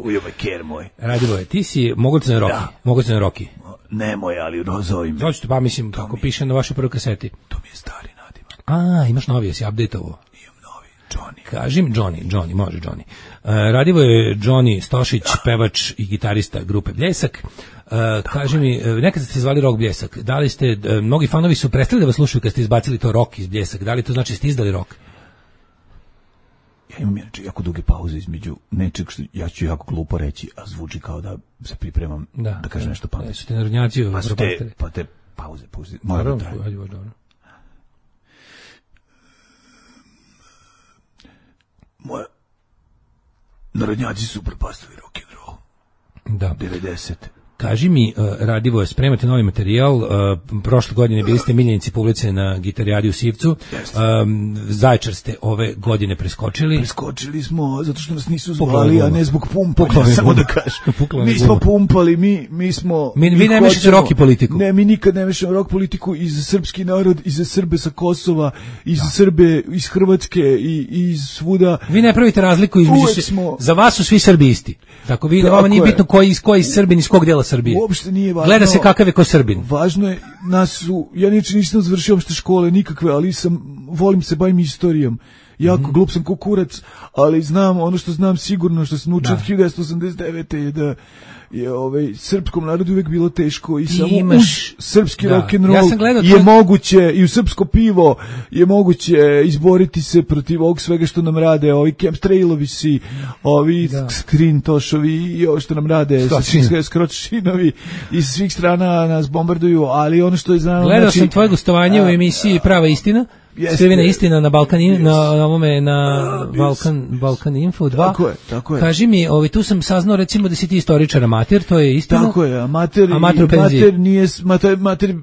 F: ujeo me Ker moj.
G: Radivoje, ti si mogućan Roki, mogućan Roki.
F: Ne moj, ali rozovim.
G: Hoćete, pa mislim, kako piše na vašoj prvoj kaseti.
F: To mi je stari nadimak.
G: A, imaš novi, jesi update-ovo?
F: Imam novi, Johnny.
G: Kaži mi, Johnny, Johnny, može Johnny. Uh, Radivo je Johnny Stošić, pevač i gitarista grupe Bljesak. Uh, kaži mi, nekad ste zvali Rock Bljesak, da li ste, uh, mnogi fanovi su prestali da vas slušaju kad ste izbacili to rock iz Bljesak, da li to znači ste izdali rock?
F: Ja imam inače jako duge pauze između nečeg što ja ću jako glupo reći, a zvuči kao da se pripremam da, da kažem nešto pametno.
G: Su te narodnjaci
F: pa su te, pa te pauze, pauze.
G: Naravno, ajde, dobro.
F: Moja narodnjaci su propastili rock and roll.
G: Da.
F: devedesete
G: Kaži mi, uh, Radivoje, spremate novi materijal, uh, prošle godine bili ste miljenici publice na Gitarijadi u Sivcu, um, Zaječar ste ove godine preskočili.
F: Preskočili smo, zato što nas nisu zvali, a ne zbog pumpanja, samo da kažem. Mi smo pumpali, mi, mi smo...
G: Mi, vi ne mešate rock i politiku.
F: Ne, mi nikad ne mešamo rock politiku i za srpski narod, i za Srbe sa Kosova, i za da. Srbe iz Hrvatske, i, i iz svuda.
G: Vi ne pravite razliku između... Smo... Za vas su svi Srbi isti. Tako vi, vama nije bitno koji, koji Srbin iz kog dela Srbije.
F: Uopšte nije važno.
G: Gleda se kakav je ko Srbin.
F: Važno je, nas su, ja niče nisam završio uopšte škole nikakve, ali sam, volim se, bavim istorijom. Jako mm-hmm. glup sam ko kurac, ali znam, ono što znam sigurno, što sam naučio od hiljadu devetsto osamdeset devete je da je ovaj srpskom narodu uvek bilo teško i samo imaš, uz srpski da. rock and roll
G: ja je
F: tvoj... moguće i u srpsko pivo je moguće izboriti se protiv ovog svega što nam rade ovi chemtrailovi si, ovi da. skrintošovi i ovo što nam rade skročinovi iz svih strana nas bombarduju, ali ono što je znamo...
G: Gledao
F: znači,
G: sam tvoje gostovanje a, u emisiji Prava istina. Skrivena istina na Balkan yes. na ovome na uh, Balkan yes. Balkan Info dva.
F: Tako je, tako je.
G: Kaži mi, ovaj tu sam saznao recimo da si ti istoričar amater, to je istina.
F: Tako je, amater, amater, amater nije mater, mater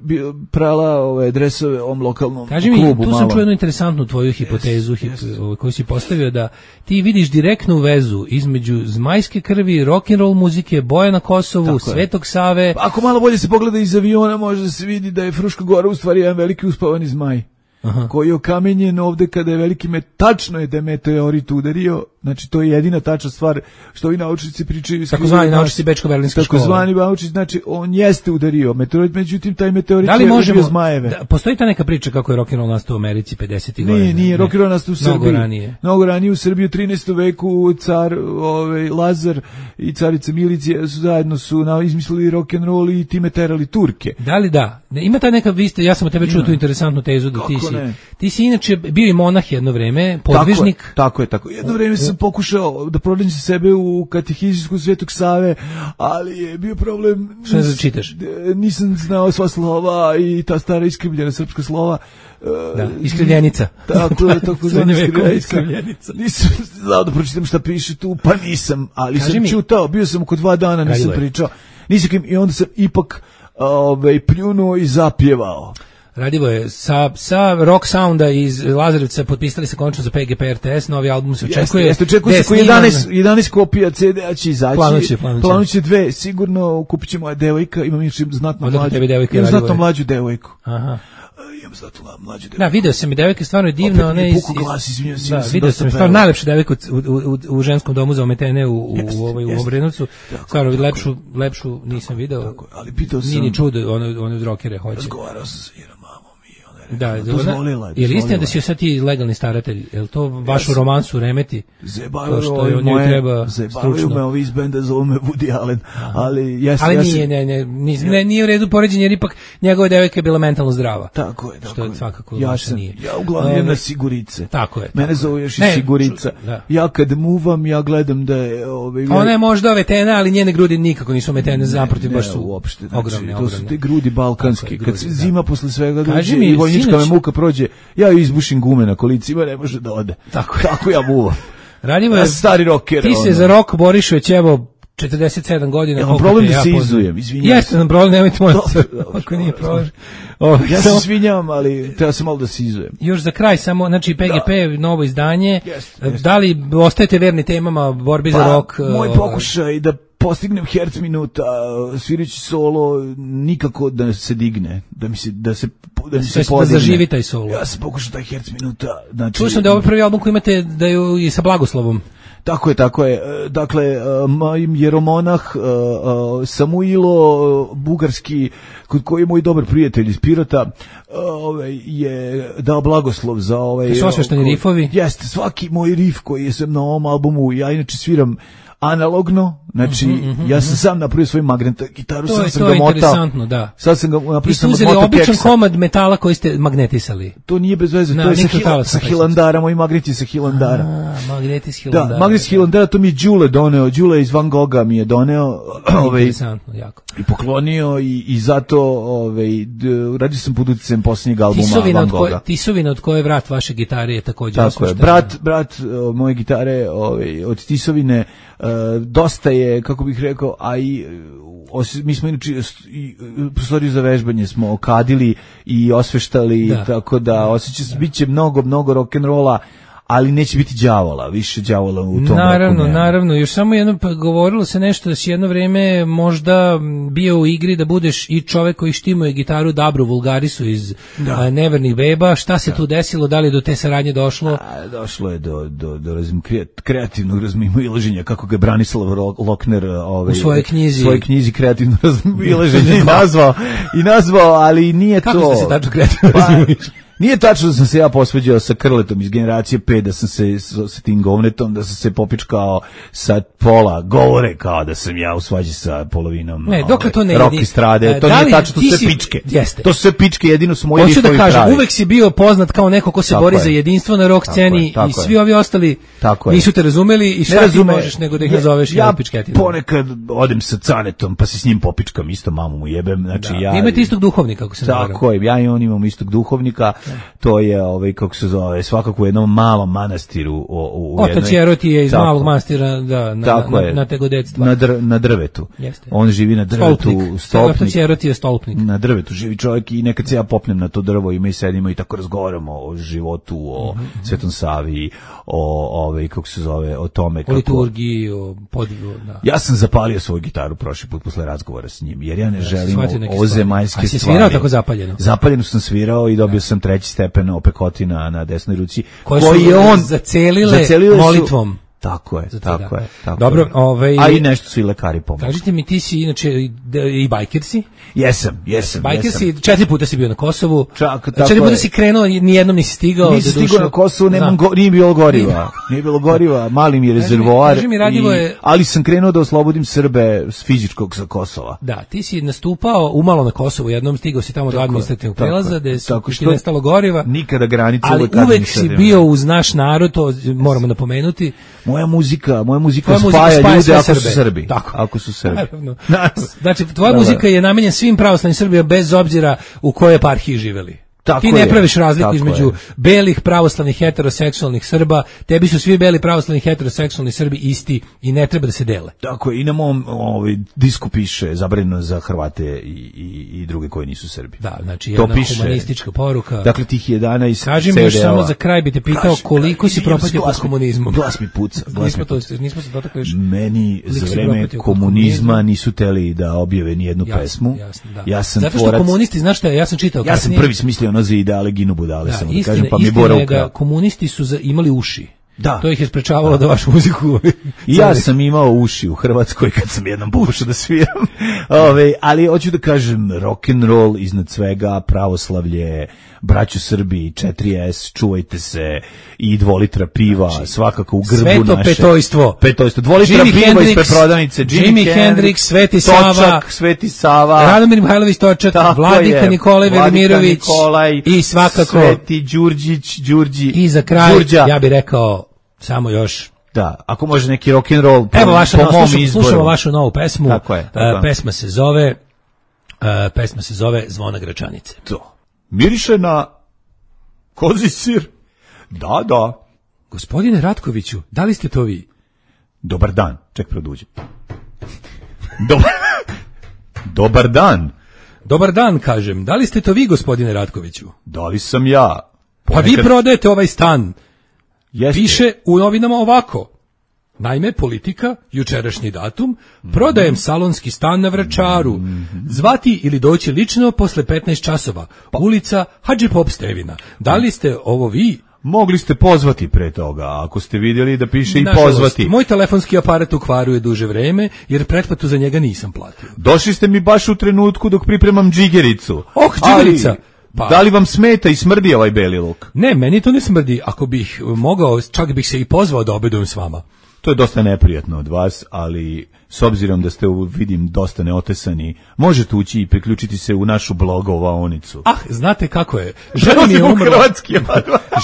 F: prala ove dresove ovom lokalnom
G: Kaži mi,
F: klubu.
G: Tu
F: malo.
G: sam čuo jednu interesantnu tvoju hipotezu, yes, hip, yes. Ovaj, koju si postavio da ti vidiš direktnu vezu između zmajske krvi, rock and roll muzike, boja na Kosovu, tako Svetog je. Save.
F: Ako malo bolje se pogleda iz aviona, može da se vidi da je Fruška Gora u stvari jedan veliki uspavani zmaj. Aha. Koji je okamenjen ovde kada je veliki met, tačno je da je meteorit udario, znači to je jedina tačna stvar što ovi naučnici pričaju.
G: Tako zvani naučnici Bečko-Berlinske škole.
F: Tako zvani naučnici, znači on jeste udario meteorit, međutim taj meteorit da li je možemo, ubio zmajeve.
G: Da, postoji ta neka priča kako je rock'n'roll nastao u Americi pedesetih godina?
F: Nije, nije, rock'n'roll nastao u Srbiji.
G: Mnogo ranije.
F: Mnogo ranije u Srbiji u trinaestom veku car ovaj, Lazar i carica Milicija su zajedno su na, izmislili rock'n'roll i time terali Turke.
G: Da li da? Ima ta neka, vi ste, ja sam od tebe čuo tu interesantnu tezu da ti si, ti si inače bio i monah jedno vreme, podvižnik.
F: Tako je, tako je. Tako. Jedno vreme sam pokušao da pronađem sebe u katehizijsku Svetog Save, ali je bio problem...
G: Što ne da čitaš?
F: Nisam znao sva slova i ta stara iskrivljena srpska slova.
G: Da, iskrivljenica.
F: Tako je, tako zvana iskrivljenica. Nisam znao da pročitam šta piše tu, pa nisam, ali Kaži sam mi. čutao, bio sam oko dva dana, nisam Kaži pričao. Nisam, i onda sam ipak ovaj, pljunuo i zapjevao.
G: Radivo je, sa, sa rock sounda iz Lazarevca potpisali se končno za P G P R T S, novi album se očekuje.
F: Jeste, jeste, očekuje se koji jedanaest, jedanaest kopija C D-a će izaći.
G: Planuće, planuće.
F: Planuće dve, sigurno kupit će moja devojka, imam još znatno
G: Odakle
F: mlađu.
G: Devojka,
F: imam znatno mlađu devojku.
G: Aha.
F: Imam znatno mlađu devojku.
G: Da, video sam i devojka stvarno je divna.
F: Opet mi je puku glas, izvinjam se.
G: Da, video sam stvarno najlepša devojka u, u, u ženskom domu za ometene u, u, u, ovaj, u Obrenovcu. Stvarno, lepšu, lepšu nisam video.
F: Tako, ali pitao sam.
G: Nije ni čudo, one, one od rockere hoće.
F: Razgovarao sam sa Iram.
G: Da, dozvolila, je li istina da si sad ti legalni staratelj? Je li to vašu yes. romansu remeti?
F: Zebavaju me ovi iz benda, zove me Woody Allen. Ali, yes,
G: ali
F: ja
G: nije,
F: se...
G: ne, ne, nije, ne, nije u redu poređenje, jer ipak njegova devojka je bila mentalno zdrava.
F: Tako je, tako
G: što
F: je.
G: Svakako
F: ja sam,
G: nije.
F: Ja uglavnom um, jedna Sigurice.
G: Tako je. Tako
F: Mene zove još i Sigurica. Da. Ja kad muvam, ja gledam da je... Ove,
G: ona je možda ometena, ali njene grudi nikako nisu ometene, zaprotiv baš su
F: uopšte, znači,
G: ogromne,
F: to
G: ogromne.
F: su te grudi balkanski. Kad se zima posle svega
G: dođe
F: i vojnička me muka prođe, ja ju izbušim gume na kolicima, ne može da ode.
G: Tako,
F: Tako ja muvam.
G: Radimo
F: ja stari rocker.
G: Ti se ono. Za rok boriš već evo četrdeset sedam godina.
F: Ja, problem da se ja izujem, izvinjam.
G: Jeste nam problem, nemojte molim se. Ako nije problem.
F: Oh, ja se svinjam, ali treba se malo da se izujem.
G: Još za kraj samo, znači P G P, da. Novo izdanje.
F: Jest, jest.
G: Da li ostajete verni temama borbi
F: pa,
G: za rok?
F: Moj pokušaj da postignem herc minuta, svirajući solo, nikako da se digne, da mi se, da se, da mi se
G: da
F: podigne.
G: Da zaživi taj solo.
F: Ja sam pokušao taj herc minuta. Znači,
G: čuo sam da je ovaj prvi album koji imate, da je i sa blagoslovom.
F: Tako je, tako je. Dakle, jeromonah Samuilo Bugarski, kod koji je moj dobar prijatelj iz Pirota, ovaj, je dao blagoslov za ovaj...
G: To su osvešteni rifovi?
F: Jeste, svaki moj rif koji sam na ovom albumu, ja inače sviram analogno, znači mm-hmm, mm-hmm. ja sam sam napravio svoju magnetnu gitaru,
G: to
F: sam
G: je,
F: sam
G: to
F: ga
G: je
F: motao.
G: Interesantno, da.
F: Sad sam ga napravio,
G: vi ste uzeli običan komad metala koji ste magnetisali.
F: To nije bez veze,
G: Na,
F: to je sa, hila, sa Hilandara, moji magneti sa Hilandara.
G: A, magneti sa Hilandara.
F: Da, magneti sa Hilandara, to mi je Đule doneo, Đule iz Van Gogha mi je doneo. Ovaj,
G: interesantno, jako.
F: I poklonio i, i zato ovaj, radio sam pod uticajem posljednjeg albuma
G: tisovina
F: Van Gogha.
G: Tisovina od koje vrat vaše gitare je također
F: tako je, brat, brat moje gitare ovaj, od Tisovine uh, dosta je, kako bih rekao, a i os, mi smo inače prostoriju za vežbanje smo okadili i osveštali, da. Tako da osjeća se, bit će mnogo, mnogo rock'n'rolla, ali neće biti đavola, više đavola u tom
G: naravno,
F: roku.
G: Naravno, još samo jedno, pa govorilo se nešto da si jedno vreme možda bio u igri da budeš i čovek koji štimuje gitaru Dabru Vulgarisu iz a, Nevernih beba, šta se da. Tu desilo, da li do te saradnje došlo?
F: A, došlo je do, do, do razim, kreativnog razmimoilaženja, kako ga je Branislav Lokner ovaj,
G: u svojoj knjizi,
F: svojoj knjizi kreativno razmimoilaženje nazvao, i nazvao, ali nije
G: kako
F: to...
G: Kako ste se tačno kreativno razmimoilaženje?
F: Nije tačno da sam se ja posveđao sa Krletom iz generacije pet, da sam se sa tim govnetom, da sam se popičkao sa pola govore kao da sam ja u svađi sa polovinom
G: ne, dokle to ne
F: rock estrade. To nije tačno, to su sve pičke.
G: Jeste.
F: To su sve pičke, jedino su moji
G: rifovi pravi. Hoću da kažem,
F: pravi.
G: uvek si bio poznat kao neko ko se tako bori je. Za jedinstvo na rock sceni i svi ovi ostali tako nisu te razumeli i šta ti možeš nego da ih nazoveš ja,
F: ja ponekad odem sa Canetom pa se s njim popičkam, isto mamu mu jebem. Znači,
G: da.
F: ja,
G: imate istog duhovnika, kako se zove.
F: Tako je, ja i on imamo istog duhovnika. To je ovaj kako se zove, svakako u jednom malom manastiru o, u
G: jednoj. Otac Jeroti je iz tako, malog manastira, da, na, na, na, na tegodectva.
F: Na, dr, na drvetu.
G: Jeste.
F: On živi na drvetu, stolpnik. stolpnik.
G: Otac Jeroti je stolpnik.
F: Na drvetu živi čovjek i nekad se ja popnem na to drvo i mi sedimo i tako razgovaramo o životu, o mm-hmm. Svetom Savi, o ove kako se zove, o tome kako
G: o liturgiji, o podvigu, da.
F: Ja sam zapalio svoju gitaru prošli put posle razgovora s njim, jer ja ne ja, želim ozemaljske stvari. A
G: si svirao tako zapaljeno?
F: Zapaljeno sam svirao i dobio ja. sam treći stepen opekotina na desnoj ruci,
G: koje koji je on zacelile, zacelile molitvom.
F: Su, tako je, tako je. Tako
G: Dobro,
F: je.
G: Ovaj,
F: a i nešto su i lekari pomogli.
G: Kažite mi, ti si inače i, i bajker si?
F: Jesam, jesam.
G: Bajker si, četiri puta si bio na Kosovu.
F: Čak,
G: četiri puta je. Si krenuo, nijednom nisi stigao.
F: Nisi stigao na Kosovu, nemam go, nije bilo goriva. Nije bilo goriva, mali mi je rezervoar.
G: Kaži mi, Radivo
F: i,
G: je...
F: Ali sam krenuo da oslobodim Srbe s fizičkog sa Kosova.
G: Da, ti si nastupao umalo na Kosovu, jednom stigao si tamo do administrativnog prelaza, gde su ti nestalo goriva.
F: Nikada granica.
G: Ali uvek si bio uz naš narod, to moramo napomenuti.
F: Moja muzika, moja muzika spaja ljude ako su Srbi.
G: Tako.
F: Ako su Srbi.
G: Znači, tvoja Dobar. muzika je namenjena svim pravoslavnim Srbima bez obzira u kojoj eparhiji živeli.
F: Tako
G: ti ne
F: je,
G: praviš razliku između je. belih pravoslavnih heteroseksualnih Srba, tebi su svi beli pravoslavni heteroseksualni Srbi isti i ne treba da se dele.
F: Tako je, i na mom ovaj, disku piše zabranjeno za Hrvate i, i, i druge koji nisu Srbi.
G: Da, znači jedna to piše, humanistička poruka.
F: Dakle, tih jedanaest
G: Kaži mi još samo za kraj bi te pitao Kaži, koliko si propatio pod komunizmom.
F: Glas mi puca. Glas
G: nismo,
F: mi
G: to, nismo se dotakli još.
F: Meni za vreme komunizma nisu teli da objave ni jednu
G: jasno,
F: pesmu.
G: Jasno, da.
F: Ja sam
G: zato što
F: tvorac,
G: komunisti, znaš šta, ja sam čitao.
F: Ja sam prvi smislio ono za ideale Ginu budale,
G: da,
F: samo
G: istina,
F: da kažem, pa mi
G: Bora ukrao. Komunisti su za, imali uši.
F: Da.
G: To ih je sprečavalo da vašu muziku...
F: I ja sam imao uši u Hrvatskoj kad sam jednom pokušao da sviram. Ove, ali hoću da kažem, rock and roll iznad svega, pravoslavlje, braću Srbi, četiri es, čuvajte se, i dvolitra piva, znači, svakako u grbu
G: sveto
F: naše.
G: Sveto petojstvo.
F: Petojstvo. Dvolitra
G: Jimi
F: piva
G: Hendrix,
F: ispred prodavnice.
G: Jimi, Jimi Hendrix, Sveti Sava.
F: Točak, Sveti Sava.
G: Radomir Mihajlović Točak, Vladika je, Nikolaj Velimirović.
F: Nikolaj,
G: i svakako
F: Sveti Đurđić, Đurđi.
G: I za kraj,
F: Đurđa.
G: ja bih rekao, samo još...
F: Da, ako može neki rock and roll po,
G: Evo vaša,
F: po
G: no,
F: mom
G: slušamo,
F: izboru.
G: Slušamo vašu novu pesmu.
F: Tako je. Tako
G: uh, pesma se zove uh, pesma se zove Zvona Gračanice.
F: To. Miriše na kozji sir. Da, da.
G: Gospodine Ratkoviću, da li ste to vi?
F: Dobar dan. Ček, produđem. Dobar, Dobar dan.
G: Dobar dan, kažem. Da li ste to vi, gospodine Ratkoviću?
F: Da li sam ja?
G: Ponekad... Pa vi prodajete ovaj stan.
F: Jeste.
G: Piše u novinama ovako. Naime, Politika, jučerašnji datum, prodajem salonski stan na Vračaru. Zvati ili doći lično posle petnaest časova. Ulica Hadži Pop Stevina. Da li ste ovo vi?
F: Mogli ste pozvati pre toga, ako ste vidjeli da piše i
G: Nažalost,
F: pozvati.
G: Moj telefonski aparat u kvaru je duže vreme, jer pretplatu za njega nisam platio.
F: Došli ste mi baš u trenutku dok pripremam džigericu.
G: Oh, džigerica!
F: Pa. Da li vam smeta i smrdi ovaj beli luk?
G: Ne, meni to ne smrdi. Ako bih mogao, čak bih se i pozvao da obedujem s vama.
F: To je dosta neprijatno od vas, ali s obzirom da ste, vidim, dosta neotesani, možete ući i priključiti se u našu blogovaonicu.
G: Ah, znate kako je. Žena mi je umrla,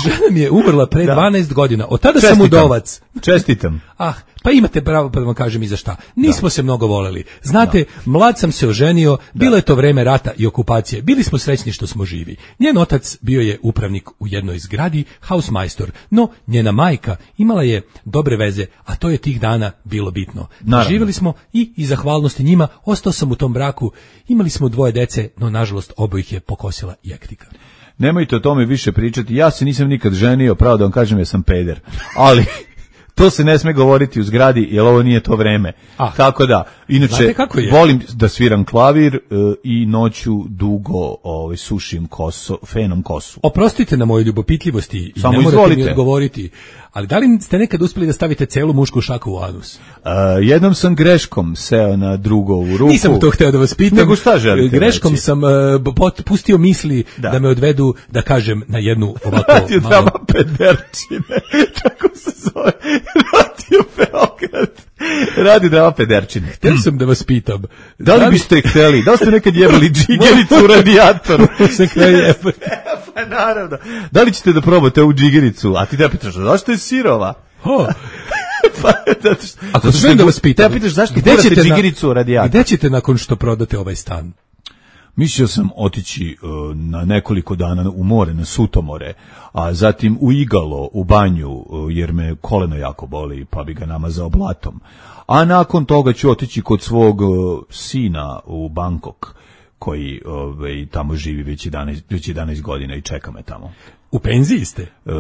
G: žena mi je umrla pre da. dvanaest godina. Od tada Čestitam. sam udovac.
F: Čestitam.
G: Ah, pa imate pravo pa da vam kažem i za šta. Nismo da. se mnogo voleli. Znate, da. mlad sam se oženio, bilo da. je to vreme rata i okupacije. Bili smo srećni što smo živi. Njen otac bio je upravnik u jednoj zgradi, hausmajstor, no njena majka imala je dobre veze, a to je tih dana bilo bitno. Živjeli smo i iz zahvalnosti njima, ostao sam u tom braku, imali smo dvoje dece, no nažalost obojih je pokosila jektika.
F: Nemojte o tome više pričati, ja se nisam nikad ženio, pravo da vam kažem, ja sam peder, ali to se ne sme govoriti u zgradi, jer ovo nije to vreme. Ah, tako da, inače, volim da sviram klavir uh, i noću dugo ovaj, sušim koso, fenom kosu.
G: Oprostite na moje ljubopitljivosti i
F: Samo
G: ne morate
F: izvolite.
G: mi odgovoriti, ali da li ste nekad uspjeli da stavite celu mušku šaku u anus?
F: Uh, jednom sam greškom seo na drugovu ruku.
G: Nisam to hteo da vas pitam.
F: Nego šta želite
G: Greškom
F: reći?
G: sam uh, pustio misli da. da me odvedu, da kažem, na jednu ovako
F: Radio malo... drama pederčine, tako se zove. Radio Beograd. Radio drama pederčine.
G: Htio sam da vas pitam.
F: Da li biste hteli? Da li ste nekad jebali džigericu u radijatoru?
G: Se kraj jebali.
F: Pa naravno. Da li ćete da probate ovu džigericu? A ti da pitaš, zašto je sirova?
G: Oh.
F: Pa, zato što,
G: ako smijem da vas pitam,
F: te pitaš zašto gurate džigericu u radijator?
G: Gde ćete nakon što prodate ovaj stan?
F: Mislio sam otići uh, na nekoliko dana u more, na Sutomore, a zatim u Igalo, u banju, uh, jer me koleno jako boli, pa bi ga namazao blatom. A nakon toga ću otići kod svog uh, sina u Bangkok, koji uh, tamo živi već jedanaest, već jedanaest godina i čeka me tamo.
G: U penziji ste?
F: Uh,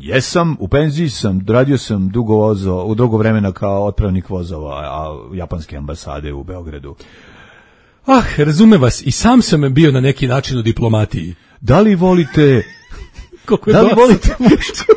F: jesam, u penziji sam, radio sam dugo vozo, u dugo vremena kao otpravnik vozova a, japanske ambasade u Beogradu.
G: Ah, razume vas, i sam sam bio na neki način u diplomatiji.
F: Da li volite... da li volite muški...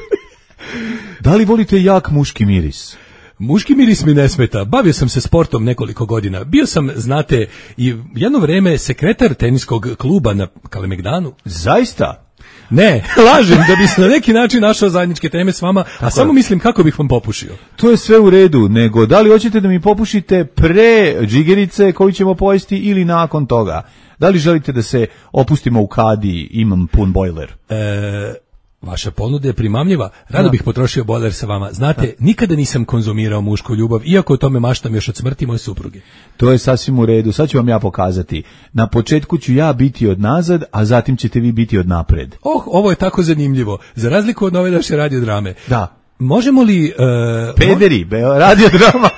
F: da li volite jak muški miris?
G: Muški miris mi ne smeta. Bavio sam se sportom nekoliko godina. Bio sam, znate, i jedno vreme sekretar teniskog kluba na Kalemegdanu.
F: Zaista?
G: Ne, lažem, da bi se na neki način našao zajedničke teme s vama, a tako samo je. Mislim kako bih vam popušio.
F: To je sve u redu, nego da li hoćete da mi popušite pre džigerice koju ćemo pojesti ili nakon toga? Da li želite da se opustimo u kadi, imam pun bojler?
G: E, vaša ponuda je primamljiva, rado da. bih potrošio bojler sa vama. Znate, da. nikada nisam konzumirao mušku ljubav, iako o tome maštam još od smrti moje supruge.
F: To je sasvim u redu, sad ću vam ja pokazati. Na početku ću ja biti od nazad, a zatim ćete vi biti od napred.
G: Oh, ovo je tako zanimljivo. Za razliku od nove naše radiodrame.
F: Da.
G: Možemo li... Uh,
F: Pederi, be, radiodrama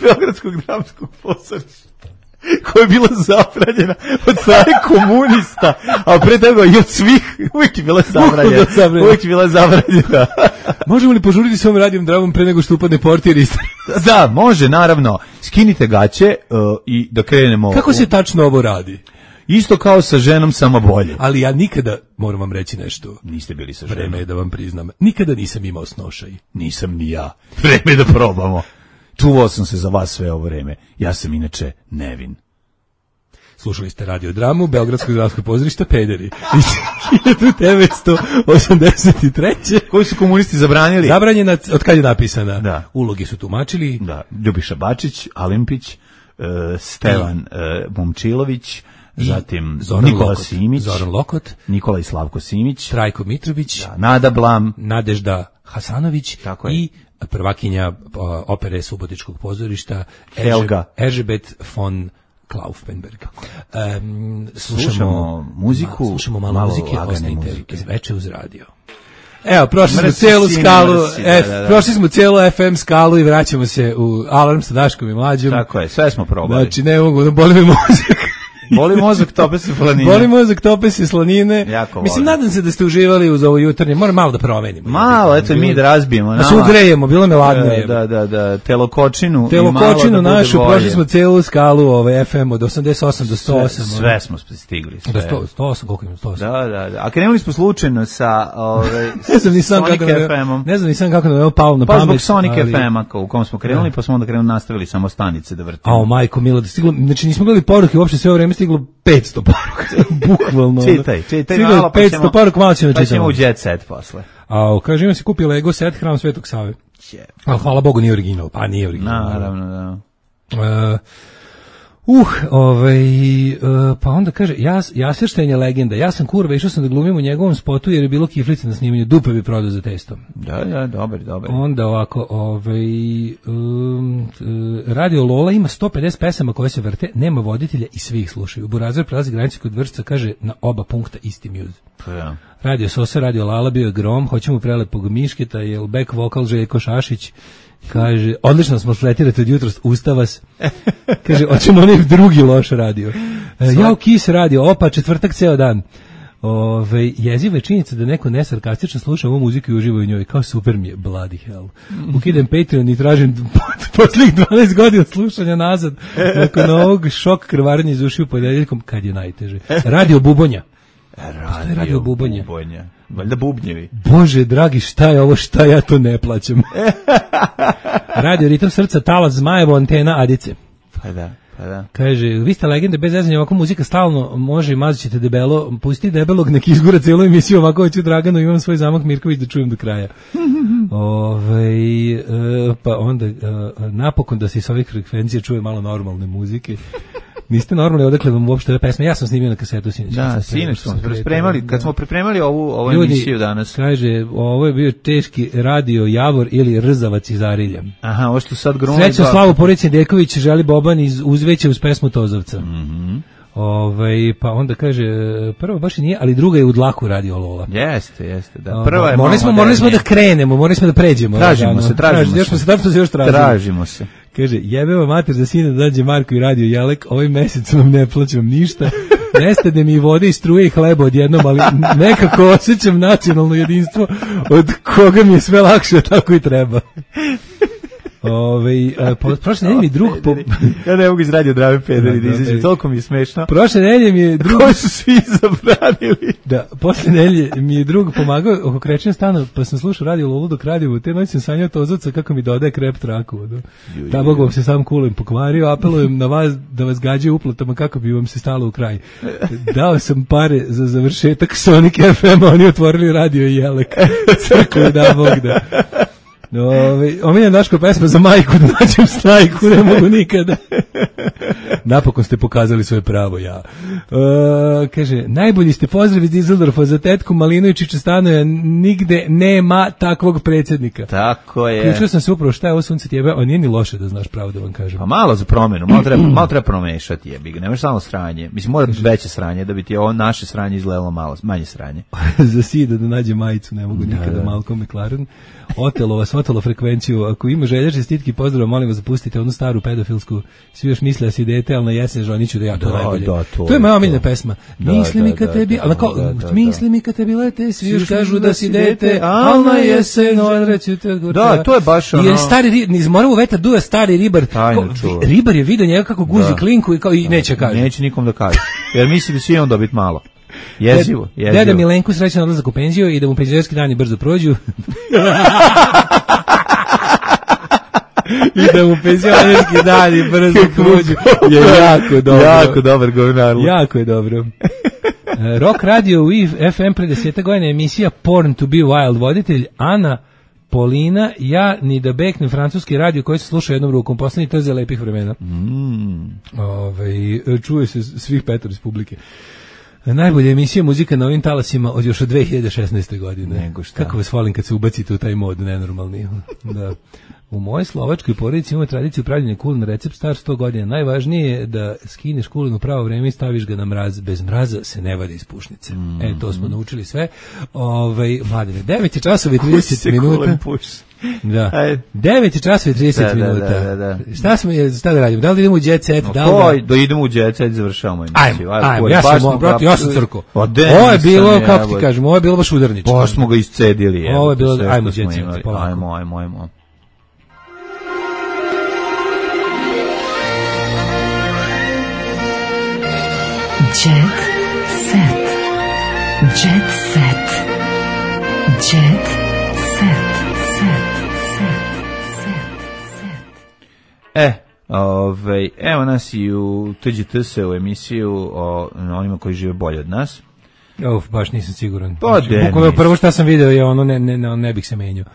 F: Beogradskog dramskog pozorišta, koja je bila zabranjena od strane komunista, a pre toga i od svih, uvijek je bila zabranjena. Uvijek je bila zabranjena.
G: Možemo li požuriti s ovom radijom dramom pre nego što upadne portir isto?
F: Da, može, naravno. Skinite gaće uh, i da krenemo.
G: Kako se tačno ovo radi?
F: Isto kao sa ženom, samo bolje.
G: Ali ja nikada, moram vam reći nešto.
F: Niste bili sa ženom.
G: Vreme je da vam priznam. Nikada nisam imao snošaj.
F: Nisam ni ja. Vreme je da probamo. Čuvao sam se za vas sve ovo vreme. Ja sam inače nevin.
G: Slušali ste radiodramu Beogradskog dramskog pozorišta Pederi iz hiljadu devetsto osamdeset treće
F: Koji su komunisti zabranili?
G: Zabranjena, od kad je napisana?
F: Da.
G: Ulogi su tumačili.
F: Da. Ljubiša Bačić, Alimpić, uh, Stevan uh, Momčilović, zatim
G: Zoran
F: Nikola
G: Lokot,
F: Simić,
G: Zoran Lokot,
F: Nikola i Slavko Simić,
G: Trajko Mitrović,
F: da, Nada Blam,
G: Nadežda Hasanović i prvakinja opere Subotičkog pozorišta
F: Helga
G: Erzsébet von Klaufenberg. Um, slušamo,
F: slušamo muziku,
G: ma, slušamo malo, malo muzike, ostanite veče uz radio. Evo, prošli
F: mrsi
G: smo cijelu
F: sine,
G: skalu,
F: mrsi,
G: F,
F: da, da, da.
G: prošli smo cijelu F M skalu i vraćamo se u Alarm sa Daškom i Mlađom.
F: Tako je, sve smo probali.
G: Znači, ne mogu da boli me mozak.
F: Boli mozak, tope se slanine.
G: Boli mozak, tope se slanine.
F: Jako
G: Mislim,
F: volim.
G: nadam se da ste uživali uz ovo jutarnje. Moram malo da promenimo.
F: Malo, eto mi da razbijemo.
G: Da se ugrejemo, bilo me ladno.
F: Da, da, da, da, telokočinu.
G: Telokočinu našu, prošli smo celu skalu ovaj, F M od osamdeset osam do sto osam.
F: Sve, sve smo stigli. Sve.
G: Do sto, sto osam, koliko ima sto osam?
F: Da, da, da. A krenuli smo slučajno sa ovaj,
G: ne znam ni sam
F: Sonic
G: kako
F: F M-om.
G: Ne znam ni sam kako nam je palo na
F: pa
G: pamet.
F: Pa zbog Sonic
G: ali...
F: F M-a u kom smo krenuli, pa smo onda krenuli nastavili samo stanice da vrtimo.
G: Ao, majko milo, da stiglo, znači nismo gledali poruke, uopšte sve ovo vreme stiglo petsto poruka. Bukvalno.
F: Čitaj, čitaj
G: stiglo
F: malo, pa ćemo,
G: poruka, malo ćemo
F: pa ćemo u jet set posle.
G: Ao, kaže, imam si kupio Lego set Hram Svetog Save. Ali hvala Bogu nije original, pa nije original.
F: Naravno, da.
G: Uh, Uh, ovaj, uh, pa onda kaže, ja, Jasirštajn je legenda, ja sam kurva, išao sam da glumim u njegovom spotu jer je bilo kiflice na snimanju, dupe bi prodao za testom.
F: Da, da, dobar, dobar.
G: Onda ovako, ovaj, um, Radio Lola ima sto pedeset pesama koje se vrte, nema voditelja i svi ih slušaju. Burazir prelazi granicu kod Vršca, kaže, na oba punkta isti muse.
F: Pa ja.
G: Radio Sosa, Radio Lala, bio je grom, hoćemo prelepog Mišketa, je back vokal Željko Šašić. Kaže, odlično smo fletirati od jutros, usta vas. Kaže, hoćemo onaj drugi loš radio. E, ja u Kis radio, opa, četvrtak ceo dan. Ove, jeziva je činjenica da neko nesarkastično sluša ovu muziku i uživa u njoj. Kao super mi je, bloody hell. Ukidem Patreon i tražim posljednjih dvanaest godina slušanja nazad. Nakon ovog šok krvarenja iz ušiju ponedeljkom, kad je najteže. Radio Bubonja.
F: Radio,
G: radio Bubonja.
F: Bubonja. Valjda bubnjevi.
G: Bože, dragi, šta je ovo, šta ja to ne plaćam. Radio Ritam srca, Talas, Zmajevo, Antena, Adice.
F: Pa da, pa da.
G: Kaže, vi ste legende, bez zezanja, ovako muzika stalno može i mazit ćete debelo, pusti debelog, nek izgura cijelu emisiju, ovako hoću Draganu, imam svoj zamak Mirković da čujem do kraja. Ove, e, pa onda, e, napokon da se iz ovih frekvencija čuje malo normalne muzike. Niste normalni, odakle vam uopšte ove pesme. Ja sam snimio na kasetu sinoć.
F: Da, sinoć smo pripremali, kad smo pripremali ovu, ovu
G: Ljudi,
F: emisiju danas.
G: Kaže, ovo je bio teški radio Javor ili Rzavac iz Arilja.
F: Aha, ovo što sad grunuli.
G: Srećno Slavu Porici Deković želi Boban iz Uzveća uz pesmu Tozovca.
F: Mhm.
G: Ovaj, pa onda kaže, prva baš i nije, ali druga je u dlaku radio Lola.
F: Jeste, jeste, da. Prva je
G: morali smo, morali smo da krenemo, morali smo da pređemo.
F: Tražimo
G: da,
F: se, tražimo
G: još
F: se.
G: se. Još se još tražimo.
F: Tražimo se.
G: Kaže, jebeva mater za sina da dađe Marko i radio Jelek, ovaj mesec vam ne plaćam ništa, nestade mi vode i struje i hleba odjednom, ali nekako osjećam nacionalno jedinstvo od koga mi je sve lakše, tako i treba. Ove, po, prošle nedelje mi drug po...
F: Ja ne mogu iz radio Drave pederi da izađem, toliko mi je smešno.
G: Prošle nedelje mi je drug...
F: Koji su svi zabranili.
G: Da, posle nedelje mi je drug pomagao oko krećenja stana, pa sam slušao radio Lolu dok radio, te noći sam sanjao Tozovca kako mi dodaje krep traku. Da, Bog vam se sam kulem pokvario, apelujem na vas da vas gađaju uplatama kako bi vam se stalo u kraj. Dao sam pare za završetak Sonic F M, oni otvorili radio i Jelek. Crkve da Bog da. Ove, omiljena Daško pesma za majku da nađem snajku, ne mogu nikada. Napokon ste pokazali svoje pravo, ja. E, kaže, najbolji ste pozdrav iz Dizeldorfa za tetku Malinovičića Stanoja, nigde nema takvog predsjednika.
F: Tako je.
G: Ključio sam se upravo šta je ovo sunce tjebe, a nije ni loše da znaš pravo da vam kažem.
F: Pa malo za promjenu, malo treba, malo treba promešati jebi ga, nemaš samo sranje. Mislim, mora biti veće sranje da bi ti ovo naše sranje izgledalo malo, manje sranje.
G: Za sida da nađe majicu, ne mogu nikada, da, da. Malcolm McLaren. Otelo vas, otelo frekvenciju. Ako ima želja, čestitki, pozdrav, molim vas zapustite onu staru pedofilsku. Svi još misle da si dete, ali na jesen žoniću da ja to
F: da,
G: najbolje.
F: Da, to,
G: to je moja omiljena pesma.
F: Da,
G: misli mi kad tebi, ali kao, misli mi kad tebi lete, svi još kažu da si dete, ali na jesen odreću te gorča.
F: Da, to je baš ono.
G: I je stari, iz Moravog vetra duja stari ribar.
F: Tajno,
G: ko, ribar je vidio njega kako guzi da. klinku i, kao, i da, neće kaže.
F: Neće nikom da kaže. Jer misli da će on dobiti malo. Jezivo, jezivo.
G: Deda Milenku srećan odlazak u penziju i da mu penzionerski dani brzo prođu. I da mu penzionerski dani brzo prođu. Je jako dobro.
F: Jako dobar govnarlo.
G: Jako je dobro. Rock radio u F M pre deseta godina emisija Porn to be Wild, voditelj Ana Polina, ja ni da beknem francuski radio koji se sluša jednom rukom, poslednji trze lepih vremena.
F: Mm.
G: Ove, čuje se svih petor iz publike. Najbolja emisija muzika na ovim talasima od još od dve hiljade šesnaeste. godine.
F: Nego šta.
G: Kako vas volim kad se ubacite u taj mod nenormalni. Da. U mojoj slovačkoj porodici imamo tradiciju pravljenja kulena, recept star sto godina. Najvažnije je da skineš kulen u pravo vreme i staviš ga na mraz. Bez mraza se ne vade iz pušnice. Mm. E, to smo naučili sve. Ovaj, mladine, devet časova i trideset minuta. Da. devet časova i trideset
F: da,
G: minuta.
F: Da, da, da.
G: Šta smo, šta da radimo? Da li idemo u Jet Set?
F: No,
G: da li
F: da... Do idemo u Jet Set, završavamo emisiju.
G: Ajmo, ajmo, ja sam, brate, ja sam crko. Ovo je bilo, kako ti kažem, ovo je bilo baš udarničko.
F: Baš smo ga iscedili.
G: Ovo je bilo, ajmo Jet Set, polako.
F: Ajmo, ajmo, ajmo.
B: Jet Set. Jet Set. Jet Set.
F: E, ovaj, evo nas i u T G T S u emisiju o onima koji žive bolje od nas.
G: Uf, baš nisam siguran.
F: Pa
G: znači, prvo što sam video je ono, ne, ne, ne, ne bih se menjao.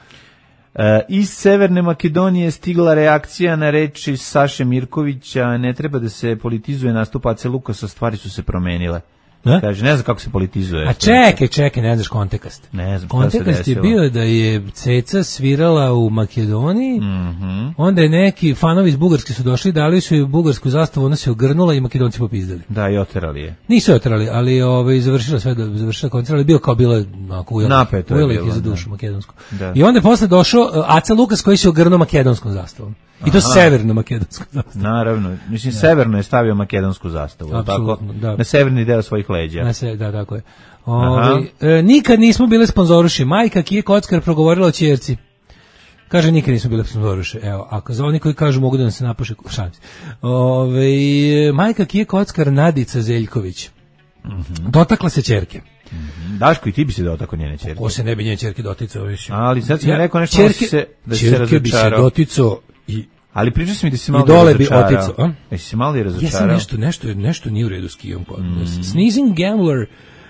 F: E, iz Severne Makedonije stigla reakcija na reči Saše Mirkovića, ne treba da se politizuje nastup Ace Lukasa, stvari su se promenile. Ne? Kaže, ne znam kako se politizuje.
G: A čekaj, čekaj, ne znaš kontekst.
F: Ne znam
G: kontekst je bio da je Ceca svirala u Makedoniji,
F: mm-hmm.
G: onda je neki fanovi iz Bugarske su došli, dali su joj bugarsku zastavu, ona se ogrnula i Makedonci popizdali.
F: Da, i oterali je.
G: Nisu je oterali, ali ovaj, završila sve, završila koncert, ali bio kao bilo onako ujela ih i za dušu makedonsku. Da. I onda je posle došao Aca Lukas koji se ogrnuo makedonskom zastavom. I to severno makedonsku zastavu.
F: Naravno, mislim da. Severno je stavio makedonsku zastavu, tako?
G: Da.
F: Na severni deo svojih leđa.
G: Na se, da, tako je. Ovi, e, nikad nismo bile sponzoruši. Majka Kije Kockar progovorila o ćerci. Kaže, nikad nismo bile sponzoruši. Evo, ako za oni koji kažu mogu da nam se napuše šans. Ove, majka Kije Kockar Nadica Zeljković. Mm-hmm. Dotakla se ćerke.
F: Mm-hmm. Daško, i ti bi se dotakao njene ćerke.
G: Ko se ne bi njene ćerke doticao?
F: Ali sad si ja, rekao nešto ćerke, se, da se razočarao.
G: Bi se doticao i
F: ali pričao sam mi da si malo
G: dole bi oticao.
F: Jesi si malo i razočarao?
G: Ja sam nešto, nešto, nešto nije u redu s Kijom. Mm. Sneezing Gambler,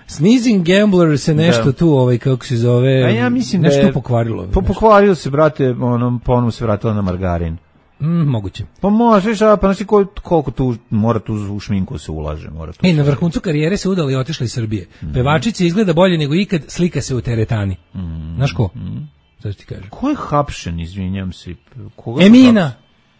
G: Sneezing Gambler se nešto da. Tu, ovaj, kako se zove, a ja mislim nešto da je, pokvarilo.
F: Po, pokvarilo se, brate, ono, ponovno se vratila na margarin.
G: Mm, moguće.
F: Pa možeš, a pa znači koliko, koliko tu mora tu u šminku se ulaže. Mora tu
G: e, na vrhuncu karijere se udala i otišla iz Srbije. Mm. Pevačica izgleda bolje nego ikad, slika se u teretani. Mm. Znaš ko? Mm. Sad ti kažem.
F: Ko je hapšen, izvinjam se? Koga
G: Emina.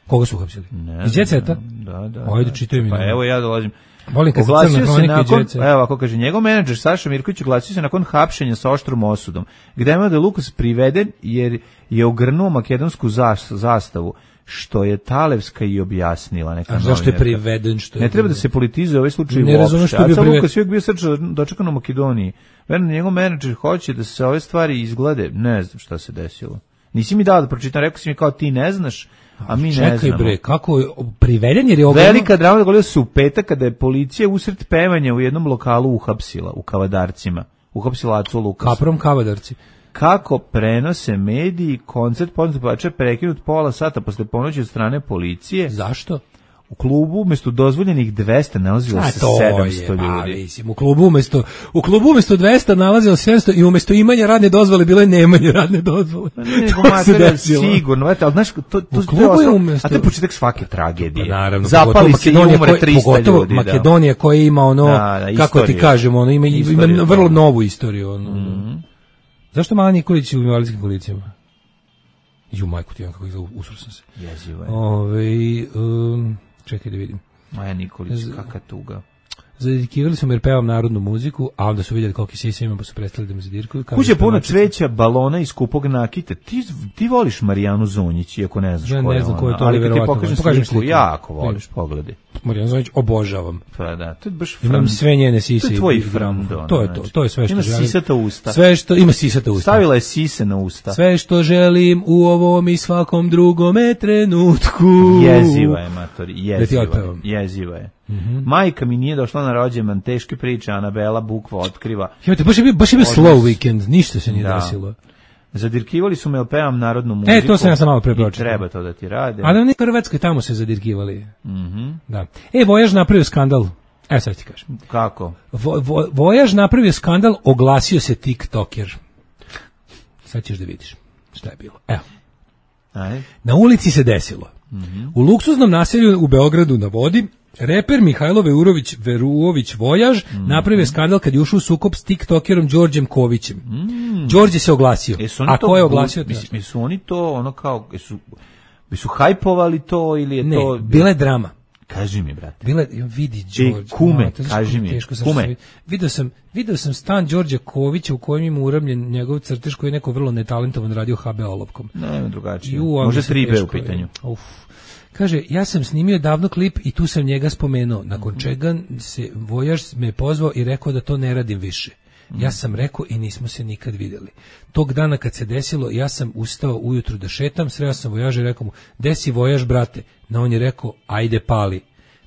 G: Koga su uhapsili?
F: Iz
G: Jet Seta?
F: Da, da.
G: Ajde, čitaj mi.
F: Pa evo ja dolazim.
G: Volim kad se crna hronika i Jet Set.
F: Evo, ako kaže, njegov menadžer Saša Mirković oglasio se nakon hapšenja sa oštrom osudom, gde je da Lukas priveden jer je ogrnuo makedonsku zastavu, što je Talevska i objasnila. Neka
G: a zašto je priveden? Što je
F: ne treba da se politizuje ovaj slučaj uopšte. Ne razumem što je bio priveden. Lukas je uvijek bio srčno dočekan u Makedoniji. Verno, njegov menadžer hoće da se ove stvari izglede. Ne znam šta se desilo. Nisi mi dao da pročitam, rekao si mi kao ti ne znaš, a mi
G: čekaj,
F: ne znamo.
G: Čekaj bre, kako je priveden jer je
F: ogromno... Velika drama dogodila se u petak kada je policija usred pevanja u jednom lokalu uhapsila, u Kavadarcima. Uhapsila Acu Lukasa.
G: Kaprom Kavadarci.
F: Kako prenose mediji, koncert poznat pevača prekinut pola sata posle ponoći od strane policije.
G: Zašto?
F: U klubu umesto dozvoljenih dvesta nalazilo se sedamsto je, ljudi.
G: Mislim, u klubu umesto u klubu umesto dvesta nalazilo sedamsto i umesto imanja radne dozvole bilo je nemanje radne dozvole.
F: Pa ne, to se sigurno, al znaš to to to je umesto, a to je početak svake tragedije.
G: Pa naravno,
F: zapali se i umre trista ljudi.
G: Makedonija koja ima ono, da, da, kako ti kažemo, ono ima, ima vrlo novu istoriju. Ono. Mm-hmm. Zašto Mala Nikolić u invalidskim kolicijama? Ju majku ti, kako izgleda, usro sam se.
F: Jezivo je.
G: Ove, um, čekaj da vidim.
F: Maja Nikolić, kaka tuga.
G: Zadikivali su me jer pevam narodnu muziku, a onda su vidjeli koliki sisa imam, pa su prestali da me zadirkuju.
F: Kuće puno cveća, balona i skupog nakita. Ti, ti voliš Marijanu Zonjić, iako ne znaš
G: ja
F: ko je
G: ne znam ko je to,
F: ali
G: kad
F: ti pokažem sliku, sliku, jako voliš, pogledaj.
G: Marijanu Zonjić obožavam.
F: Pa da, to je baš
G: frand. Imam sve njene sise.
F: To je tvoj frand.
G: To je to, to je sve što
F: ima
G: želim.
F: Ima sisata usta.
G: Sve što, ima sisata usta.
F: Stavila je sise na usta.
G: Sve što želim u ovom i svakom drugome trenutku.
F: Jeziva je, matori, jeziva je. Jeziva je. Mm-hmm. Majka mi nije došla na rođendan, teške priče, Anabela bukva otkriva.
G: Joj, baš je bio, baš je bio slow weekend, ništa se nije da. desilo.
F: Zadirkivali su me, jel pevam narodnu muziku.
G: E, to sam ja sam malo prepročio.
F: Treba to da ti rade.
G: A da ne Hrvatskoj, tamo se zadirkivali.
F: Mm-hmm.
G: Da. E, Vojaž napravio skandal. Evo sad ti kažem.
F: Kako?
G: Vo, vo, Vojaž napravio skandal, oglasio se TikToker. Sad ćeš da vidiš šta je bilo. Evo.
F: Aj.
G: Na ulici se desilo. Mm-hmm. U luksuznom naselju u Beogradu na vodi reper Mihajlo Veurović Veruović Vojaž mm. napravio skandal kad je ušao u sukob s TikTokerom Đorđem Kovićem. Mm. Đorđe se oglasio.
F: E,
G: a ko je oglasio?
F: Bu, mislim, su oni to ono kao, su, su hajpovali to ili je
G: ne,
F: to...
G: bila je drama.
F: Kaži mi, brate.
G: Bile, vidi Đorđe.
F: Kume, kaži mi. Kume.
G: Video sam, video sam stan Đorđa Kovića u kojem ima uramljen njegov crtež koji je neko vrlo netalentovan radio ha be olovkom.
F: Ne, drugačije. Može tri be u pitanju.
G: Uf. Kaže, ja sam snimio davno klip i tu sam njega spomenuo, nakon čega se vojaž me pozvao i rekao da to ne radim više. Ja sam rekao i nismo se nikad vidjeli. Tog dana kad se desilo, ja sam ustao ujutru da šetam, sreo sam vojaža i rekao mu, desi vojaž, brate? Na on je rekao, ajde pali.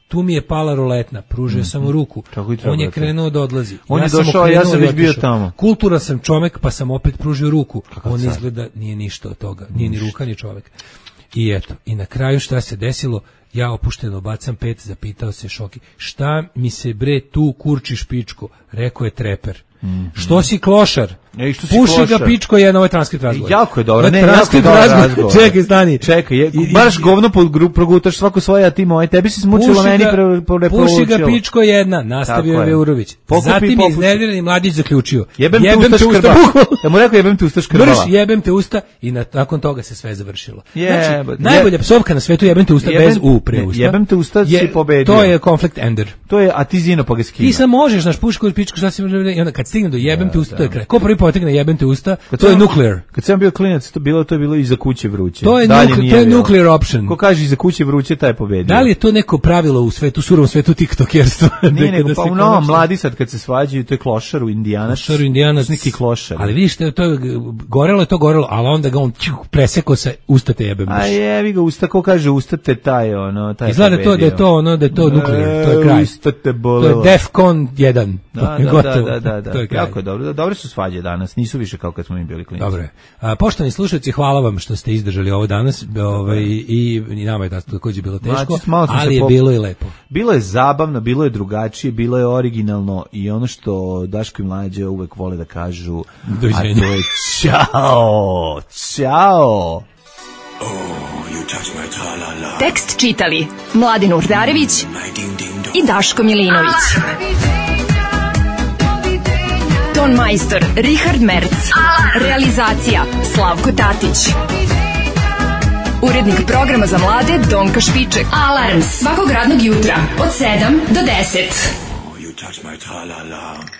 G: Tu mi je pala roletna, pružio sam mu ruku. On je krenuo da odlazi.
F: On je došao, ja sam već bio tamo.
G: Kultura sam čovek, pa sam opet pružio ruku. On izgleda nije ništa od toga, nije ni ruka ni čovek. I eto, i na kraju šta se desilo, ja opušteno bacam pet, zapitao se Šoki, šta mi se bre tu kurčiš pičko, rekao je treper. Mm-hmm. Što si klošar?
F: E, što si
G: Puši
F: klošar?
G: Ga pičko je na ovaj transkript razgovor.
F: Jako je dobro, ne, jako je dobro razgovor.
G: Čekaj, stani.
F: Čekaj, je, baš govno progutaš svako svoje, a ti moj, tebi si smučilo, meni preporučilo.
G: Puši ga pičko jedna, nastavio je Veurović. Zatim je iznervirani mladić zaključio.
F: Jebem, jebem te usta, ja mu rekao jebem te usta škrbala.
G: Vrš, jebem te usta i na, nakon toga se sve završilo.
F: Je,
G: znači, najbolja psovka na svetu jebem te usta jebem, bez u pre usta.
F: Jebem te usta je, si pobedio.
G: To je conflict ender.
F: To je, a ti zino pa ga skina.
G: Ti sam možeš, naš puško pičko, šta si, i onda kad stigne do jebem te usta, to je kraj. Ko prvi potegne jebem te usta, to je nuclear.
F: Kad sam bio klinac, to bilo to je bilo iza kuće vruće.
G: To je, nuk, to je nuclear option.
F: Ko kaže iza kuće vruće, taj pobedio.
G: Da li je to neko pravilo u svetu, surovom svetu tiktokerstva?
F: Nije nego, pa u novom mladi sad kad se svađaju, to je klošar u Indijanac.
G: Klošar u Indijanac.
F: Neki klošar.
G: Ali vidiš, to je, gorelo je to gorelo, ali onda ga on preseko se ustate jebem.
F: A jevi ga usta, ko kaže ustate taj, ono, taj
G: izgleda pobedio. To da je to, ono, da je to nuclear, to je kraj.
F: Ustate bolelo.
G: To je Defcon jedan.
F: Da, da, da, da, da. To je kraj. Jako je dobro. Dobre su svađe danas, nisu više kao kad smo mi bili klinci.
G: Dobro je. A, poštovani slušalci, hvala vam što ste izdržali ovo danas, ovaj, i, i nama je također bilo teško, Mači, ali je po... bilo i lepo.
F: Bilo je zabavno, bilo je drugačije, bilo je originalno i ono što Daško i Mlađe uvek vole da kažu,
G: doviđenja.
F: A to je čao, čao.
A: Oh, you touch my tra-la-la.
B: Tekst čitali Mladin Urdarević i Daško Milinović. Ton majstor Richard Merc. Realizacija Slavko Tatić. Urednik programa za mlade Donka Špiček. Alarms svakog radnog jutra od sedam do deset.
A: Oh, you touch my tra-la-la.